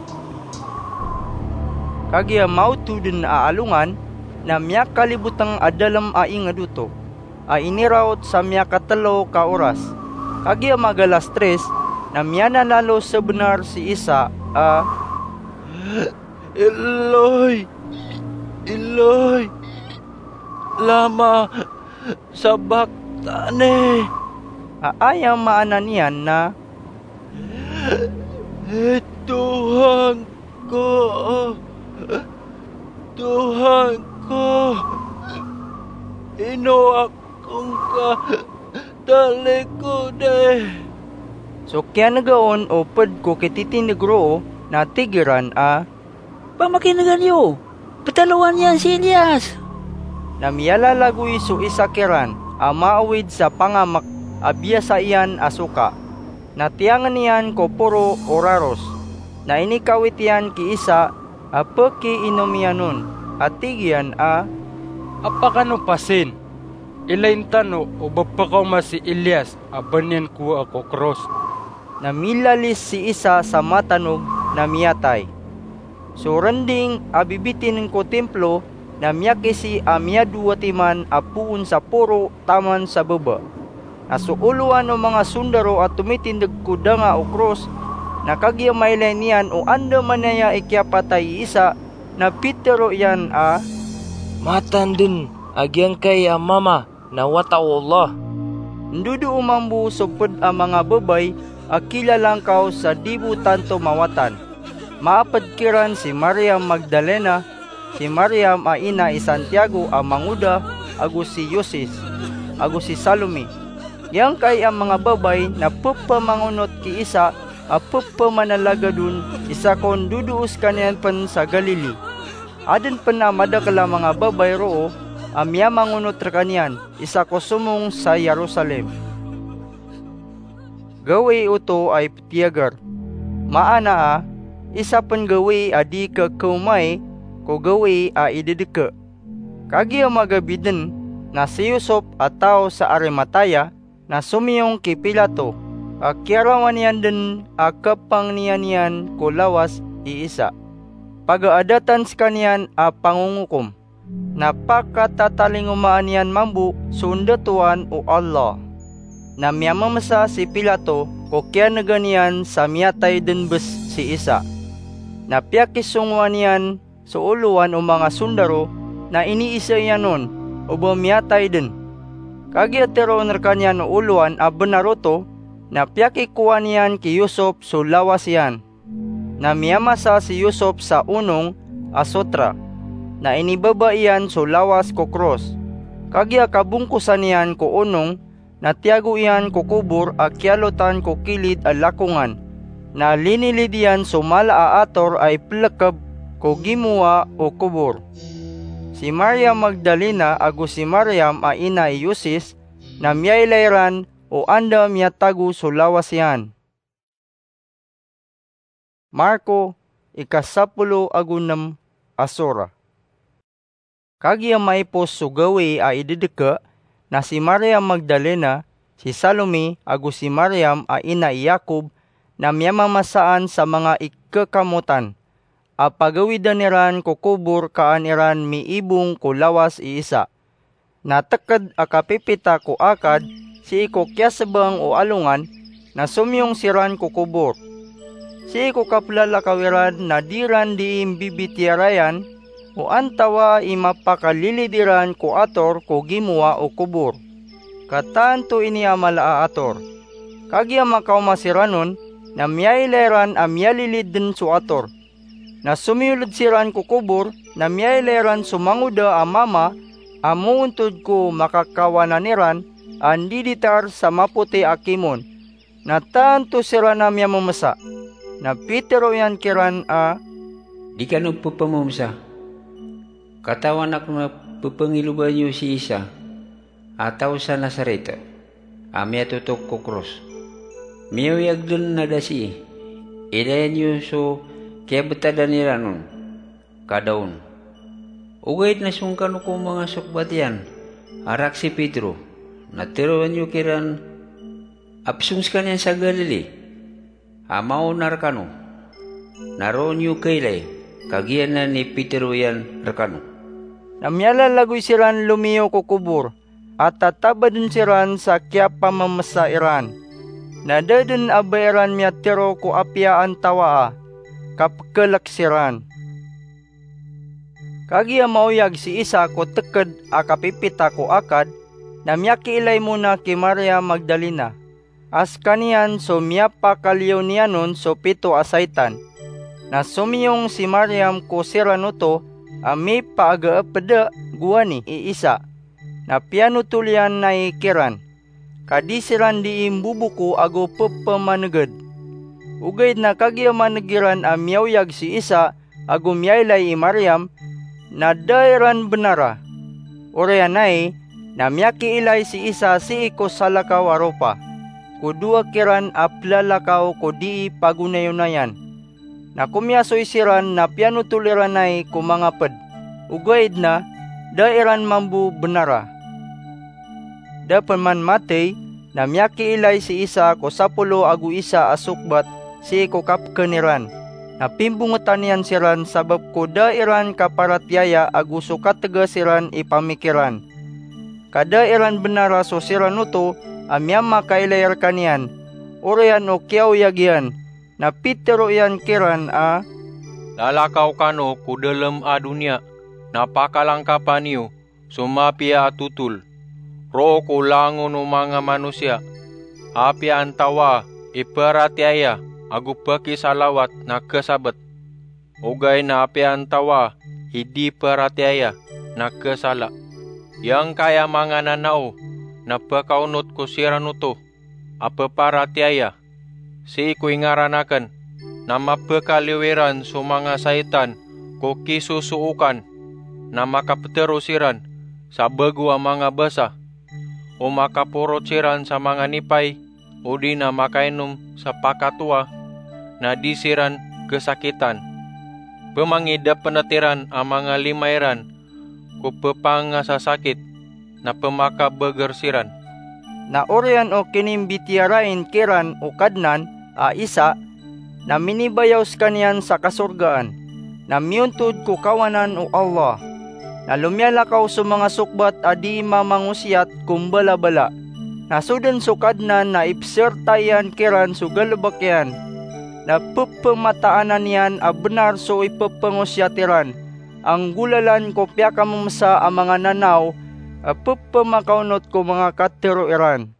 Kagiya maoto den a alongan na miyakaliboteng a dalem a inged oto a iniraot sa miyakatelo ka oras. Kagiya magalas tris na miyananalo sebenar si Isa a, "Eloi, Eloi, lama sabaktani?" A aya maana niyan na, "Tohan ko, Tohan ko, ino ako ngka talikodi?" So kiyanega on o ped ko kititindeg roo na tig iran a, "Pamakinegan iyo, petalowan iyan si Elias." Na miyalalagoy so isa kiran a maawid sa pangamek a biyasa iyan a soka, na tiyangen iyan ko poro o raros. Na inikawit iyan ki Isa a pekiinom iyan on, a tig iyan a, "Apakano pasin? Ilayin tano o ba pekaoma si Elias a ba niyan kowaa ko kros." Na milalis si Isa sa matanog na miyatay. So rending a bibitinen ko timplo na miyakisi a miyadowa timan a poon sa poro taman sa baba. Na so olowan o manga sondaro a tomitindeg ko danga o kros, na kagiya mailay niyan o andamanaya i kiyapatay i Isa, na pitero iyan a, "Matan den a giyangkai a mama na wata o Allah." Ndodoo mambo so ped a manga babay a kilalangkaw sa di bo tanto mawatan. Maaped kiran si Mariam Magdalena, si Mariam a ina i Santiago a mangoda, ago si Yosis, ago si Salome. Giyangkai a manga babay na pepamangonot ki Isa a pepamanalagadon, isa kon dodoo sekaniyan pen sa Galili. Aden pen a madakel a manga babay roo a miyamangonot rekaniyan, isa ko somong sa Jerusalem. Gawii oto a ipetiyager. Maana a, isa pen gawii a di kekeomai ko gawii a idedeke. Kagiya magabi den na si Yosop a taw sa Arimatea na somiyong ki Pilato, a kiyarawan iyan den a kepangniyan iyan ko lawas i Isa, pagaadatan sekaniyan a pangongokom. Na pakatatalingomaan iyan mambo so ndatoan o Allah. Na miyamemesa si Pilato ko kiyanegan iyan sa miyatay den bes si Isa. Na piyakisongowan iyan so olowan o manga sondaro, na iniisa iyan on o ba miyatay den. Kagiya teroon rekaniyan o olowan a benar oto, na piyakikowa niyan ki Yosop so lawas iyan. Na miyamasa si Yosop sa onong a sotra, na inibaba iyan so lawas ko kros. Kagiya kabongkosan iyan ko onong, na tiyago iyan ko kobor a kiyalotan ko kilid a lakongan, na linilid iyan so mala a ator a ipelekeb ko gimowa o kobor. Si Maria Magdalena ago si Mariam a ina i Yosis na miyailay ran o anda miyatago so lawas iyan. Marko, ikasapolo ago nem a sora. Kagiya maipos so gawii a idedeke, na si Maria Magdalena, si Salome, ago si Mariam a ina i Yakob, na miyamamasaan sa manga ikekamotan a pagawidan iran ko kobor kaan iran miibong ko lawas i Isa. Na teked a kapipita ko akad sii ko kiyasebang o alongan, na somiyong siran ko kobor. Sii ko kaplalakaw iran na di ran dii mbibitiyarayan o antawaa i mapakalilid iran ko ator ko gimowa o kobor, ka tanto ini a mala a ator. Kagiya makaoma siran on, na miyailay ran a miyalilid den so ator. Na somiyoled siran ko kobor, na miyailay ran so mangoda a mama a moontod ko makakawanan iran a ndiditar sa mapoti a kimon. Na tanto siran a miyamemesa. Na pitero iyan kiran a, "Di kano pepamemesa. Katawan ako na pepangiloban iyo si Isa a taw sa Nazaret a miyatotok ko kros. Miyaoyag den na da sii. Ilayan iyo so kiyabetadan iran on, ka da on. Ogaid na song kano ko manga sokbat iyan a rak si Pedro, na teroan iyo kiran a pesong sekaniyan sa Galili a maona rekano, na roo niyo kailay, ka giyanan i pitero iyan rekano." Na miyalalagoy siran lomiyo ko kobor, a tatabaden siran sa kiyapamemesa iran. Na da den a ba iran miyatero ko apiya antawaa, ka pekelek siran. Kagiya maoyag si Isa ko teked a kapipita ko akad, na miyakiilay mona ki Maria Magdalena, a sekaniyan so miyapakaliyo niyan on so pito a saitan. Na somiyong si Mariam ko siran oto a mipaagaepeda gowani i Isa, na piyanotol iyan nai kiran, ka di siran dii mboboko ago pepamaneged. Ogaid na kagiya maneg iran a miyaoyag si Isa ago miyailay i Mariam, na da iran benara. Oriyan ai, na miyakiilay si Isa sii ko salakaw a ropa ko dowa kiran a pelalakaw ko dii pagonayonayan. Na komiyasoy siran na piyanotol iran ai ko manga ped, ogaid na da iran mambo benara. Da pen man matey, na miyakiilay si Isa ko sapolo ago isa a sokbat sii ko kapeken iran. Na pimbongetan iyan siran sabap ko da iran kaparatiyaya ago so kategas iran i pamikiran. Ka da iran benara so siran oto a miyamakailay rekaniyan. Oriyan o kiyaoyag iyan, na pitero iyan kiran a, "Lalakaw kano ko dalem a doniya, na pakalangkapa niyo so mapiya a totol. Roo ko langon o manga manosiya, apiya antawaa i paratiyaya ago pakisalawat na kasabet, ogaid na apiya antawaa i di paratiyaya na kasala." Giyangkaya manga nanao na pekaonot ko siran oto a peparatiyaya, sii ko ingaran aken, na mapekaliyo iran so manga saitan ko kisosookan, na makapetero siran sa bego a manga basa, o makaporot siran sa manga nipay, odi na makainom sa pakatoa, na di siran kesakitan. Pemangidapenet iran a manga lima iran ko pepangasasakit, na pemakabeger siran. Na oriyan o kinimbitiyarain kiran o Kadnan a Isa, na minibayaw sekaniyan sa kasorgaan, na miyontod ko kawanan o Allah. Na lomiyalakaw so manga sokbat a di mamangosiyat ko mbalabala. Na so den so Kadnan na ipserta iyan kiran so galebek iyan, na pepemataanan iyan a benar so ipepengosiyat iran, a nggolalan ko piyakamemesa a manga nanao a pepemakaonot ko manga katero iran.